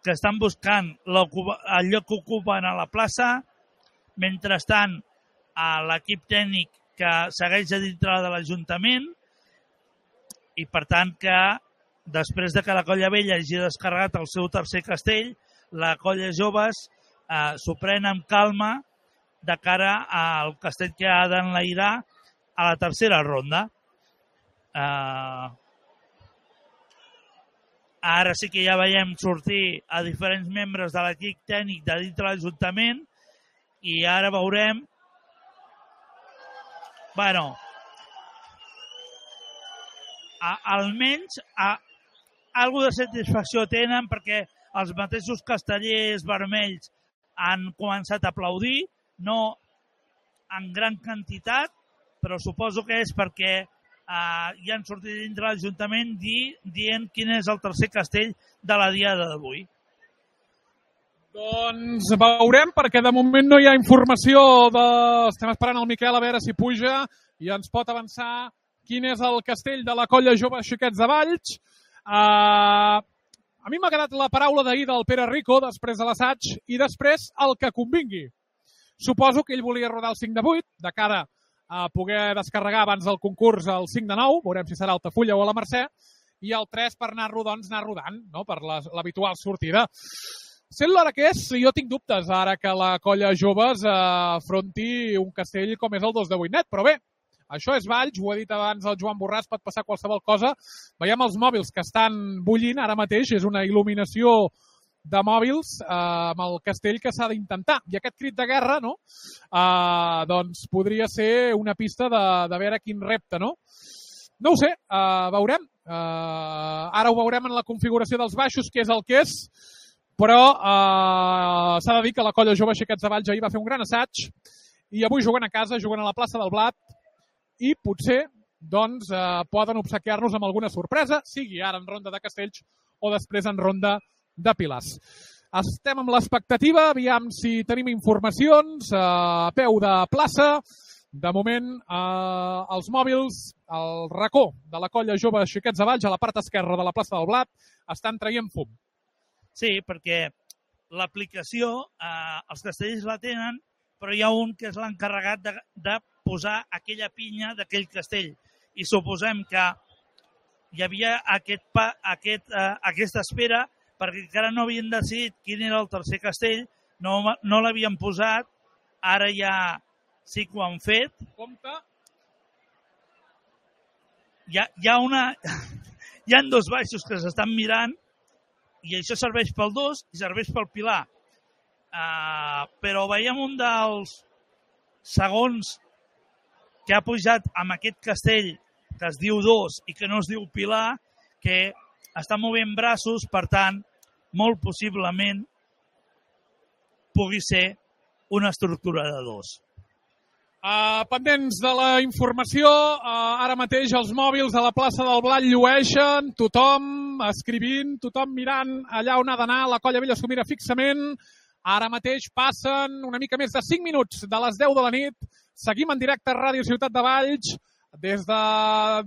que estan buscant el lloc que ocupen a la plaça. Mentrestant, l'equip tècnic que segueix a dintre de l'Ajuntament i per tant que després de que la colla vella hagi descarregat el seu tercer castell, la colla joves s'ho pren amb calma de cara al castell que ha d'enlairar a la tercera ronda. Ara sí que ja veiem sortir a diferents membres de l'equip tècnic de dintre l'Ajuntament i ara veurem almenys algo de satisfacció tenen perquè els mateixos castellers vermells han començat a aplaudir, no en gran quantitat, però suposo que és perquè ja han sortit dintre l'Ajuntament dient quin és el tercer castell de la diada d'avui. Doncs veurem, perquè de moment no hi ha informació. Estem esperant el Miquel a veure si puja i ens pot avançar quin és el castell de la Colla Jove Xiquets de Valls. A mi m'ha agradat la paraula d'ahir del Pere Rico, després de l'assaig, i després el que convingui. Suposo que ell volia rodar el 5 de 8, de cara a poder descarregar abans del concurs el 5 de 9, veurem si serà a Altafulla o a la Mercè, i el 3 per anar-lo, doncs, anar rodant, no? Per l'habitual sortida. Sent l'hora que és, jo tinc dubtes ara que la Colla Joves afronti un castell com és el 2 de 8 net, però bé, això és Valls, ho ha dit abans el Joan Borràs, pot passar qualsevol cosa. Veiem els mòbils que estan bullint ara mateix, és una il·luminació de mòbils amb el castell que s'ha d'intentar. I aquest crit de guerra, no? Doncs podria ser una pista de veure quin repte, no? No ho sé, veurem. Ara ho veurem en la configuració dels baixos, que és el que és, però s'ha de dir que la Colla Jove Xiquets de Valls ahir va fer un gran assaig i avui juguen a casa, juguen a la plaça del Blat i potser doncs, poden obsequiar-nos amb alguna sorpresa, sigui ara en ronda de castells o després en ronda de pilars. Estem amb l'expectativa, aviam si tenim informacions a peu de plaça. De moment, els mòbils, el racó de la Colla Jove Xiquets de Valls a la part esquerra de la plaça del Blat estan traient fum. Sí, perquè l'aplicació, els castells la tenen, però hi ha un que és l'encarregat de posar aquella pinya d'aquell castell. I suposem que hi havia aquesta espera perquè encara no havien decidit quin era el tercer castell, no l'havien posat, ara ja sí que ho han fet. Compte. Hi ha dos baixos que s'estan mirant i això serveix pel 2 i serveix pel pilar. Però veiem un dels segons que ha pujat amb aquest castell que es diu 2 i que no es diu pilar, que està movent braços, per tant, molt possiblement pugui ser una estructura de 2. Pendents de la informació, ara mateix els mòbils a la plaça del Blat llueixen, tothom escrivint, tothom mirant allà on ha d'anar, la Colla Vella s'ho mira fixament. Ara mateix passen una mica més de 5 minuts de les 10 de la nit. Seguim en directe a Ràdio Ciutat de Valls. Des de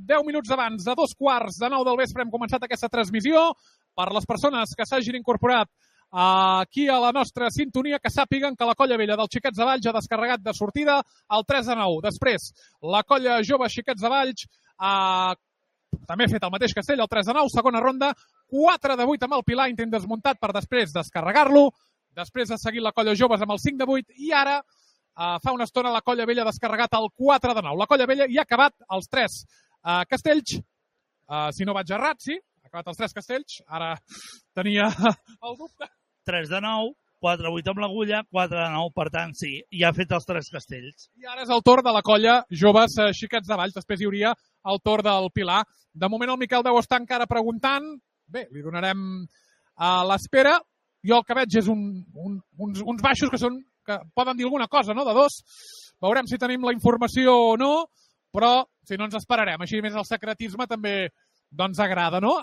10 minuts abans de 2:15 del vespre hem començat aquesta transmissió. Per les persones que s'hagin incorporat aquí a la nostra sintonia, que sàpiguen que la Colla Vella dels Xiquets de Valls ha descarregat de sortida el 3 de 9. Després, la Colla Jove Xiquets de Valls també ha fet el mateix castell, el 3 de 9, segona ronda, 4 de 8 amb el pilar, intent desmuntat per després descarregar-lo. Després ha seguit la Colla Joves amb el 5 de 8 i ara fa una estona la Colla Vella ha descarregat el 4 de 9. La Colla Vella hi ha acabat els 3 castells. Si no vaig errat, sí, ha acabat els 3 castells. Ara tenia el dubte. 3 de 9, 4 de 8 amb l'agulla, 4 de 9, per tant, sí, ja ha fet els 3 castells. I ara és el torn de la Colla Joves Xiquets de Valls. Després hi hauria el torn del Pilar. De moment el Miquel deu estar encara preguntant. Bé, li donarem a l'espera. Jo el que veig és uns baixos que poden dir alguna cosa, no?, de 2. Veurem si tenim la informació o no, però si no ens esperarem. Així més el secretisme també doncs agrada, no?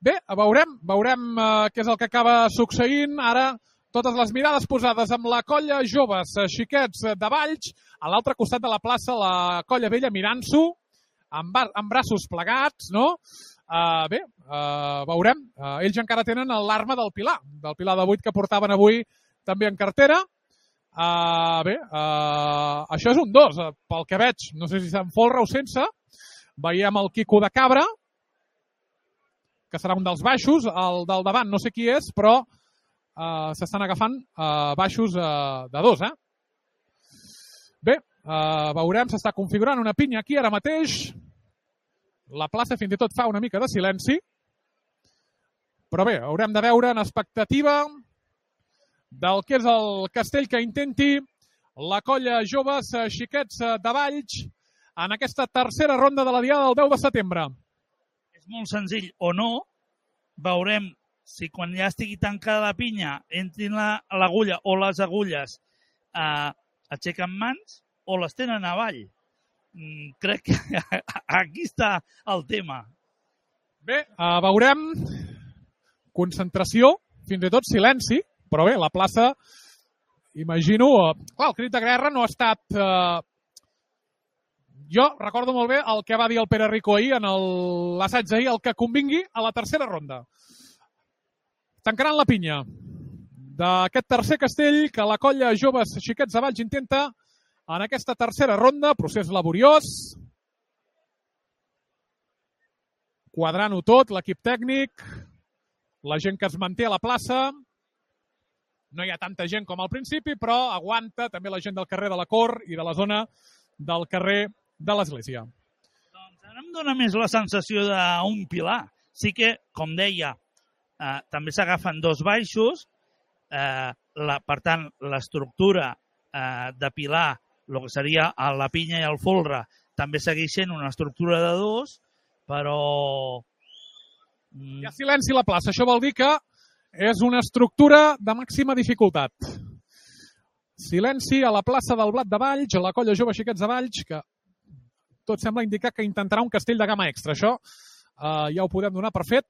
Bé, veurem què és el que acaba succeint. Ara totes les mirades posades amb la Colla Joves Xiquets de Valls, a l'altre costat de la plaça la Colla Vella mirant-s'ho amb braços plegats, no? Bé, veurem. Ells encara tenen l'arma del Pilar de 8 que portaven avui també en cartera. Bé, això és un 2, pel que veig. No sé si se'n folra o sense. Veiem el Quico de Cabra, que serà un dels baixos. El del davant no sé qui és, però s'estan agafant baixos de 2, Bé, veurem, s'està configurant una pinya aquí ara mateix. La plaça fins i tot fa una mica de silenci. Però bé, haurem de veure en expectativa del que és el castell que intenti la Colla Joves Xiquets de Valls en aquesta tercera ronda de la diada del 10 de setembre. és molt senzill o no. Veurem si quan ja estigui tancada la pinya entrin l'agulla o les agulles aixequen mans o les tenen avall. Crec que aquí està el tema. Bé, veurem concentració, fins i tot silenci, però bé, la plaça, imagino... Clar, el crit de guerra no ha estat... Jo recordo molt bé el que va dir el Pere Rico ahir en l'assaig d'ahir, el que convingui a la tercera ronda. Tancaran la pinya d'aquest tercer castell que la colla Joves Xiquets de Valls intenta en aquesta tercera ronda, procés laboriós, quadrant-ho tot, l'equip tècnic, la gent que es manté a la plaça. No hi ha tanta gent com al principi, però aguanta també la gent del carrer de la Cort i de la zona del carrer de l'Església. Doncs ara em dóna més la sensació d'un pilar. Sí que, com deia, també s'agafen dos baixos, per tant, l'estructura de pilar, el que seria la pinya i el folre, també segueix sent una estructura de dos, però... Hi ha silenci a la plaça, això vol dir que és una estructura de màxima dificultat. Silenci a la plaça del Blat de Valls, a la colla Jove Xiquets de Valls, que tot sembla indicar que intentarà un castell de gamma extra. Això ja ho podem donar per fet.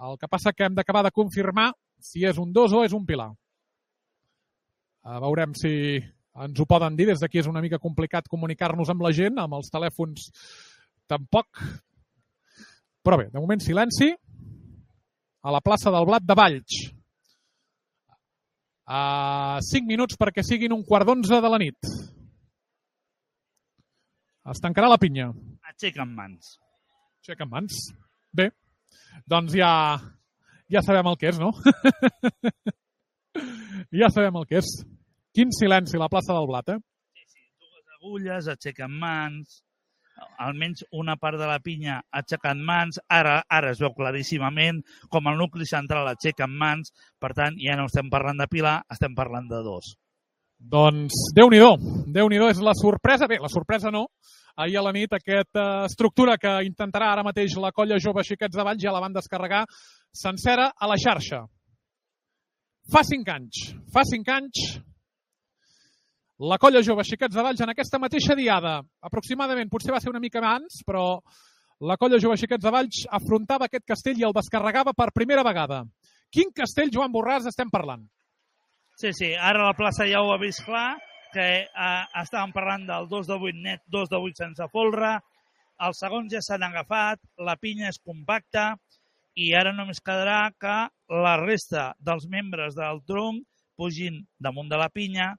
El que passa que hem d'acabar de confirmar si és un 2 o és un pilar. Veurem si ens ho poden dir. Des d'aquí és una mica complicat comunicar-nos amb la gent, amb els telèfons tampoc. Però bé, de moment silenci a la plaça del Blat de Valls. 5 minuts perquè siguin 1:15 de la nit. Es tancarà la pinya. Aixequen mans. Aixequen mans. Bé, doncs ja sabem el que és, no? Ja sabem el que és. Quin silenci a la plaça del Blat, eh? Sí, dues agulles, aixequen mans, almenys una part de la pinya aixecant mans, ara es veu claríssimament com el nucli central aixequen mans, per tant, ja no estem parlant de pilar, estem parlant de dos. Doncs Déu-n'hi-do és la sorpresa. Bé, la sorpresa no. Ahir a la nit aquesta estructura que intentarà ara mateix la colla Jove Xiquets de Valls ja la van descarregar sencera a la xarxa. Fa 5 anys, la colla Jove Xiquets de Valls en aquesta mateixa diada, aproximadament, potser va ser una mica abans, però la colla Jove Xiquets de Valls afrontava aquest castell i el descarregava per primera vegada. Quin castell, Joan Borràs, estem parlant? Sí, ara la plaça ja ho ha vist clar, que estàvem parlant del 2 de 8 net, 2 de 8 sense folre, els segons ja s'han agafat, la pinya és compacta i ara només quedarà que la resta dels membres del tronc pugin damunt de la pinya,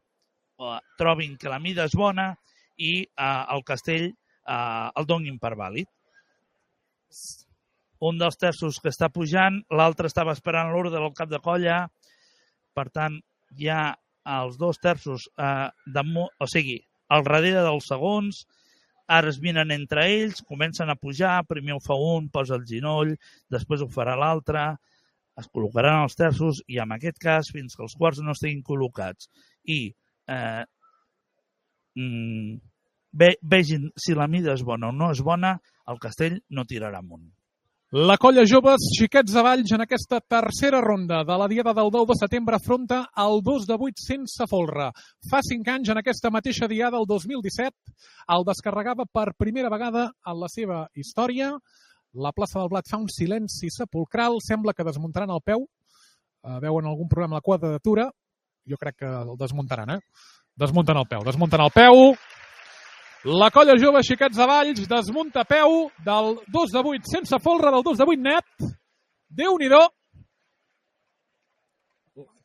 trobin que la mida és bona i el castell el donin per vàlid. Un dels terços que està pujant, l'altre estava esperant l'ordre del cap de colla, per tant, hi ha els 2 terços, o sigui, al darrere dels segons, ara es minen entre ells, comencen a pujar, primer ho fa un, posa el ginoll, després ho farà l'altre, es col·locaran els terços i en aquest cas, fins que els quarts no estiguin col·locats i vegin si la mida és bona o no és bona, el castell no tirarà amunt. La colla Joves Xiquets de Valls en aquesta tercera ronda de la diada del 10 de setembre afronta el 2 de 8 sense folre. Fa 5 anys, en aquesta mateixa diada, el 2017, el descarregava per primera vegada en la seva història. La plaça del Blat fa un silenci sepulcral, sembla que desmuntaran el peu. Veuen algun problema a la quadratura. Jo crec que el desmuntaran, Desmunten el peu. La colla Jove Xiquets de Valls desmunta peu del 2 de 8 sense folre, del 2 de 8 net. Déu-n'hi-do.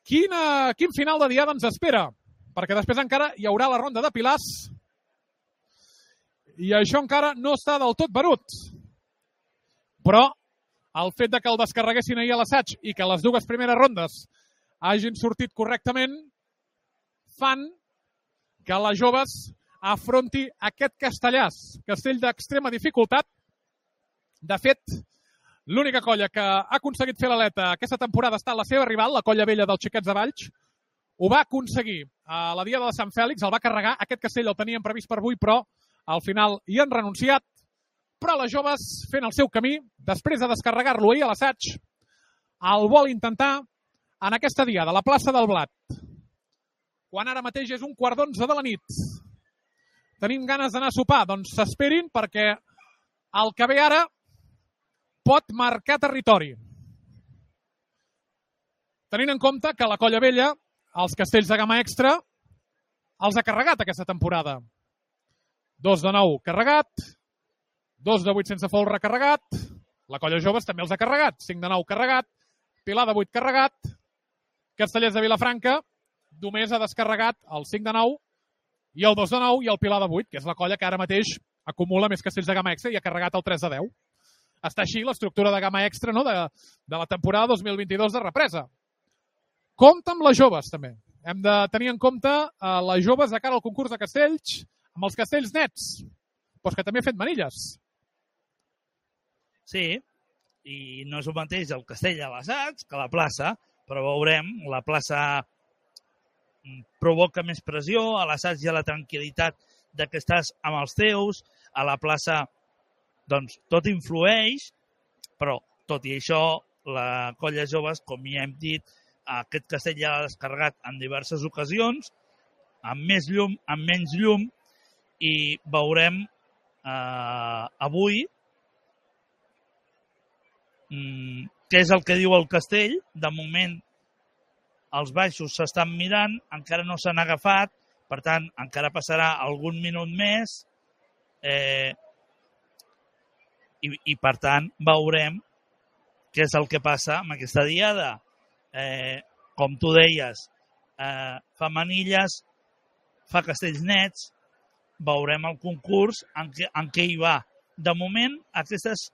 Quin final de diada ens espera? Perquè després encara hi haurà la ronda de pilars i això encara no està del tot venut. Però el fet de que el descarreguessin ahir a l'assaig i que les 2 primeres rondes hagin sortit correctament fan que les joves afronti aquest castellàs, castell d'extrema dificultat. De fet, l'única colla que ha aconseguit fer l'aleta aquesta temporada ha estat la seva rival, la colla vella dels Xiquets de Valls. Ho va aconseguir a la diada de Sant Fèlix, el va carregar. Aquest castell el tenien previst per avui, però al final hi han renunciat. però les joves fent el seu camí, després de descarregar-lo ahir a l'assaig, el vol intentar en aquesta diada, a la plaça del Blat. Quan ara mateix és 11:15 de la nit. Tenim ganes d'anar a sopar, doncs s'esperin perquè el que ve ara pot marcar territori. Tenint en compte que la Colla Vella, els castells de gamma extra, els ha carregat aquesta temporada. 2 de 9 carregat, 2 de 8 sense folre carregat, la Colla Joves també els ha carregat, 5 de 9 carregat, Pilar de 8 carregat, Castellers de Vilafranca només ha descarregat el 5 de 9 i el 2 de 9 i el Pilar de 8, que és la colla que ara mateix acumula més castells de gamma extra i ha carregat el 3 de 10. Està així l'estructura de gamma extra, no? de la temporada 2022 de represa. Compte amb les joves, també. Hem de tenir en compte les joves de cara al concurs de castells, amb els castells nets, però que també ha fet manilles. Sí, i no és el mateix el castell a l'assaig que la plaça, però veurem, la plaça provoca més pressió, a l'assaig hi ha la tranquil·litat de que estàs amb els teus, a la plaça doncs tot influeix, però tot i això la Colla Joves, com ja hem dit, aquest castell ja l'ha descarregat en diverses ocasions, amb més llum, amb menys llum, i veurem avui què és el que diu el castell. De moment els baixos s'estan mirant, encara no s'han agafat, per tant encara passarà algun minut més i per tant veurem què és el que passa amb aquesta diada. Com tu deies, fa manilles, fa castells nets, veurem el concurs en què hi va. De moment, aquestes,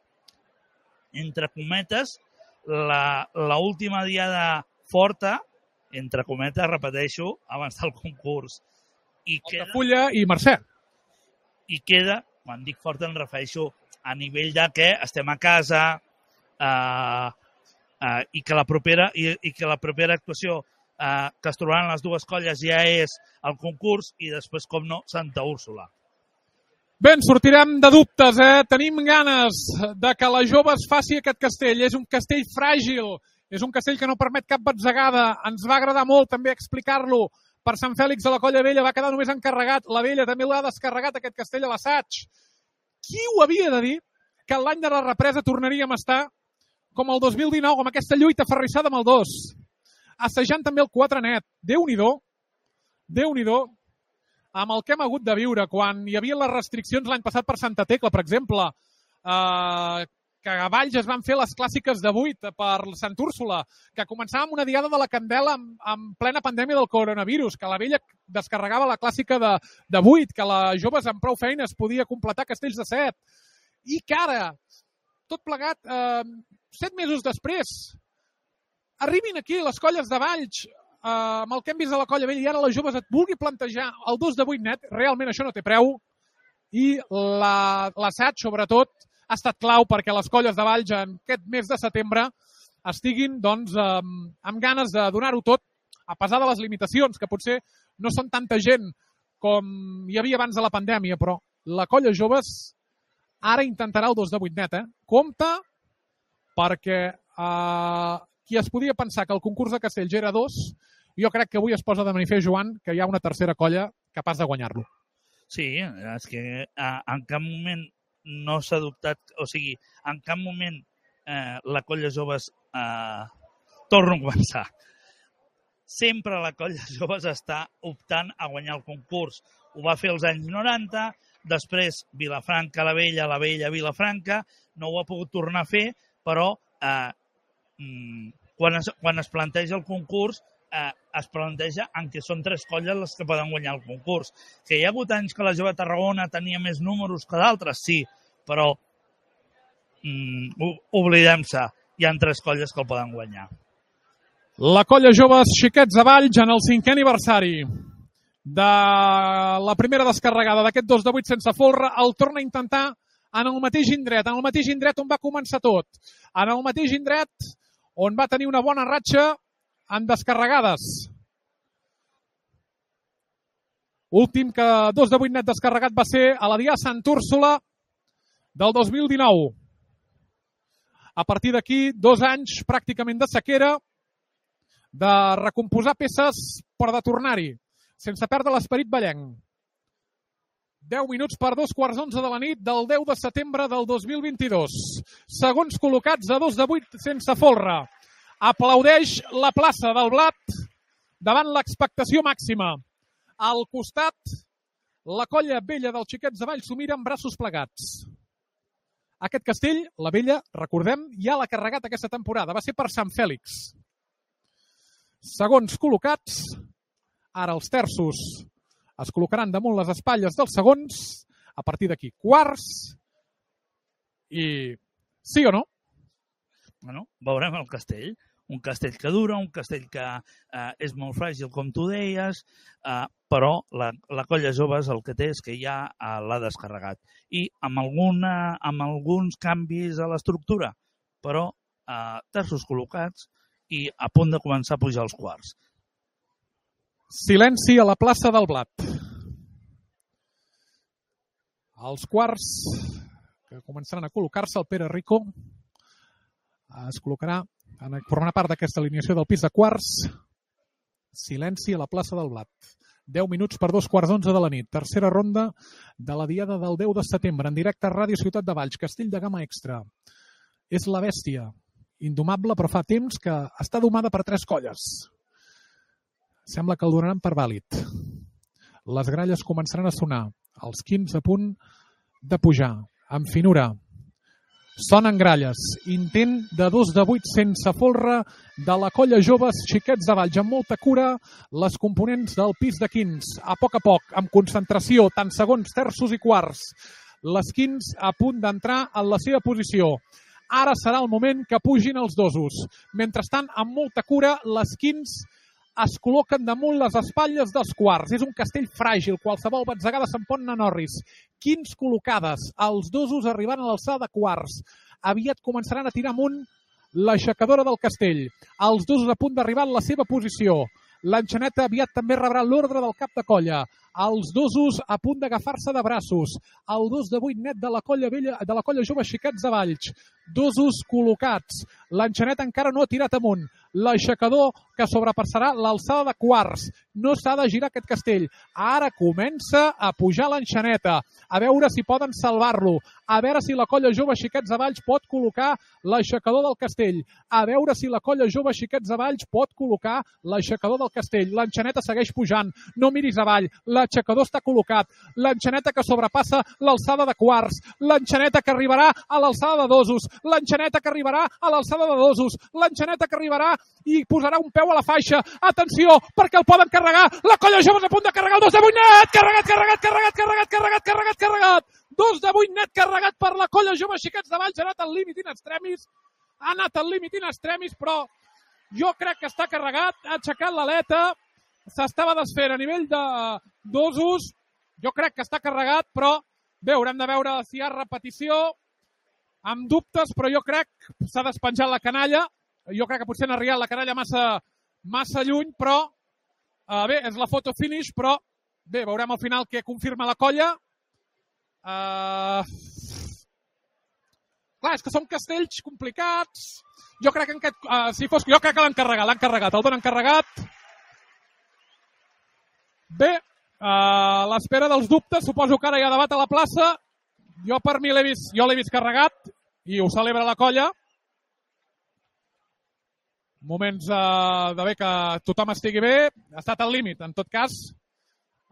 entre cometes, l'última diada forta, entre cometes, repeteixo, abans del concurs. Altafulla i Mercè. I queda, quan dic forta em refereixo a nivell de que estem a casa i que la propera actuació que es trobaran les dues colles ja és el concurs i després, com no, Santa Úrsula. Bé, en sortirem de dubtes, Tenim ganes de que la Joves faci aquest castell. És un castell fràgil, és un castell que no permet cap batzegada. Ens va agradar molt també explicar-lo per Sant Fèlix de la Colla Vella. Va quedar només encarregat. La Vella també l'ha descarregat, aquest castell, a l'assaig. Qui ho havia de dir que l'any de la represa tornaríem a estar com el 2019, amb aquesta lluita ferrissada amb el 2, assajant també el 4 net. Déu-n'hi-do, Déu-n'hi-do, amb el que hem hagut de viure, quan hi havia les restriccions l'any passat per Santa Tecla, per exemple, que a Valls es van fer les clàssiques de 8 per Sant Úrsula, que començàvem una diada de la Candela en plena pandèmia del coronavirus, que la Vella descarregava la clàssica de 8, que la Joves amb prou feines podia completar castells de 7, i que ara, tot plegat, 7 mesos després, arribin aquí les colles de Valls, amb el que hem vist de la Colla Vella, i ara les Joves et vulgui plantejar el 2 de 8 net, realment això no té preu, i l'assaig, sobretot, ha estat clau perquè les colles de Valls en aquest mes de setembre estiguin doncs, amb ganes de donar-ho tot, a pesar de les limitacions, que potser no són tanta gent com hi havia abans de la pandèmia, però la Colla Joves ara intentarà el 2 de 8 net. Compte, perquè qui es podia pensar que el concurs de castells era 2, jo crec que avui es posa de manifest, Joan, que hi ha una tercera colla capaç de guanyar-lo. Sí, és que en cap moment no s'ha dubtat, o sigui, en cap moment la Colla Joves torna a començar. Sempre la Colla Joves està optant a guanyar el concurs. Ho va fer als anys 90, després Vilafranca, la Vella, Vilafranca, no ho ha pogut tornar a fer, però quan es planteja el concurs es planteja en què són 3 colles les que poden guanyar el concurs. Que hi ha hagut anys que la Jove Tarragona tenia més números que d'altres, sí, però oblidem-se, hi ha 3 colles que el poden guanyar. La Colla Joves Xiquets de Valls en el 5è aniversari de la primera descarregada d'aquest 2 de 8 sense folre el torna a intentar en el mateix indret on va començar tot, en el mateix indret on va tenir una bona ratxa en descarregades. Últim que 2 de 8 net descarregat va ser a la dia Sant Úrsula del 2019. A partir d'aquí, 2 anys pràcticament de sequera, de recomposar peces per de tornar-hi, sense perdre l'esperit ballenc. 10 minuts per 11:15 de la nit del 10 de setembre del 2022. Segons col·locats a 2 de 8 sense folre. Aplaudeix la plaça del Blat davant l'expectació màxima. Al costat, la colla vella dels Xiquets de Valls s'ho mira amb braços plegats. Aquest castell, la vella, recordem, ja l'ha carregat aquesta temporada. Va ser per Sant Fèlix. Segons col·locats, ara els terços es col·locaran damunt les espatlles dels segons, a partir d'aquí quarts, i sí o no? Bueno, veurem el castell. Un castell que dura, un castell que és molt fràgil, com tu deies, però la colla joves el que té és que ja l'ha descarregat. I amb alguns canvis a l'estructura, però terços col·locats i a punt de començar a pujar els quarts. Silenci a la plaça del Blat. Els quarts que començaran a col·locar-se, el Pere Rico es col·locarà, formarà part d'aquesta alineació del pis de quarts. Silenci a la plaça del Blat. 10 minuts per 11:15 de la nit. Tercera ronda de la diada del 10 de setembre, en directe a Ràdio Ciutat de Valls, castell de gamma extra. És la bèstia, indomable, però fa temps que està domada per 3 colles. Sembla que el donaran per vàlid. Les gralles començaran a sonar. Els 15 a punt de pujar. Amb finura. Sonen gralles. Intent de 2 de 8 sense folre de la colla joves Xiquets de Valls. Amb molta cura, les components del pis de quins. A poc, amb concentració, tant segons, terços i quarts. Les quins a punt d'entrar en la seva posició. Ara serà el moment que pugin els dosos. Mentrestant, amb molta cura, les quins es col·loquen damunt les espatlles dels quarts. És un castell fràgil, qualsevol batzegada se'n pot anar Norris. Quins col·locades, els dosos arribant a l'alçada de quarts. Aviat començaran a tirar amunt l'aixecadora del castell. Els dosos a punt d'arribar en la seva posició. L'enxaneta aviat també rebrà l'ordre del cap de colla. Els dosos a punt d'agafar-se de braços. El 2 de 8 net de la colla vella, de la colla jove Xiquets de Valls. Dosos col·locats. L'enxaneta encara no ha tirat amunt. L'aixecador que sobrepassarà l'alçada de quarts. No s'ha de girar aquest castell. Ara comença a pujar l'enxaneta. A veure si poden salvar-lo. A veure si la colla jove Xiquets de Valls pot col·locar l'aixecador del castell. A veure si la colla jove Xiquets de Valls pot col·locar l'aixecador del castell. L'enxaneta segueix pujant. No miris avall. L'aixecador està col·locat. L'enxaneta que sobrepassa l'alçada de quarts. L'enxaneta que arribarà a l'alçada de dosos. L'enxaneta que arribarà a l'alçada de dosos. L'enxaneta que arribarà i posarà un peu a la faixa. Atenció, perquè el poden carregar. La colla jove és a punt de carregar el 2 de 8 net. Carregat. 2 de 8 net carregat per la colla jove Xiquets de Valls. Ha anat al límit in extremis. Però jo crec que està carregat. Ha aixecat l'aleta. S'estava desfent a nivell de dosos. Jo crec que està carregat, però bé, haurem de veure si hi ha repetició. Amb dubtes, però jo crec que s'ha despenjat la canalla. Jo crec que potser n'ha arribat la canalla massa lluny, però bé, és la foto finish, però bé, veurem al final què confirma la colla. Clar, és que són castells complicats. Jo crec que jo crec que l'han carregat, el donen carregat. Bé, a l'espera dels dubtes, suposo que ara hi ha debat a la plaça. Jo per mi l'he vist carregat i ho celebra la colla. Moments de bé que tothom estigui bé. Ha estat al límit, en tot cas.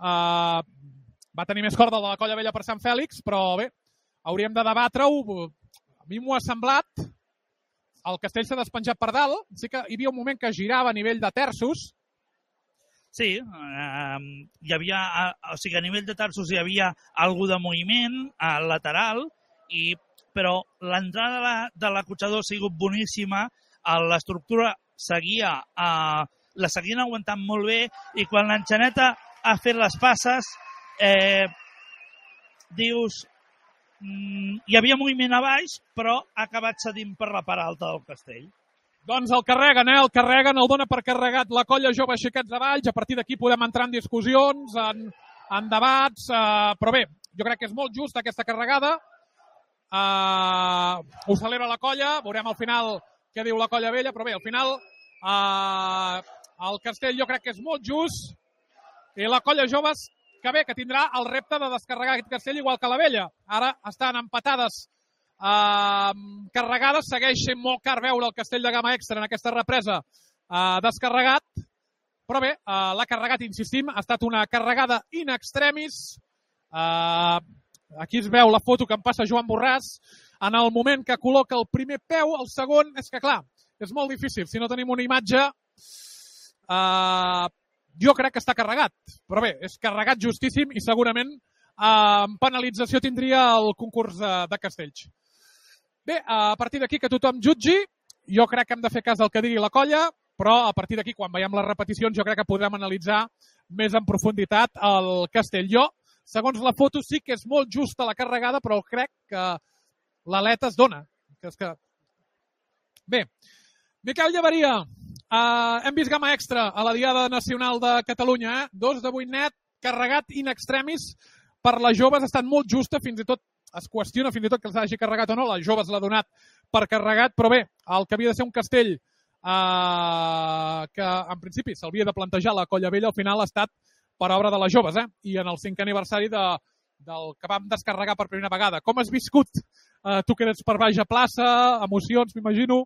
Va tenir més corda de la colla vella per Sant Fèlix, però bé, hauríem de debatre-ho. A mi m'ho ha semblat. El castell s'ha despenjat per dalt. Sí que hi havia un moment que girava a nivell de terços. Sí, hi havia, o sigui, a nivell de terços hi havia algú de moviment lateral, però l'entrada de l'acotxador ha sigut boníssima, l'estructura la seguien aguantant molt bé i quan l'enxaneta ha fet les passes, dius, hi havia moviment a baix, però ha acabat cedint per la part alta del castell. Doncs el carreguen, el dona per carregat la colla jove Xiquets de Valls. A partir d'aquí podem entrar en discussions, en debats, però bé, jo crec que és molt just aquesta carregada. ho celebra la colla, veurem al final què diu la colla vella, però bé, al final el castell jo crec que és molt just i la colla joves que bé, que tindrà el repte de descarregar aquest castell igual que la vella. Ara estan empatades carregades, segueix sent molt car veure el castell de gamma extra en aquesta represa descarregat, però bé, l'ha carregat, insistim, ha estat una carregada in extremis. Aquí es veu la foto que em passa Joan Borràs en el moment que col·loca el primer peu, el segon, és que clar, és molt difícil, si no tenim una imatge jo crec que està carregat, però bé, és carregat justíssim i segurament en penalització tindria el concurs de castells. Bé, a partir d'aquí que tothom jutgi, jo crec que hem de fer cas del que digui la colla, però a partir d'aquí, quan veiem les repeticions, jo crec que podrem analitzar més en profunditat el castell. Jo, segons la foto, sí que és molt justa la carregada, però crec que l'aleta es dona. Bé, Miquel Llaveria, hem vist gamma extra a la Diada Nacional de Catalunya, 2 de 8 net, carregat in extremis per les joves, ha estat molt justa, fins i tot es qüestiona fins i tot que els hagi carregat o no, les joves l'ha donat per carregat, però bé, el que havia de ser un castell que en principi s'hauria de plantejar la colla vella, al final ha estat per obra de les joves, i en el 5è aniversari del que vam descarregar per primera vegada. Com has viscut? Tu que eres per baix a plaça, emocions, m'imagino.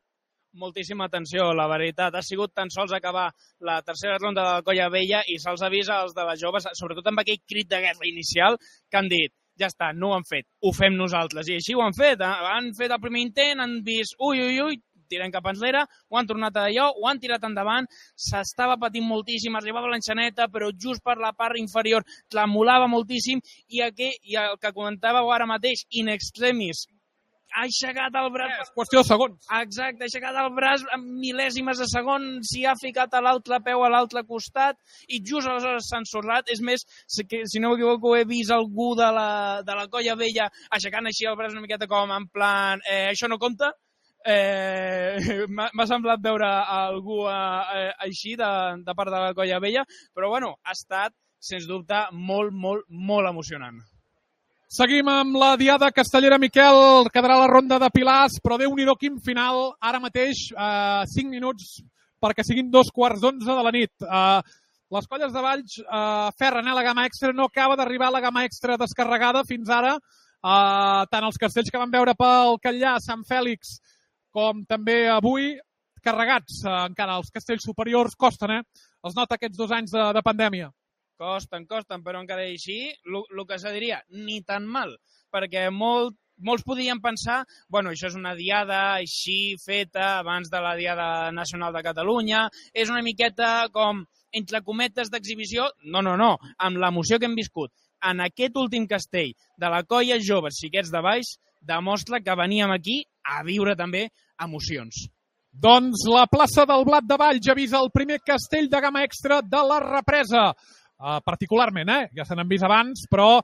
Moltíssima atenció, la veritat. Ha sigut tan sols acabar la tercera ronda de la colla vella i se'ls avisa als de les joves, sobretot amb aquell crit de guerra inicial, que han dit, ja està, no ho han fet, ho fem nosaltres. I així ho han fet. Han fet el primer intent, han vist, ui, tirem cap enrere, ho han tornat a allò, ho han tirat endavant, s'estava patint moltíssim, arribava l'enxaneta, però just per la part inferior tremolava moltíssim i el que comentàveu ara mateix, in extremis, ha aixecat el braç... És qüestió de segons. Exacte, ha aixecat el braç en mil·lèsimes de segon, s'hi ha ficat a l'altre peu a l'altre costat i just aleshores s'ha ensorrat. És més, si no m'equivoco, he vist algú de la colla vella aixecant així el braç una miqueta com en plan, això no compta. M'ha semblat veure algú així de part de la colla vella, però bueno, ha estat, sens dubte, molt, molt, molt emocionant. Seguim amb la Diada Castellera, Miquel, quedarà la ronda de pilars, però Déu-n'hi-do quin final, ara mateix 5 minuts perquè siguin 11:15 de la nit. Les colles de Valls ferren la gamma extra, no acaba d'arribar la gamma extra descarregada fins ara, tant els castells que vam veure pel Catllà, Sant Fèlix, com també avui, carregats encara. Els castells superiors costen, els nota aquests 2 anys de pandèmia. Costen, però encara així, el que se diria, ni tan mal, perquè molts podien pensar, bueno, això és una diada així feta abans de la Diada Nacional de Catalunya, és una miqueta com, entre cometes d'exhibició, no, amb l'emoció que hem viscut en aquest últim castell de la colla joves xiquets de Baix, demostra que veníem aquí a viure també emocions. Doncs la plaça del Blat de Valls avisa el primer castell de gamma extra de la represa. Particularment, ja se n'han vist abans, però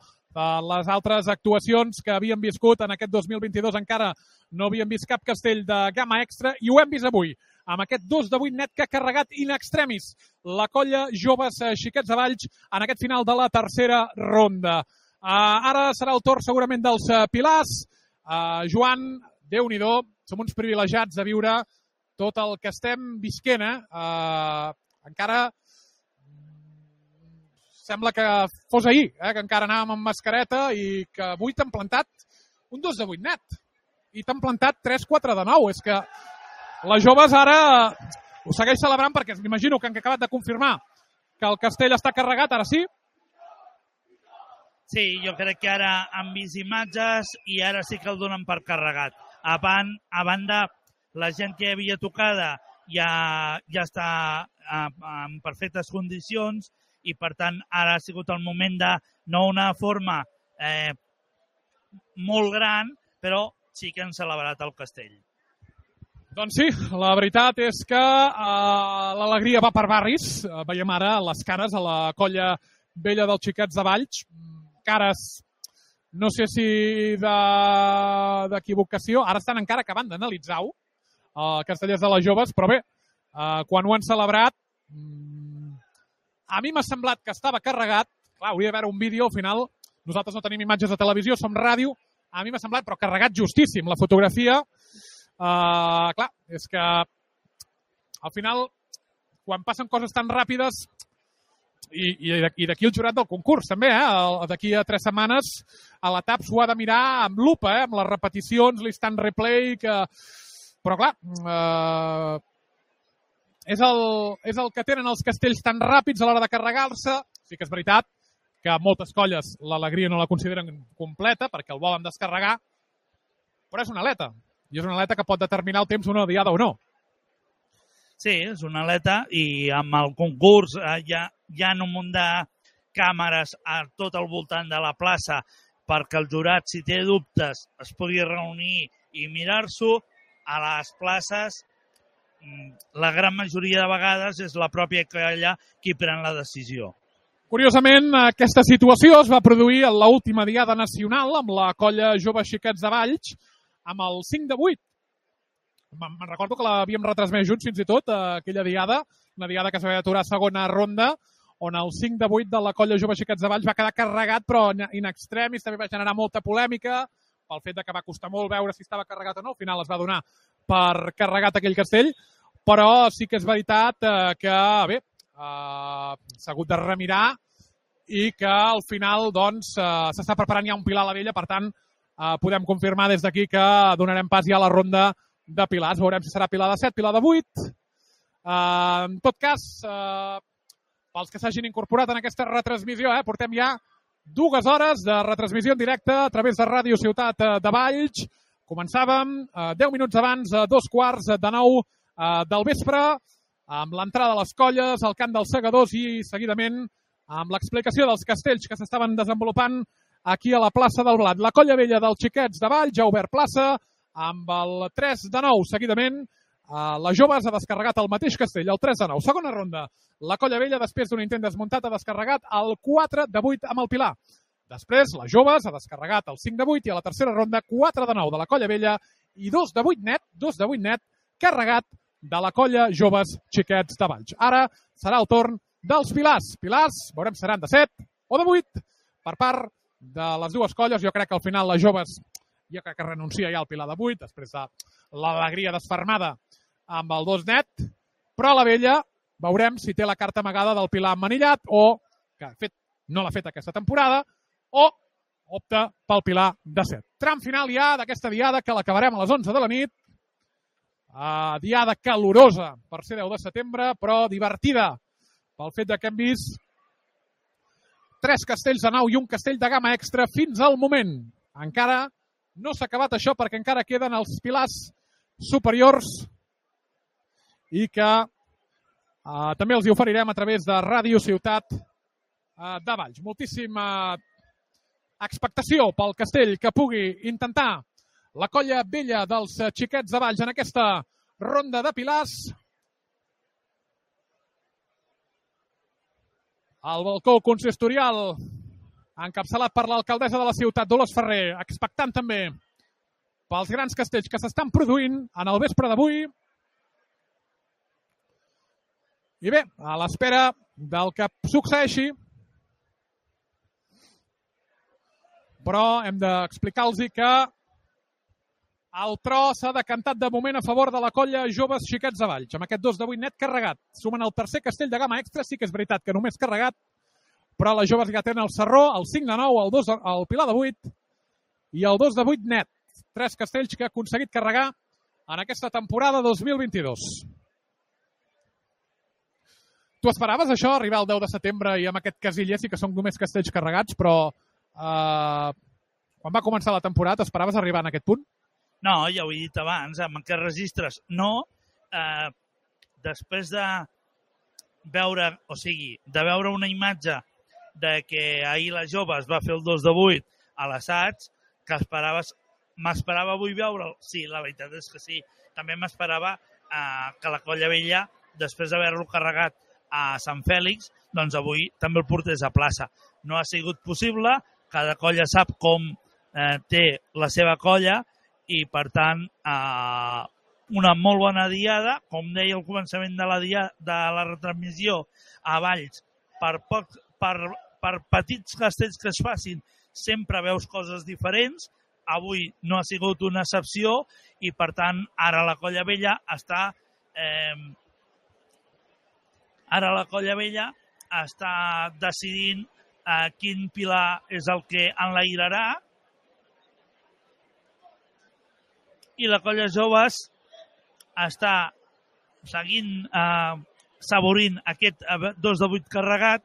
les altres actuacions que havíem viscut en aquest 2022 encara no havíem vist cap castell de gamma extra i ho hem vist avui, amb aquest 2 de 8 net que ha carregat in extremis la colla joves xiquets de Valls en aquest final de la tercera ronda. Ara serà el torn segurament dels pilars. Joan, Déu-n'hi-do, som uns privilegiats de viure tot el que estem visquent. Encara sembla que fos ahir, que encara anàvem amb mascareta i que avui t'han plantat un 2 de 8 net i t'han plantat 3-4 de 9. És que les joves ara ho segueix celebrant perquè m'imagino que han acabat de confirmar que el castell està carregat, ara sí. Sí, jo crec que ara han vist imatges i ara sí que el donen per carregat. A banda, la gent que havia tocada ja està en perfectes condicions i, per tant, ara ha sigut el moment de no una forma molt gran, però sí que han celebrat el castell. Doncs sí, la veritat és que l'alegria va per barris. Veiem ara les cares a la colla vella dels xiquets de Valls. Cares, no sé si d'equivocació, ara estan encara acabant d'analitzar-ho, castellers de les joves, però bé, quan ho han celebrat, a mi m'ha semblat que estava carregat. Clar, hauria d'haver un vídeo, al final nosaltres no tenim imatges de televisió, som ràdio, a mi m'ha semblat, però carregat justíssim, la fotografia. Clar, és que al final, quan passen coses tan ràpides, i d'aquí el jurat del concurs també, d'aquí a 3 setmanes a la TAP s'ho ha de mirar amb lupa, amb les repeticions, l'instant replay, però clar, és el que tenen els castells tan ràpids a l'hora de carregar-se. Sí que és veritat que moltes colles l'alegria no la consideren completa perquè el volen descarregar, però és una aleta, i és una aleta que pot determinar el temps d'una diada o no. Sí, és una aleta i amb el concurs hi ha un munt de càmeres a tot el voltant de la plaça perquè el jurat, si té dubtes, es pugui reunir i mirar-s'ho. A les places, la gran majoria de vegades és la pròpia colla qui pren la decisió. Curiosament, aquesta situació es va produir en l'última diada nacional amb la colla Joves Xiquets de Valls amb el 5 de 8. Me'n recordo que l'havíem retransmès junts fins i tot, aquella diada, una diada que s'havia d'aturar a segona ronda, on el 5 de 8 de la colla Joves Xiquets de Valls va quedar carregat, però in extremis també va generar molta polèmica pel fet que va costar molt veure si estava carregat o no. Al final es va donar per carregat aquell castell, però sí que és veritat que, bé, s'ha hagut de remirar i que al final doncs s'està preparant ja un pilar a la vella, per tant podem confirmar des d'aquí que donarem pas ja a la ronda de pilars. Veurem si serà pilar de 7, pilar de 8. En tot cas, pels que s'hagin incorporat en aquesta retransmissió, portem ja 2 hores de retransmissió en directe a través de Ràdio Ciutat de Valls. Començàvem 10 minuts abans, a 8:45 del vespre, amb l'entrada de les colles, el cant dels segadors i seguidament amb l'explicació dels castells que s'estaven desenvolupant aquí a la plaça del Blat. La colla vella dels Xiquets de Valls ja ha obert plaça amb el 3-9 seguidament. Les joves ha descarregat el mateix castell, el 3-9. Segona ronda, la colla vella, després d'un intent desmuntat, ha descarregat el 4-8 amb el Pilar. Després, les joves ha descarregat el 5-8 i a la tercera ronda 4-9 de la colla vella i 2-8 net, carregat de la colla Joves Xiquets de Valls. Ara serà el torn dels Pilars. Pilars, veurem si seran de 7 o de 8 per part de les dues colles. Jo crec que al final les joves jo crec que renuncia ja al Pilar de 8 després de l'alegria desfermada amb el 2 net, però la vella veurem si té la carta amagada del Pilar emmanillat o, que de fet no l'ha fet aquesta temporada, o opta pel Pilar de 7. Tram final ja d'aquesta diada que l'acabarem a les 11 de la nit. Diada calorosa per ser 10 de setembre, però divertida pel fet que hem vist 3 castells de nau i un castell de gamma extra fins al moment. Encara no s'ha acabat això perquè encara queden els pilars superiors i que també els hi oferirem a través de Ràdio Ciutat de Valls. Moltíssima expectació pel castell que pugui intentar la colla vella dels Xiquets de Valls en aquesta ronda de pilars. El balcó consistorial encapçalat per l'alcaldessa de la ciutat, Dolors Ferrer, expectant també pels grans castells que s'estan produint en el vespre d'avui. I bé, a l'espera del que succeeixi, però hem d'explicar-los que el tro s'ha decantat de moment a favor de la colla Joves Xiquets de Valls, amb aquest 2-8 net carregat. Sumen el tercer castell de gamma extra, sí que és veritat que només carregat, però les joves ja tenen el Sarró, el 5-9, el Pilar de 8 i el 2-8 net. 3 castells que ha aconseguit carregar en aquesta temporada 2022. Tu esperaves això, arribar el 10 de setembre i amb aquest casiller sí que són només castells carregats, però quan va començar la temporada esperaves arribar en aquest punt? No, ja ho he dit abans, amb aquests registres no. Després de veure, de veure una imatge de que ahir les joves va fer el 2-8 a l'assaig, que m'esperava avui veure'l. Sí, la veritat és que sí. També m'esperava que la colla vella, després d'haver-lo carregat a Sant Fèlix, doncs avui també el portés a plaça. No ha sigut possible, cada colla sap com té la seva colla i, per tant, una molt bona diada, com deia al començament de la retransmissió a Valls, per petits castells que es facin, sempre veus coses diferents. avui no ha sigut una excepció i, per tant, ara la Colla Vella està decidint quin pilar és el que enlairarà, i la Colla Joves està seguint saborint aquest 2 de 8 carregat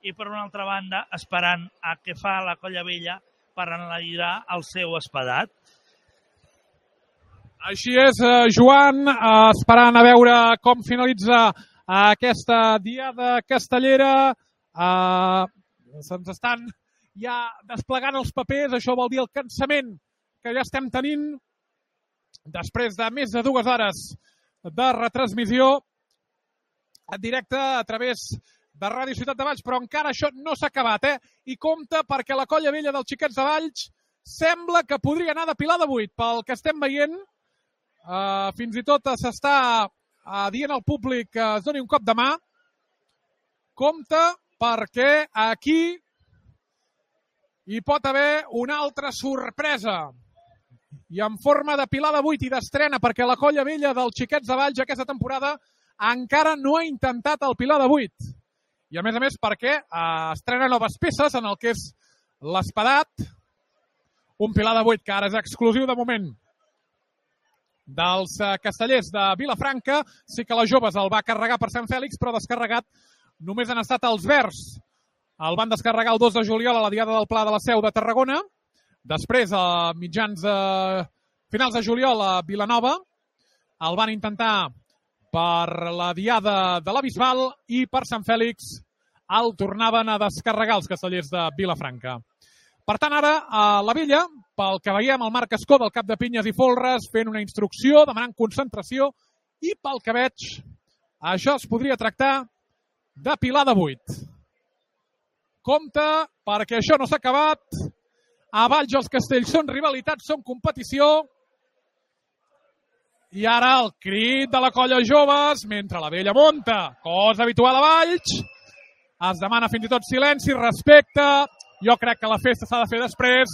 i, per una altra banda, esperant a què fa la Colla Vella per enlairar el seu espadat. Així és, Joan, esperant a veure com finalitza aquesta diada castellera. Se'ns estan ja desplegant els papers, això vol dir el cansament que ja estem tenint després de més de 2 hores de retransmissió en directe a través de Ràdio Ciutat de Valls, però encara això no s'ha acabat, I compte perquè la Colla Vella dels Xiquets de Valls sembla que podria anar de pilar de 8, pel que estem veient. Fins i tot s'està dient al públic que es doni un cop de mà. Compte perquè aquí hi pot haver una altra sorpresa. I en forma de pilar de 8 i d'estrena, perquè la Colla Vella dels Xiquets de Valls aquesta temporada encara no ha intentat el pilar de 8. I a més perquè estrena noves peces en el que és l'espadat, un pilar de 8 que ara és exclusiu de moment dels castellers de Vilafranca. Sí que les joves el va carregar per Sant Fèlix, però descarregat només han estat els verds. El van descarregar el 2 de juliol a la Diada del Pla de la Seu de Tarragona. Després, a finals de juliol, a Vilanova, el van intentar per la Diada de la Bisbal i per Sant Fèlix el tornaven a descarregar els castellers de Vilafranca. Per tant, ara, a la Vella, pel que veiem, el Marc Escó del cap de Pinyes i Folres fent una instrucció, demanant concentració, i pel que veig, això es podria tractar de pilar de 8. Compte, perquè això no s'ha acabat. A Valls els castells són rivalitats, són competició. I ara el crit de la Colla Joves, mentre la Vella monta, cosa habitual a Valls. Es demana fins i tot silenci, respecte. Jo crec que la festa s'ha de fer després.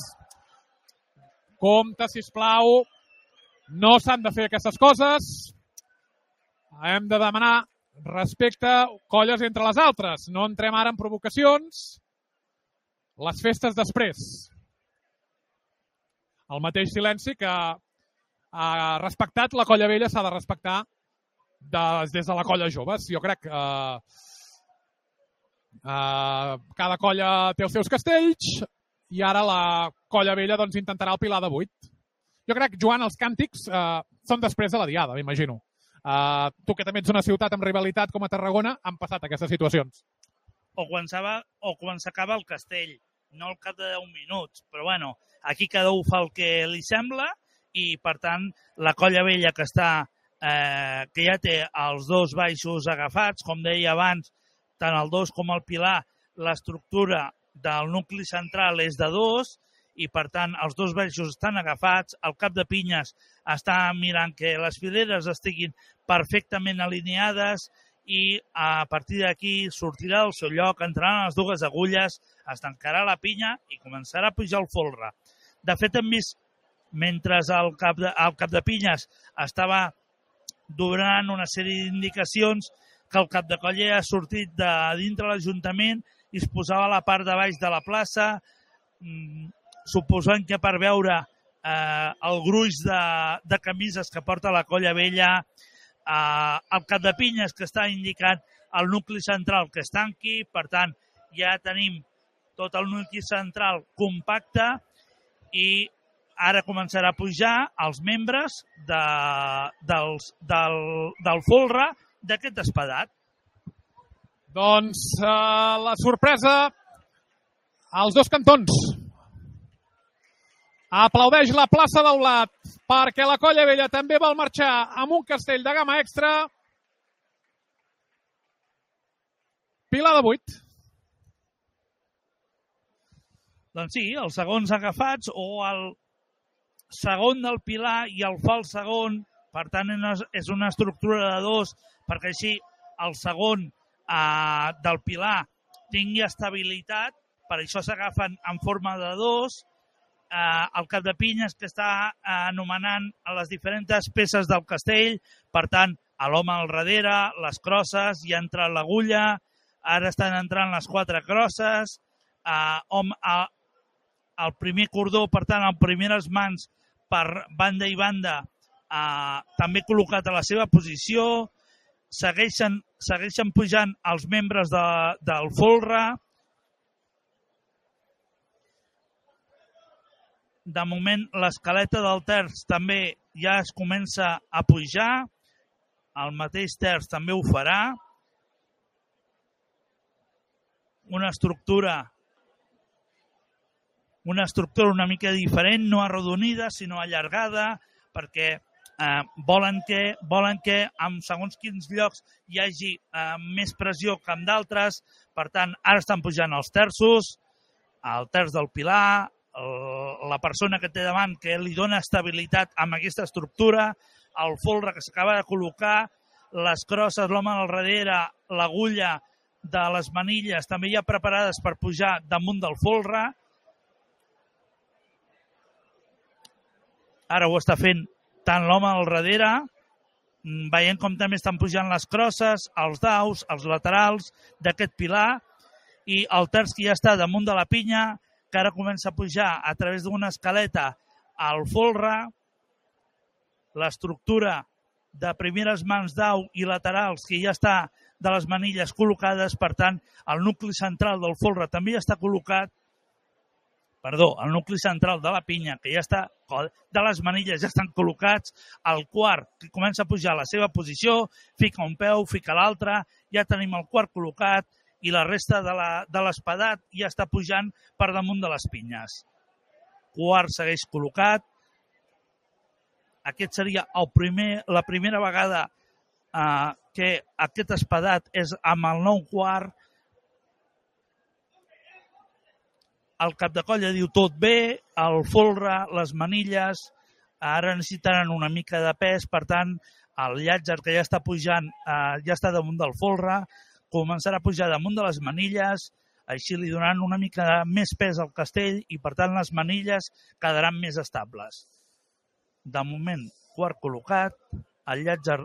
Compte, sisplau. No s'han de fer aquestes coses. Hem de demanar respecte, colles entre les altres. No entrem ara en provocacions. Les festes després. El mateix silenci que ha respectat la Colla Vella s'ha de respectar des de la Colla Joves. Jo crec que cada colla té els seus castells i ara la Colla Vella doncs, intentarà el pilar de 8. Jo crec, Joan, els càntics són després de la Diada, m'imagino. Tu que també ets una ciutat amb rivalitat com a Tarragona, han passat aquestes situacions. O quan s'acaba el castell, no al cap de 10 minuts. Però bueno, aquí cada un fa el que li sembla i, per tant, la Colla Vella que ja té els 2 baixos agafats, com deia abans, tant el 2 com el pilar, l'estructura del nucli central és de 2 i, per tant, els 2 baixos estan agafats. El cap de Pinyes està mirant que les fileres estiguin perfectament alineades i a partir d'aquí sortirà del seu lloc, entraran les 2 agulles, es tancarà la pinya i començarà a pujar el folre. De fet, hem vist, mentre el cap de Pinyes estava donant una sèrie d'indicacions, que el cap de colla ha sortit de dintre l'Ajuntament i es posava a la part de baix de la plaça, suposant que per veure el gruix de camises que porta la Colla Vella, el cap de Pinyes que està indicant el nucli central que es tanqui. Per tant, ja tenim tot el nucli central compacte i ara començarà a pujar els membres del folre d'aquest espadat. Doncs la sorpresa als 2 cantons. Aplaudeix la plaça d'Aulat perquè la Colla Vella també vol marxar amb un castell de gamma extra. Pilar de 8. Doncs sí, els segons agafats o el segon del pilar i el fals segon. Per tant, és una estructura de 2 perquè així el segon del pilar tingui estabilitat. Per això s'agafen en forma de 2 el cap de pinyes que està anomenant a les diferents peces del castell, per tant, l'home al darrere, les crosses, ja ha entrat l'agulla, ara estan entrant les 4 crosses, el primer cordó, per tant, el primeres mans per banda i banda, també col·locat a la seva posició, segueixen pujant els membres del folre. De moment, l'escaleta del terç també ja es comença a pujar, el mateix terç també ho farà. Una estructura una mica diferent, no arrodonida, sinó allargada, perquè volen que en segons quins llocs hi hagi més pressió que en d'altres. Per tant, ara estan pujant els terços, el terç del pilar, la persona que té davant que li dona estabilitat amb aquesta estructura, el folre que s'acaba de col·locar, les crosses, l'home al darrere, l'agulla de les manilles també ja preparades per pujar damunt del folre. Ara ho està fent tant l'home al darrere, veient com també estan pujant les crosses, els daus, els laterals d'aquest pilar, i el terç que ja està damunt de la pinya, que ara comença a pujar a través d'una escaleta al folre, l'estructura de primeres mans dau i laterals que ja està de les manilles col·locades, per tant, el nucli central del folre també ja està col·locat, el nucli central de la pinya, que ja està, de les manilles ja estan col·locats, el quart que comença a pujar a la seva posició, fica un peu, fica l'altre, ja tenim el quart col·locat, i la resta de l'espadat ja està pujant per damunt de les pinyes. Quart segueix col·locat. Aquest seria la primera vegada que aquest espadat és amb el nou quart. El cap de colla diu tot bé, el folre, les manilles, ara necessitaran una mica de pes, per tant, el llàtzer que ja està pujant ja està damunt del folre, començarà a pujar damunt de les manilles, així li donaran una mica més pes al castell i, per tant, les manilles quedaran més estables. De moment, quart col·locat, el llàtzer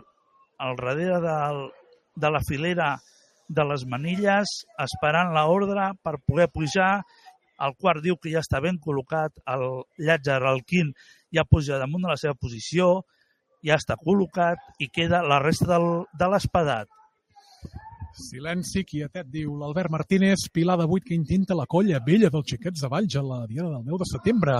al darrere de la filera de les manilles, esperant l'ordre per poder pujar. El quart diu que ja està ben col·locat, el llàtzer, el quint, ja puja damunt de la seva posició, ja està col·locat i queda la resta de l'espadat. Silenci, quietet, diu l'Albert Martínez. Pilar de 8 que intenta la colla vella dels Xiquets de Valls a la diada del 10 de setembre.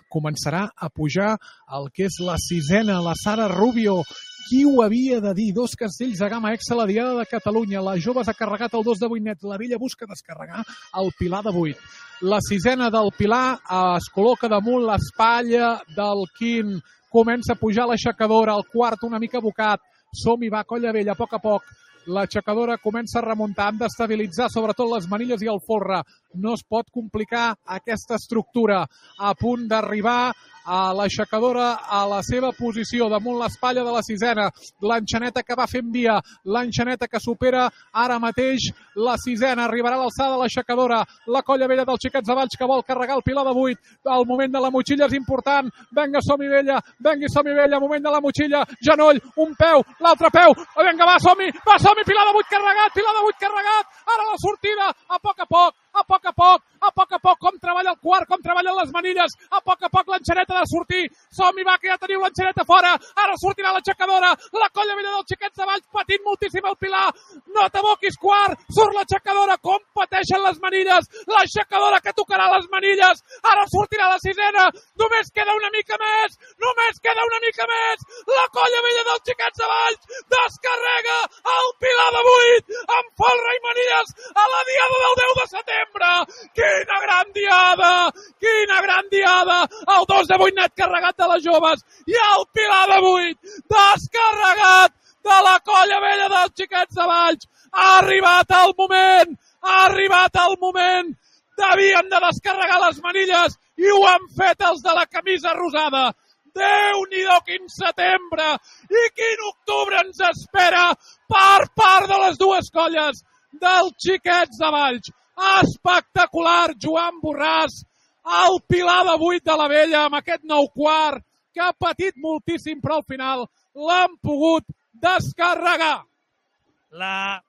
Començarà a pujar el que és la sisena, la Sara Rubio. Qui ho havia de dir? 2 castells de gamma exa a la diada de Catalunya. La jove s'ha carregat el 2 de 8 net. La vella busca descarregar el Pilar de 8. La sisena del Pilar es col·loca damunt l'espatlla del quint. Comença a pujar l'aixecadora. El quart una mica bocat. Som-hi, va, colla vella, a poc. L'aixecadora comença a remuntar, han d'estabilitzar sobretot les manilles i el folre. No es pot complicar aquesta estructura. A punt d'arribar a l'aixecadora a la seva posició, damunt l'espatlla de la sisena. L'enxaneta que va fent via, l'enxaneta que supera ara mateix la sisena. Arribarà a l'alçada de l'aixecadora. La colla vella dels Xiquets de Valls que vol carregar el Pilar de 8. El moment de la motxilla és important. Vinga, som-hi vella, moment de la motxilla. Genoll, un peu, l'altre peu. Vinga, va, som-hi, Pilar de 8 carregat. Ara la sortida, a poc, com treballa el quart, com treballen les manilles, a poc l'enxaneta de sortir, som-hi, va, que ja teniu l'enxaneta fora, ara sortirà l'aixecadora, la colla vella dels Xiquets de Valls patint moltíssim el Pilar, no t'aboquis quart, surt l'aixecadora, com pateixen les manilles, l'aixecadora que tocarà les manilles, ara sortirà la sisena, només queda una mica més, la colla vella dels Xiquets de Valls descarrega el Pilar de 8, amb folre i manilles a la diada del 10 de setembre. Quina gran diada! El 2 de 8 net carregat de les joves i el Pilar de 8 descarregat de la colla vella dels Xiquets de Valls. Ha arribat el moment. Devíem de descarregar les manilles i ho han fet els de la camisa rosada. Déu-n'hi-do, quin setembre i quin octubre ens espera per part de les dues colles dels Xiquets de Valls. Espectacular, Joan Borràs. el Pilar de 8 de la Vella amb aquest nou quart que ha patit moltíssim, però al final l'han pogut descarregar. La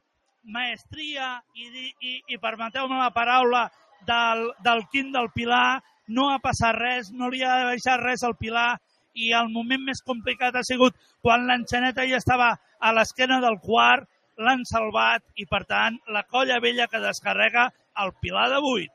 maestria i permeteu-me la paraula del Quim del Pilar, no ha passat res, no li ha baixat res al Pilar i el moment més complicat ha sigut quan l'enxaneta ja estava a l'esquena del quart, l'han salvat i per tant la Colla Vella que descarrega el Pilar de 8.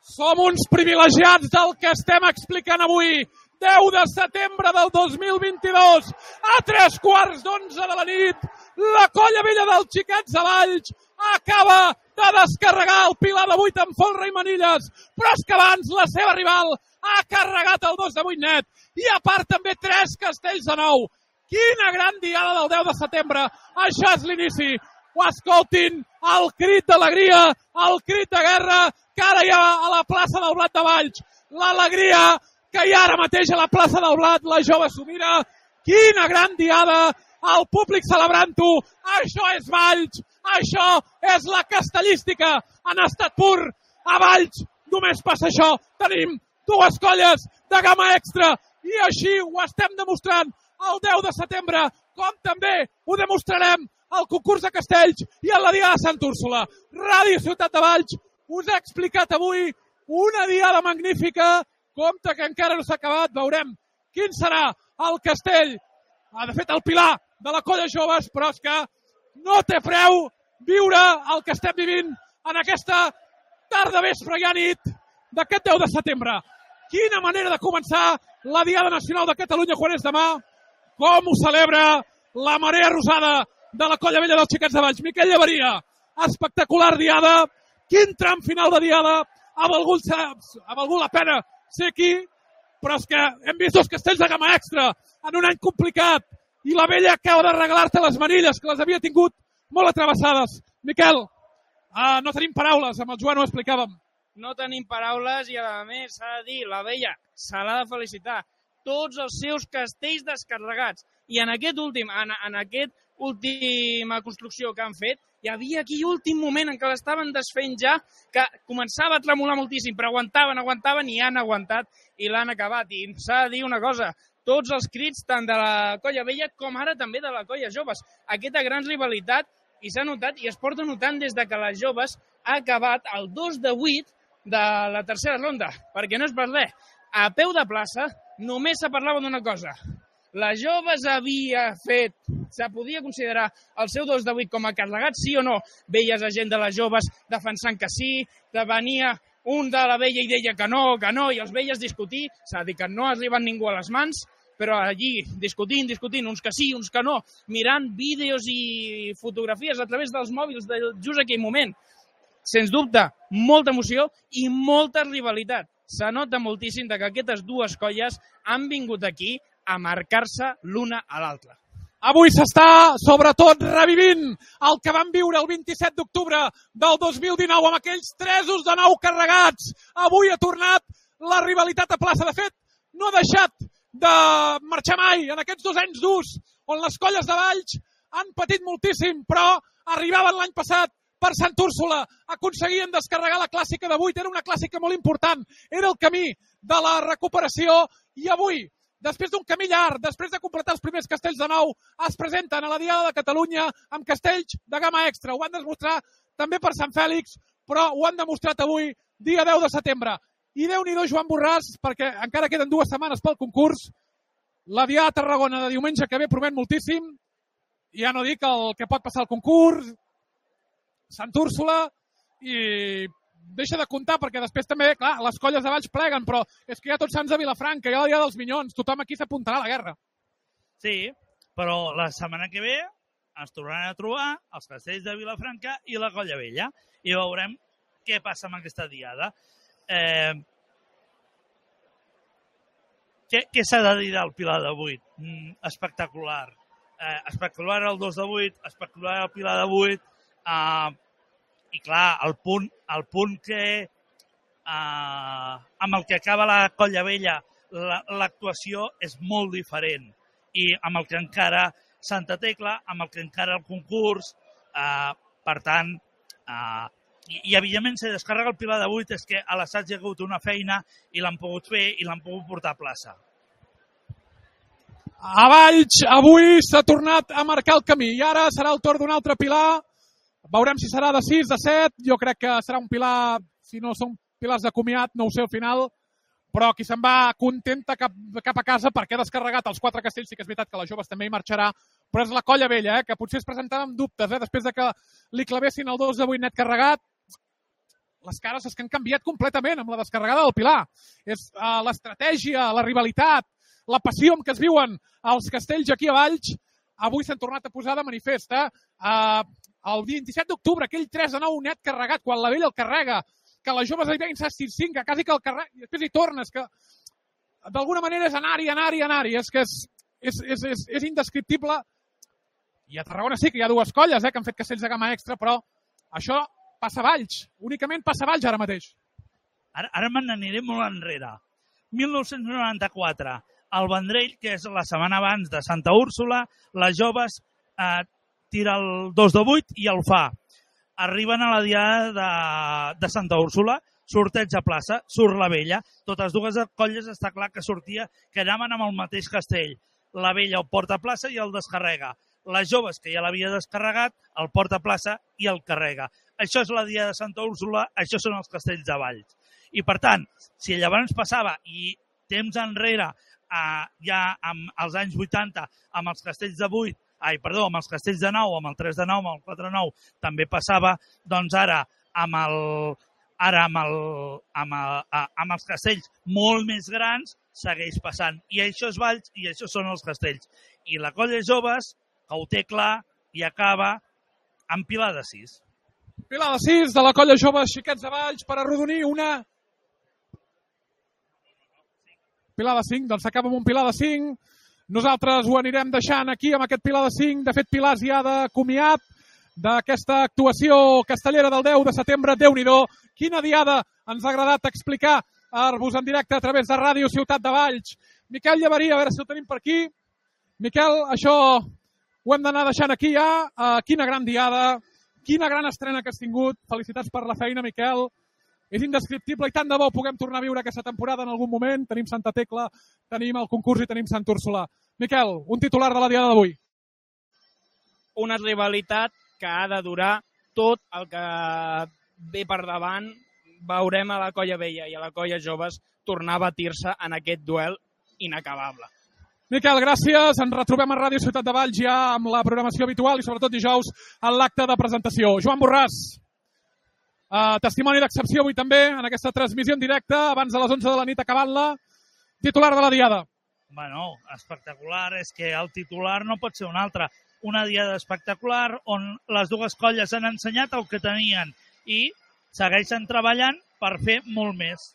Som uns privilegiats del que estem explicant avui. 10 de setembre del 2022, a 11:15 de la nit, la Colla Vella dels Xiquets de Valls acaba de descarregar el Pilar de 8 amb folre i manilles, però és que abans la seva rival ha carregat el 2 de 8 net i a part també 3 castells de 9. Quina gran diada del 10 de setembre. Això és l'inici. Ho escoltin, el crit d'alegria, el crit de guerra que ara hi ha a la plaça del Blat de Valls. L'alegria que hi ha ara mateix a la plaça del Blat, la jove s'ho mira. Quina gran diada, el públic celebrant-ho. Això és Valls, això és la castellística en estat pur. A Valls només passa això. Tenim dues colles de gamma extra i així ho estem demostrant el 10 de setembre, com també ho demostrarem al concurs de castells i a la Diada de Sant Úrsula. Ràdio Ciutat de Valls us ha explicat avui una diada magnífica. Compte que encara no s'ha acabat, veurem quin serà el castell. De fet, el Pilar de la Colla Joves, però és que no té preu viure el que estem vivint en aquesta tarda, vespre i nit d'aquest 10 de setembre. Quina manera de començar la Diada Nacional de Catalunya quan és demà. Com ho celebra la marea rosada de la Colla Vella dels Xiquets de Valls. Miquel Llevaria, espectacular diada. Quin tram final de diada. Ha valgut la pena ser aquí, però és que hem vist dos castells de gamma extra en un any complicat i la Vella acaba de regalar-te les manilles que les havia tingut molt atravessades. Miquel, no tenim paraules, amb el Joan ho explicàvem. No tenim paraules i a més s'ha de dir, la Vella se l'ha de felicitar. Tots els seus castells descarregats. I en aquest última construcció que han fet, hi havia aquí últim moment en què l'estaven desfent ja, que començava a tremolar moltíssim, però aguantaven i han aguantat i l'han acabat. I s'ha de dir una cosa, tots els crits, tant de la Colla Vella com ara també de la Colla Joves. Aquesta gran rivalitat, i s'ha notat, i es porta notant des de que les Joves ha acabat el 2 de 8 de la tercera ronda, perquè no és per res. A peu de plaça només se parlava d'una cosa. Les Joves havia fet, se podia considerar el seu 2 de 8 com a carregat, sí o no? Veies a gent de les Joves defensant que sí, venia un de la Vella i deia que no, i els veies discutir, s'ha de dir que no arriben ningú a les mans, però allí discutint, uns que sí, uns que no, mirant vídeos i fotografies a través dels mòbils de just aquell moment. Sens dubte, molta emoció i molta rivalitat. Se nota moltíssim que aquestes dues colles han vingut aquí a marcar-se l'una a l'altra. Avui s'està, sobretot, revivint el que vam viure el 27 d'octubre del 2019 amb aquells 3 de 9 carregats. Avui ha tornat la rivalitat a plaça. De fet, no ha deixat de marxar mai en aquests 2 anys durs on les colles de Valls han patit moltíssim, però arribaven l'any passat per Sant Úrsula, aconseguien descarregar la clàssica de 8, era una clàssica molt important, era el camí de la recuperació i avui, després d'un camí llarg, després de completar els primers castells de 9, es presenten a la Diada de Catalunya amb castells de gamma extra. Ho han demostrat també per Sant Fèlix, però ho han demostrat avui, dia 10 de setembre. I Déu-n'hi-do, Joan Borràs, perquè encara queden 2 setmanes pel concurs. La Diada de Tarragona de diumenge que ve promet moltíssim. Ja no dic el que pot passar al concurs, Sant Úrsula, i deixa de comptar perquè després també, clar, les colles de Valls pleguen, però és que hi ha Tots Sants de Vilafranca, hi ha la Diada dels Minyons, tothom aquí s'apuntarà a la guerra. Sí, però la setmana que ve ens tornaran a trobar els castells de Vilafranca i la Colla Vella i veurem què passa amb aquesta diada. Què s'ha de dir del Pilar de 8? Espectacular. Espectacular el 2 de 8, espectacular el Pilar de 8, i clar, el punt que amb el que acaba la Colla Vella l'actuació és molt diferent i amb el que encara Santa Tecla, amb el que encara el concurs, per tant, I evidentment, si descarrega el Pilar de 8 és que a l'assaig hi ha hagut una feina i l'han pogut fer i l'han pogut portar a plaça. A Valls, avui s'ha tornat a marcar el camí i ara serà el torn d'un altre Pilar. Veurem si serà de 6, de 7. Jo crec que serà un Pilar, si no són pilars de comiat, no ho sé al final, però qui se'n va contenta cap a casa perquè ha descarregat els 4 castells. Sí que és veritat que les joves també hi marxarà, però és la Colla Vella, que potser es presentava amb dubtes, després de que li clavessin el 2 de 8 net carregat. Les cares és que han canviat completament amb la descarregada del Pilar. És l'estratègia, la rivalitat, la passió amb què es viuen els castells aquí a Valls, avui s'han tornat a posar de manifest. El 27 d'octubre, aquell 3 de 9 net carregat, quan la Vella el carrega, que les joves hi veien 6-5, que quasi que el carrega, i després hi tornes, que d'alguna manera és anar-hi. És que és indescriptible. I a Tarragona sí que hi ha 2 colles que han fet castells de gamma extra, però això passa a Valls. Únicament passa a Valls ara mateix. Ara me n'aniré molt enrere. 1994, el Vendrell, que és la setmana abans de Santa Úrsula, les joves tira el 2 de 8 i el fa. Arriben a la diada de Santa Úrsula, sorteig a plaça, surt la Vella. Totes 2 colles està clar que quedaven amb el mateix castell. La Vella el porta a plaça i el descarrega. Les joves, que ja l'havia descarregat, el porta a plaça i el carrega. Això és la diada de Santa Úrsula, això són els castells de Valls. I per tant, si llavors passava i temps enrere, ja als anys 80, amb els castells de 8, amb els castells de 9, amb el 3 de 9, amb el 4 de 9, també passava, doncs ara amb els castells molt més grans segueix passant. I això és Valls i això són els castells. I la colla joves, que ho té clar, i acaba amb Pilar de 6. Pilar de 6 de la colla jove Xiquets de Valls per arrodonir una... Pilar de 5, doncs s'acaba amb un Pilar de 5. Nosaltres ho anirem deixant aquí amb aquest Pilar de 5. De fet, Pilars ja de comiat d'aquesta actuació castellera del 10 de setembre. Déu-n'hi-do, quina diada ens ha agradat explicar-vos en directe a través de Ràdio Ciutat de Valls. Miquel Llaveria, a veure si ho tenim per aquí. Miquel, això ho hem d'anar deixant aquí ja. Quina gran diada, quina gran estrena que has tingut. Felicitats per la feina, Miquel. És indescriptible i tant de bo puguem tornar a viure aquesta temporada en algun moment. Tenim Santa Tecla, tenim el concurs i tenim Sant Úrsula. Miquel, un titular de la diada d'avui. Una rivalitat que ha de durar tot el que ve per davant. Veurem a la Colla Vella i a la Colla Joves tornar a batir-se en aquest duel inacabable. Miquel, gràcies. Ens retrobem a Ràdio Ciutat de Valls ja amb la programació habitual i sobretot dijous en l'acte de presentació. Joan Borràs, testimoni d'excepció avui també en aquesta transmissió en directe abans de les 11 de la nit acabant-la. Titular de la diada. Bueno, espectacular. És que el titular no pot ser un altre. Una diada espectacular on les 2 colles han ensenyat el que tenien i segueixen treballant per fer molt més.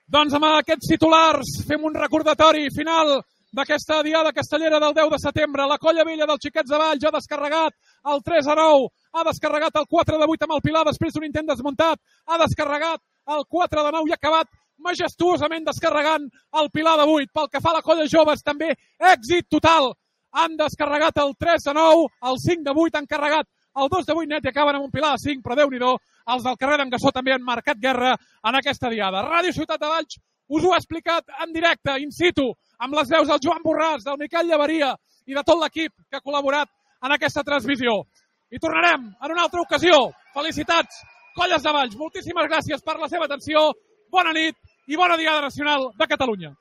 Doncs amb aquests titulars fem un recordatori final d'aquesta diada castellera del 10 de setembre. La Colla Vella dels Xiquets de Valls ha descarregat el 3 a 9, ha descarregat el 4 de 8 amb el Pilar després d'un intent desmuntat, ha descarregat el 4 de 9 i ha acabat majestuosament descarregant el Pilar de 8. Pel que fa a la Colla Joves, també èxit total. Han descarregat el 3 de 9, el 5 de 8, han carregat el 2 de 8 net i acaben amb un Pilar de 5, però Déu-n'hi-do, els del carrer d'en Gassó també han marcat guerra en aquesta diada. Ràdio Ciutat de Valls us ho ha explicat en directe, in situ, amb les veus del Joan Borràs, del Miquel Llaveria i de tot l'equip que ha col·laborat en aquesta transmissió. I tornarem en una altra ocasió. Felicitats, Colles de Valls. Moltíssimes gràcies per la seva atenció. Bona nit i bona Diada Nacional de Catalunya.